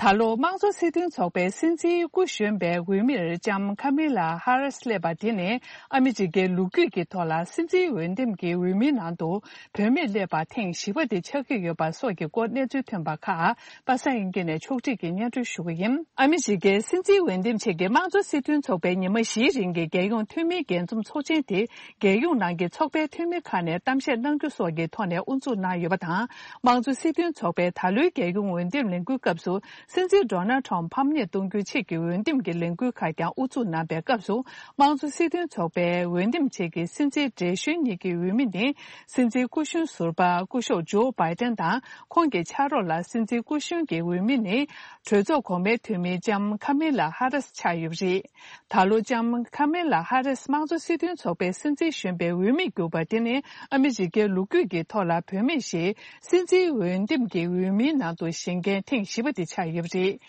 ད་ལོ་དམངས་གཙོ་སྲིད་དོན་ཚོགས་པའི་སྲིད་འཛིན་སྐུ་གཞོན་པའི་འོས་མིར་ལྕམ་ཁ་མི་ལ་ཧ་རིས་སླེབས་པ་དེ་ནི། ཨ་མི་རི་ཀའི་ལོ་རྒྱུས་ཀྱི་ཐོག་ལ་སྲིད་འཛིན་འོས་འདེམས་ཀྱི་འོས་མིའི་ནང་དུ་བུད་མེད་སླེབས་པ་ཐེངས་བཞི་པ་དེ་ཆགས་ཀྱི་ཡོད་པ་སོགས་ཀྱི་སྐོར་གནས་ཚུལ་ཐོན་པ་ཁག་པ་སངས་དབྱངས་སྐྱིད་ནས་ཕྱོགས་སྒྲིག་གིས་སྙན་སྒྲོན་ཞུ་གི་ཡིན། ཨ་མི་རི་ཀའི་སྲིད་འཛིན་འོས་འདེམས་ཆེད་ཀྱི་དམངས་གཙོ་སྲིད་དོན་ཚོགས་པས་ཉི་མ་བཞིའི་རིང་གི་རྒྱལ་ཡོངས་འཐུས་མིའི་རྒྱས་འཛོམས་ཚོགས་ཆེན་དེ། རྒྱལ་ཡོངས་ནང་གི་ཚོགས་པའི་འཐུས་མི་ཁག་ནས་གཏམ་བཤད་གནང་རྒྱུ་སོགས་ཀྱི་ཐོག་ནས་དབུ་འཛུགས་གནང་ཡོད་པ་དང་། དམངས་གཙོ་སྲིད་དོན་ཚོགས་པའི་ད་ལོའི་རྒྱལ་ཡོངས་འོས་འདེམས་ལས་འགུལ་སྐབས་སུ། སྲིད་འཛིན་ཌོ་ནལ་ཊམ་ཕམ་ཉེས་གཏོང་རྒྱུའི་ཆེད་ཀྱི་འོས་འདེམས་ཀྱི་ལས་འགུལ་ཁག་ཀྱང་དབུ་འཛུགས་གནང་པའི་སྐབས་སུ། དམངས་གཙོ་སྲིད་དོན་ཚོགས་པའི་འོས་འདེམས་ཆེད་ཀྱི་སྲིད་འཛིན་བགྲེས་གཞོན་གཉིས་ཀྱི་འོས་མི་ནི། སྲིད་འཛིན་སྐུ་གཞོན་ཟུར་པ་སྐུ་ཞབས་ཇོ་བྷའི་ཏན་དང་། ཁོང་གི་ཕྱག་རོགས་ལ་སྲིད་འཛིན་སྐུ་གཞོན་གྱི་འོས་མི་ནི། གྲོས་ཚོགས་གོང་མའི་འཐུས་མི་ལྕམ་ཁ་མི་ལ་ཧ་རིས་ཆགས་ཡོད་པ་རེད། ད་ལོ་ལྕམ་ཁ་མེ་ལ་ཧ་རིས་དམངས་གཙོ་སྲིད་དོན་ཚོགས་པའི་སྲིད་འཛིན་གཞོན་པའི་འོས་མི་གྱུར་པ་དེ་ནི། ཨ་མི་རི་ཀའི་ལོ་རྒྱུས་ཀྱི་ཐོག་ལ་བུད་མེད་ཞིག་སྲིད་འཛིན་འོས་འདེམས་ཀྱི་འོས་མིའི་ནང་དུ་བཞེངས་མཁན་ཐེངས་བཞི་པ་དེ་ཆགས་ཡོད་པ་རེད།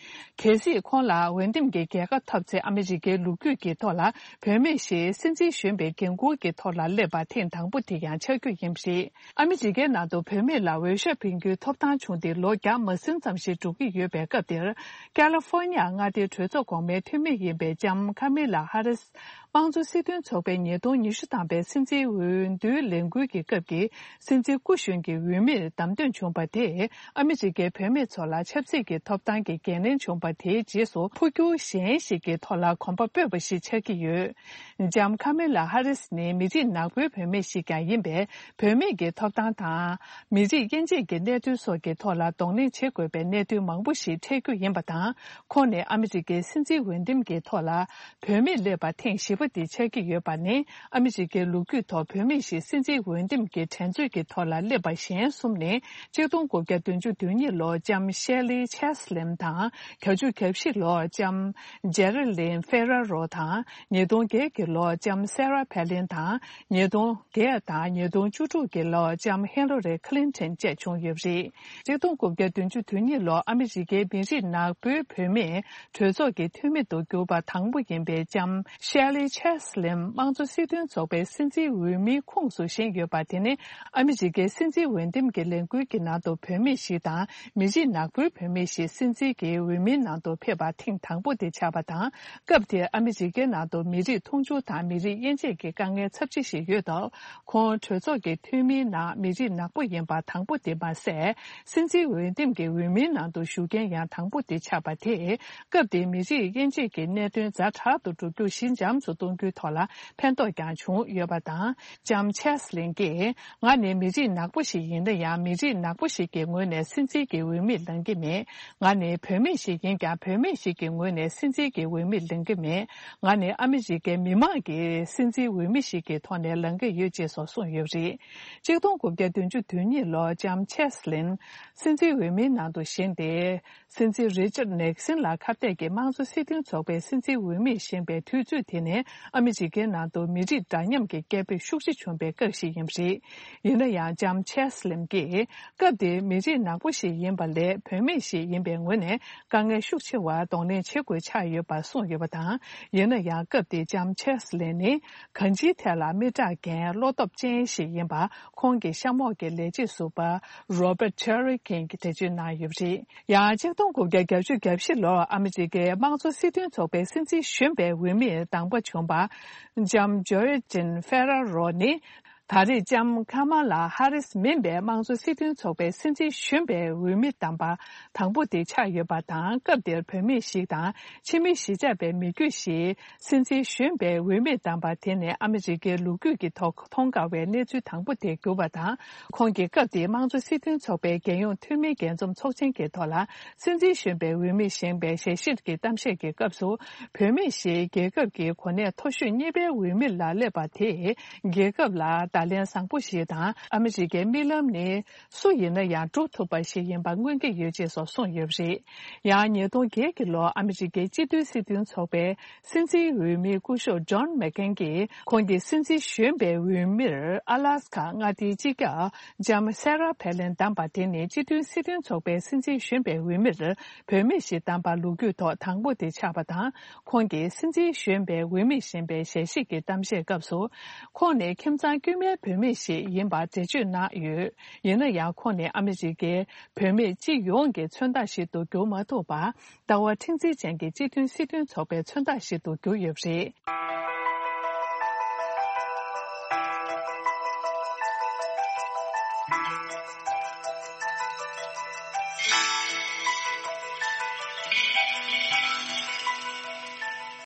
གལ་སྲིད་ཁོང་ལ་འོས་འདེམས་ཀྱི་རྒྱལ་ཁ་ཐོབ་ཚེ། ཨ་མི་རི་ཀའི་ལོ་རྒྱུས་ཀྱི་ཐོག་ལ་བུད་མེད་ཞིག་སྲིད་འཛིན་གཞོན་པའི་འགན་འཁུར་གྱི་ཐོག་ལ་སླེབས་པ་ཐེངས་དང་པོ་དེ་ཡང་ཆགས་རྒྱུ་ཡིན་པ་རེད། ཨ་མི་རི་ཀའི་ནང་དུ་བུད་མེད་ལ་འོས་ཤོག་འཕེན་རྒྱུའི་ཐོབ་ཐང་བྱུང་སྟེ་ལོ་བརྒྱ་མ་ཟིན་ཙམ་ཞིག་འགྲོ་གི་ཡོད་པའི་སྐབས་དེར། ཀ་ལི་ཧྥོར་ནི་ཡ་མངའ་སྡེའི་གྲོས་ཚོགས་གོང་མའི་འཐུས་མི་ཡིན་པའི་ལྕམ་ཁ་མི་ལ་ཧ་རིས། དམངས་གཙོ་སྲིད་དོན་ཚོགས་པའི་ཉིས་སྟོང་ཉི་ཤུ་ཐམ་པའི་སྲིད་འཛིན་འོས་བསྡུའི་ལས་འགུལ་གྱི་སྐབས་ཀྱི་སྲིད་འཛིན་སྐུ་གཞོན་གྱི་འོས་མིར་བདམས་ཐོན་བྱུང་པ་དེས། ཨ་མི་རི་ཀའི་བུད་མེད་ཚོ་ལ་ཆབ་སྲིད་ཀྱི་ཐོབ་ཐང་གི་འགན་ལེན་བྱུང་པ་དེའི་རྗེས་སུ། འཕོ་འགྱུར་གཞན་ཞིག་གི་ཐོག་ལ་གོམ་པ་སྤོས་པ་ཞིག་ཆགས་ཀྱི་ཡོད། ལྕམ་ཁ་མེ་ལ་ཧ་རིས་ནི་མི་རིགས་ནག་པོའི་བུད་མེད་ཞིག་ཀྱང་ཡིན་པས། བུད་མེད་ཀྱི་ཐོབ་ཐང་དང་། མི་རིགས་དབྱེ་འབྱེད་ཀྱི་གནད་དོན་སོགས་ཀྱི་ཐོག་ལ་གདོང་ལེན་བྱེད་དགོས་པའི་གནད་དོན་མང་པོ་ཞིག་འཕྲད་རྒྱུ་ཡིན་པ་དང་། ཁོང་ནི་ཨ་མི་རི་ཀའི་སྲིད་འཛིན་འོས་འདེམས་ཀྱི་ཐོག་ལ་བུད་མེད་སླེབས་པ་ཐེངས་བཞི་པ་དེ་ཆགས་ཀྱི་ཡོད་པ་ནི། ཨ་མི་རི་ཀའི་ལོ་རྒྱུས་ཐོག་བུད་མེད་ཞིག་སྲིད་འཛིན་འོས་འདེམས་ཀྱི་འགྲན་རྩོད་ཀྱི་ཐོག་ལ་སླེབས་པ་གཞན་གསུམ་ནི། གཅིག་སྟོང་དགུ་བརྒྱ་བདུན་ཅུ་དོན་གཉིས་ལོར་ལྕམ་ཤེ་ལི་ཆེ་སི་ལིན་དང་། བརྒྱད་ཅུ་གྱ་བཞི་ལོར་ལྕམ་ཇེ་རི་ལིན་ཧྥེ་ར་རོ་དང་། ཉིས་སྟོང་བརྒྱད་ཀྱི་ལོར་ལྕམ་སེ་ར་ཕེ་ལིན་དང་། ཉིས་སྟོང་བརྒྱད་དང་ཉིས་སྟོང་བཅུ་དྲུག་གི་ལོར་ལྕམ་ཧི་ལ་རི་ཁི་ལིན་ཊོན་བཅས་བྱུང་ཡོད་པ་རེད། གཅིག་སྟོང་དགུ་བརྒྱ་བདུན་ཅུ་དོན་གཉིས་ལོར་ཨ་མི་རི་ཀའི་མི་རིགས་ནག་པོའི་བུད་མེད་གྲོས་ཚོགས་ཀྱི་འཐུས་མི་དུ་གྱུར་པ་དང་པོ་ཡིན་པའི་ལྕམ་ཤེ་ལི་ཆེ་སི་ལིན་དམངས་གཙོ་སྲིད་དོན་ཚོགས་པའི་སྲིད་འཛིན་འོས་མིའི་ཁོངས་སུ་བཞེངས་ཡོད་པ་དེ་ནི། ཨ་མི་རི་ཀའི་སྲིད་འཛིན་འོས་འདེམས་ཀྱི་ལས་འགུལ་གྱི་ནང་དུ་བུད་མེད་ཞིག་དང་། མི་རིགས་ནག་པོའི་བུད་མེད་ཞིག་སྲིད་འཛིན་གྱི་འོས་མིའི་ནང་དུ་ཕེབས་པ་ཐེངས་དང་པོ་དེ་ཆགས་པ་དང་། སྐབས་དེར་ཨ་མི་རི་ཀའི་ནང་དུ་མི་རིགས་མཐོང་ཆུང་དང་མི་རིགས་དབྱེ་འབྱེད་ཀྱི་དཀའ་ངལ་ཚབས་ཆེ་ཞིག་ཡོད་སྟབས། ཁོང་གྲོས་ཚོགས་ཀྱི་འཐུས་མིའི་ནང་མི་རིགས་ནག་པོ་ཡིན་པ་དང་པོ་དེ་མ་ཟད། སྲིད་འཛིན་འོས་འདེམས་ཀྱི་འོས་མིའི་ནང་དུ་ཞུགས་མཁན་ཡང་དང་པོ་དེ་ཆགས་པ་དེས། སྐབས་དེའི་མི་རིགས་དབྱེ་འབྱེད་ཀྱི་གནད་དོན་ཛ་དྲག་ཏུ་འགྲོ་རྒྱུ་ཞི་འཇམ་དུ་གཏོང་རྒྱུའི་ཐོག་ལ་ཕན་ཐོགས་ཀྱང་བྱུང་ཡོད་པ་དང་། ལྕམ་ཆེ་སི་ལིན་གྱིས། ང་ནི་མི་རིགས་ནག་པོ་ཞིག་ཡིན་ན་ཡང་། མི་རིགས་ནག་པོ་ཞིག་གི་ངོས་ནས་སྲིད་འཛིན་གྱི་འོས་མིར་ལངས་ཀྱི་མེད། ང་ནི་བུད་མེད་ཞིག་ཡིན་ཀྱང་། བུད་མེད་ཞིག་གི་ངོས་ནས་སྲིད་འཛིན་གྱི་འོས་མིར་ལངས་ཀྱི་མེད། ང་ནི་ཨ་མི་རི་ཀའི་མི་མང་གི་སྲིད་འཛིན་འོས་མི་ཞིག་གི་ཐོག་ནས་ལངས་ཀྱི་ཡོད་ཅེས་སོགས་གསུངས་ཡོད་པ་རེད། གཅིག་སྟོང་དགུ་བརྒྱ་བདུན་ཅུ་དོན་གཉིས་ལོར་ལྕམ་ཆེ་སི་ལིན་སྲིད་འཛིན་འོས་མིའི་ནང་དུ་བཞེངས་ཏེ། སྲིད་འཛིན་རི་ཅར་ནེག་སིན་ལ་ཁ་གཏད་ཀྱིས་དམངས་གཙོ་སྲིད་དོན་ཚོགས་པའི་སྲིད་འཛིན་འོས་མིར་བཞེངས་པའི་དུས་ཚོད་དེ་ནི་ཨ་མི་རི་ཀའི་ནང་དུ་མི་རིགས་འདྲ་མཉམ་གྱི་སྐད་འབོད་ཤུགས་ཆེ་བྱུང་པའི་སྐབས་ཤིག་ཡིན་པ་རེད། ཡིན་ན་ཡང་ལྕམ་ཆེ་སི་ལིན་གྱིས་སྐབས་དེའི་མི་རིགས་ནག་པོ་ཞིག་ཡིན་པ་ལས་བུད་མེད་ཞིག་ཡིན་པའི་ངོས་ནས་དཀའ་ངལ་ཤུགས་ཆེ་བར་གདོང་ལེན་བྱེད་དགོས་ཆགས་ཡོད་པ་གསུངས་ཡོད་པ་དང་། ཡིན་ན་ཡང་སྐབས་དེའི་ལྕམ་ཆེ་སི་ལིན་ནི་གང་ཅིའི་ཐད་ལ་མི་དྲག་རྐྱེན་བློ་སྟོབས་ཅན་ཞིག་ཡིན་པ་ཁོང་གི་གཤམ་འོག་གི་ལས་བྱེད་ཟུར་པ་རོ་བར་ཊི་ཆེ་རི་ཀིན་གྱིས་འགྲེལ་བརྗོད་གནང་ཡོད་པ་རེད། ཡང་གཅིག་སྟོང་དགུ་བརྒྱ་བརྒྱད་ཅུ་གྱ་བཞི་ལོར་ཨ་མི་རི་ཀའི་དམངས་གཙོ་སྲིད་དོན་ཚོགས་པའི་སྲིད་འཛིན་གཞོན་པའི་འོས་མིར་དང་པོ་བྱུང་བ་ལྕམ་ཇོ་ཡོ་ཅིན་ཧྥེ་ར་རོ་ནི། ད་རེས་ལྕམ་ཁ་མ་ལ་ཧ་རིས་མིན་པའི་དམངས་གཙོ་སྲིད་དོན་ཚོགས་པའི་སྲིད་འཛིན་གཞོན་པའི་འོས་མི་དམ་པ་དང་པོ་དེ་ཆགས་ཡོད་པ་དང་། སྐབས་དེར་བུད་མེད་ཞིག་དང་ཕྱི་མི་གཞིས་ཆགས་པའི་མི་རྒྱུད་ཞིག་སྲིད་འཛིན་གཞོན་པའི་འོས་མི་དམ་པ་དེ་ནི་ཨ་མི་རི་ཀའི་ལོ་རྒྱུས་ཀྱི་ཐོག་མཐོང་དཀའ་བའི་གནས་ཚུལ་དང་པོ་དེ་གྱུར་པ་དང་། ཁོང་གིས་སྐབས་དེའི་དམངས་གཙོ་སྲིད་དོན་ཚོགས་པའི་རྒྱལ་ཡོངས་འཐུས་མིའི་རྒྱས་འཛོམས་ཚོགས་ཆེན་གྱི་ཐོག་ལ་སྲིད་འཛིན་གཞོན་པའི་འོས་མིར་བཞེངས་པའི་ཞལ་བཞེས་ཀྱི་གཏམ་བཤད་ཀྱི་སྐབས་སུ། བུད་མེད་ཞིག་རྒྱལ་ཁབ་ཀྱི་གོ་གནས་མཐོ་ཤོས་གཉིས་པའི་འོས་མི་ལ་སླེབས་པ་དེས་རྒྱལ་ཁབ་ལ་བརྡ་ ལག་ལེན་བཟང་པོ་ཞིག་དང་། ཨ་མི་རི་ཀའི་རྨི་ལམ་ནི་སུ་ཡིན་ན་ཡང་འགྲུབ་ཐུབ་པ་ཞིག་ཡིན་པ་མངོན་གྱི་ཡོད་ཅེས་སོགས་གསུངས་ཡོད་པ་རེད། ཡང་ཉིས་སྟོང་བརྒྱད་ཀྱི་ལོར་ཨ་མི་རི་ཀའི་སྤྱི་མཐུན་སྲིད་དོན་ཚོགས་པའི་སྲིད་འཛིན་འོས་མི་སྐུ་ཞབས་ཇོན་མེག་ཀེན་གྱིས། ཁོང་གིས་སྲིད་འཛིན་གཞོན་པའི་འོས་མིར་ཨ་ལ་སི་ཁ་མངའ་སྡེའི་སྤྱི་ཁྱབ་ལྕམ་སེ་ར་ཕེ་ལིན་བདམས་པ་དེ་ནི་སྤྱི་མཐུན་སྲིད་དོན་ཚོགས་པའི་སྲིད་འཛིན་གཞོན་པའི་འོས་མིར་བུད་མེད་ཞིག་བདམས་པ་ལོ་རྒྱུས་ཐོག་དང་པོ་དེ་ཆགས་པ་དང་། ཁོང་གིས་སྲིད་འཛིན་གཞོན་པའི་འོས་མི་བཞེངས་པའི་ཞལ་བཞེས་ཀྱི་གཏམ་བཤད་སྐབས་སུ། ཁོང་ནི་ཁྱིམ་ཚང་དཀྱུས་མའི་བུད་མེད་ཞིག་ཡིན་པར་འགྲེལ་བརྗོད་གནང་ཡོད། ཡིན་ན་ཡང་། ཁོང་ནི་ཨ་མི་རི་ཀའི་བུད་མེད་སྤྱི་ཡོངས་ཀྱི་མཚོན་རྟགས་ཤིག་ཏུ་གྱུར་མ་ཐུབ་པར། ལྟ་བ་མཁྲེགས་འཛིན་ཅན་གྱི་སྤྱི་མཐུན་སྲིད་དོན་ཚོགས་པའི་མཚོན་རྟགས་ཤིག་ཏུ་གྱུར་ཡོད་པ་རེད།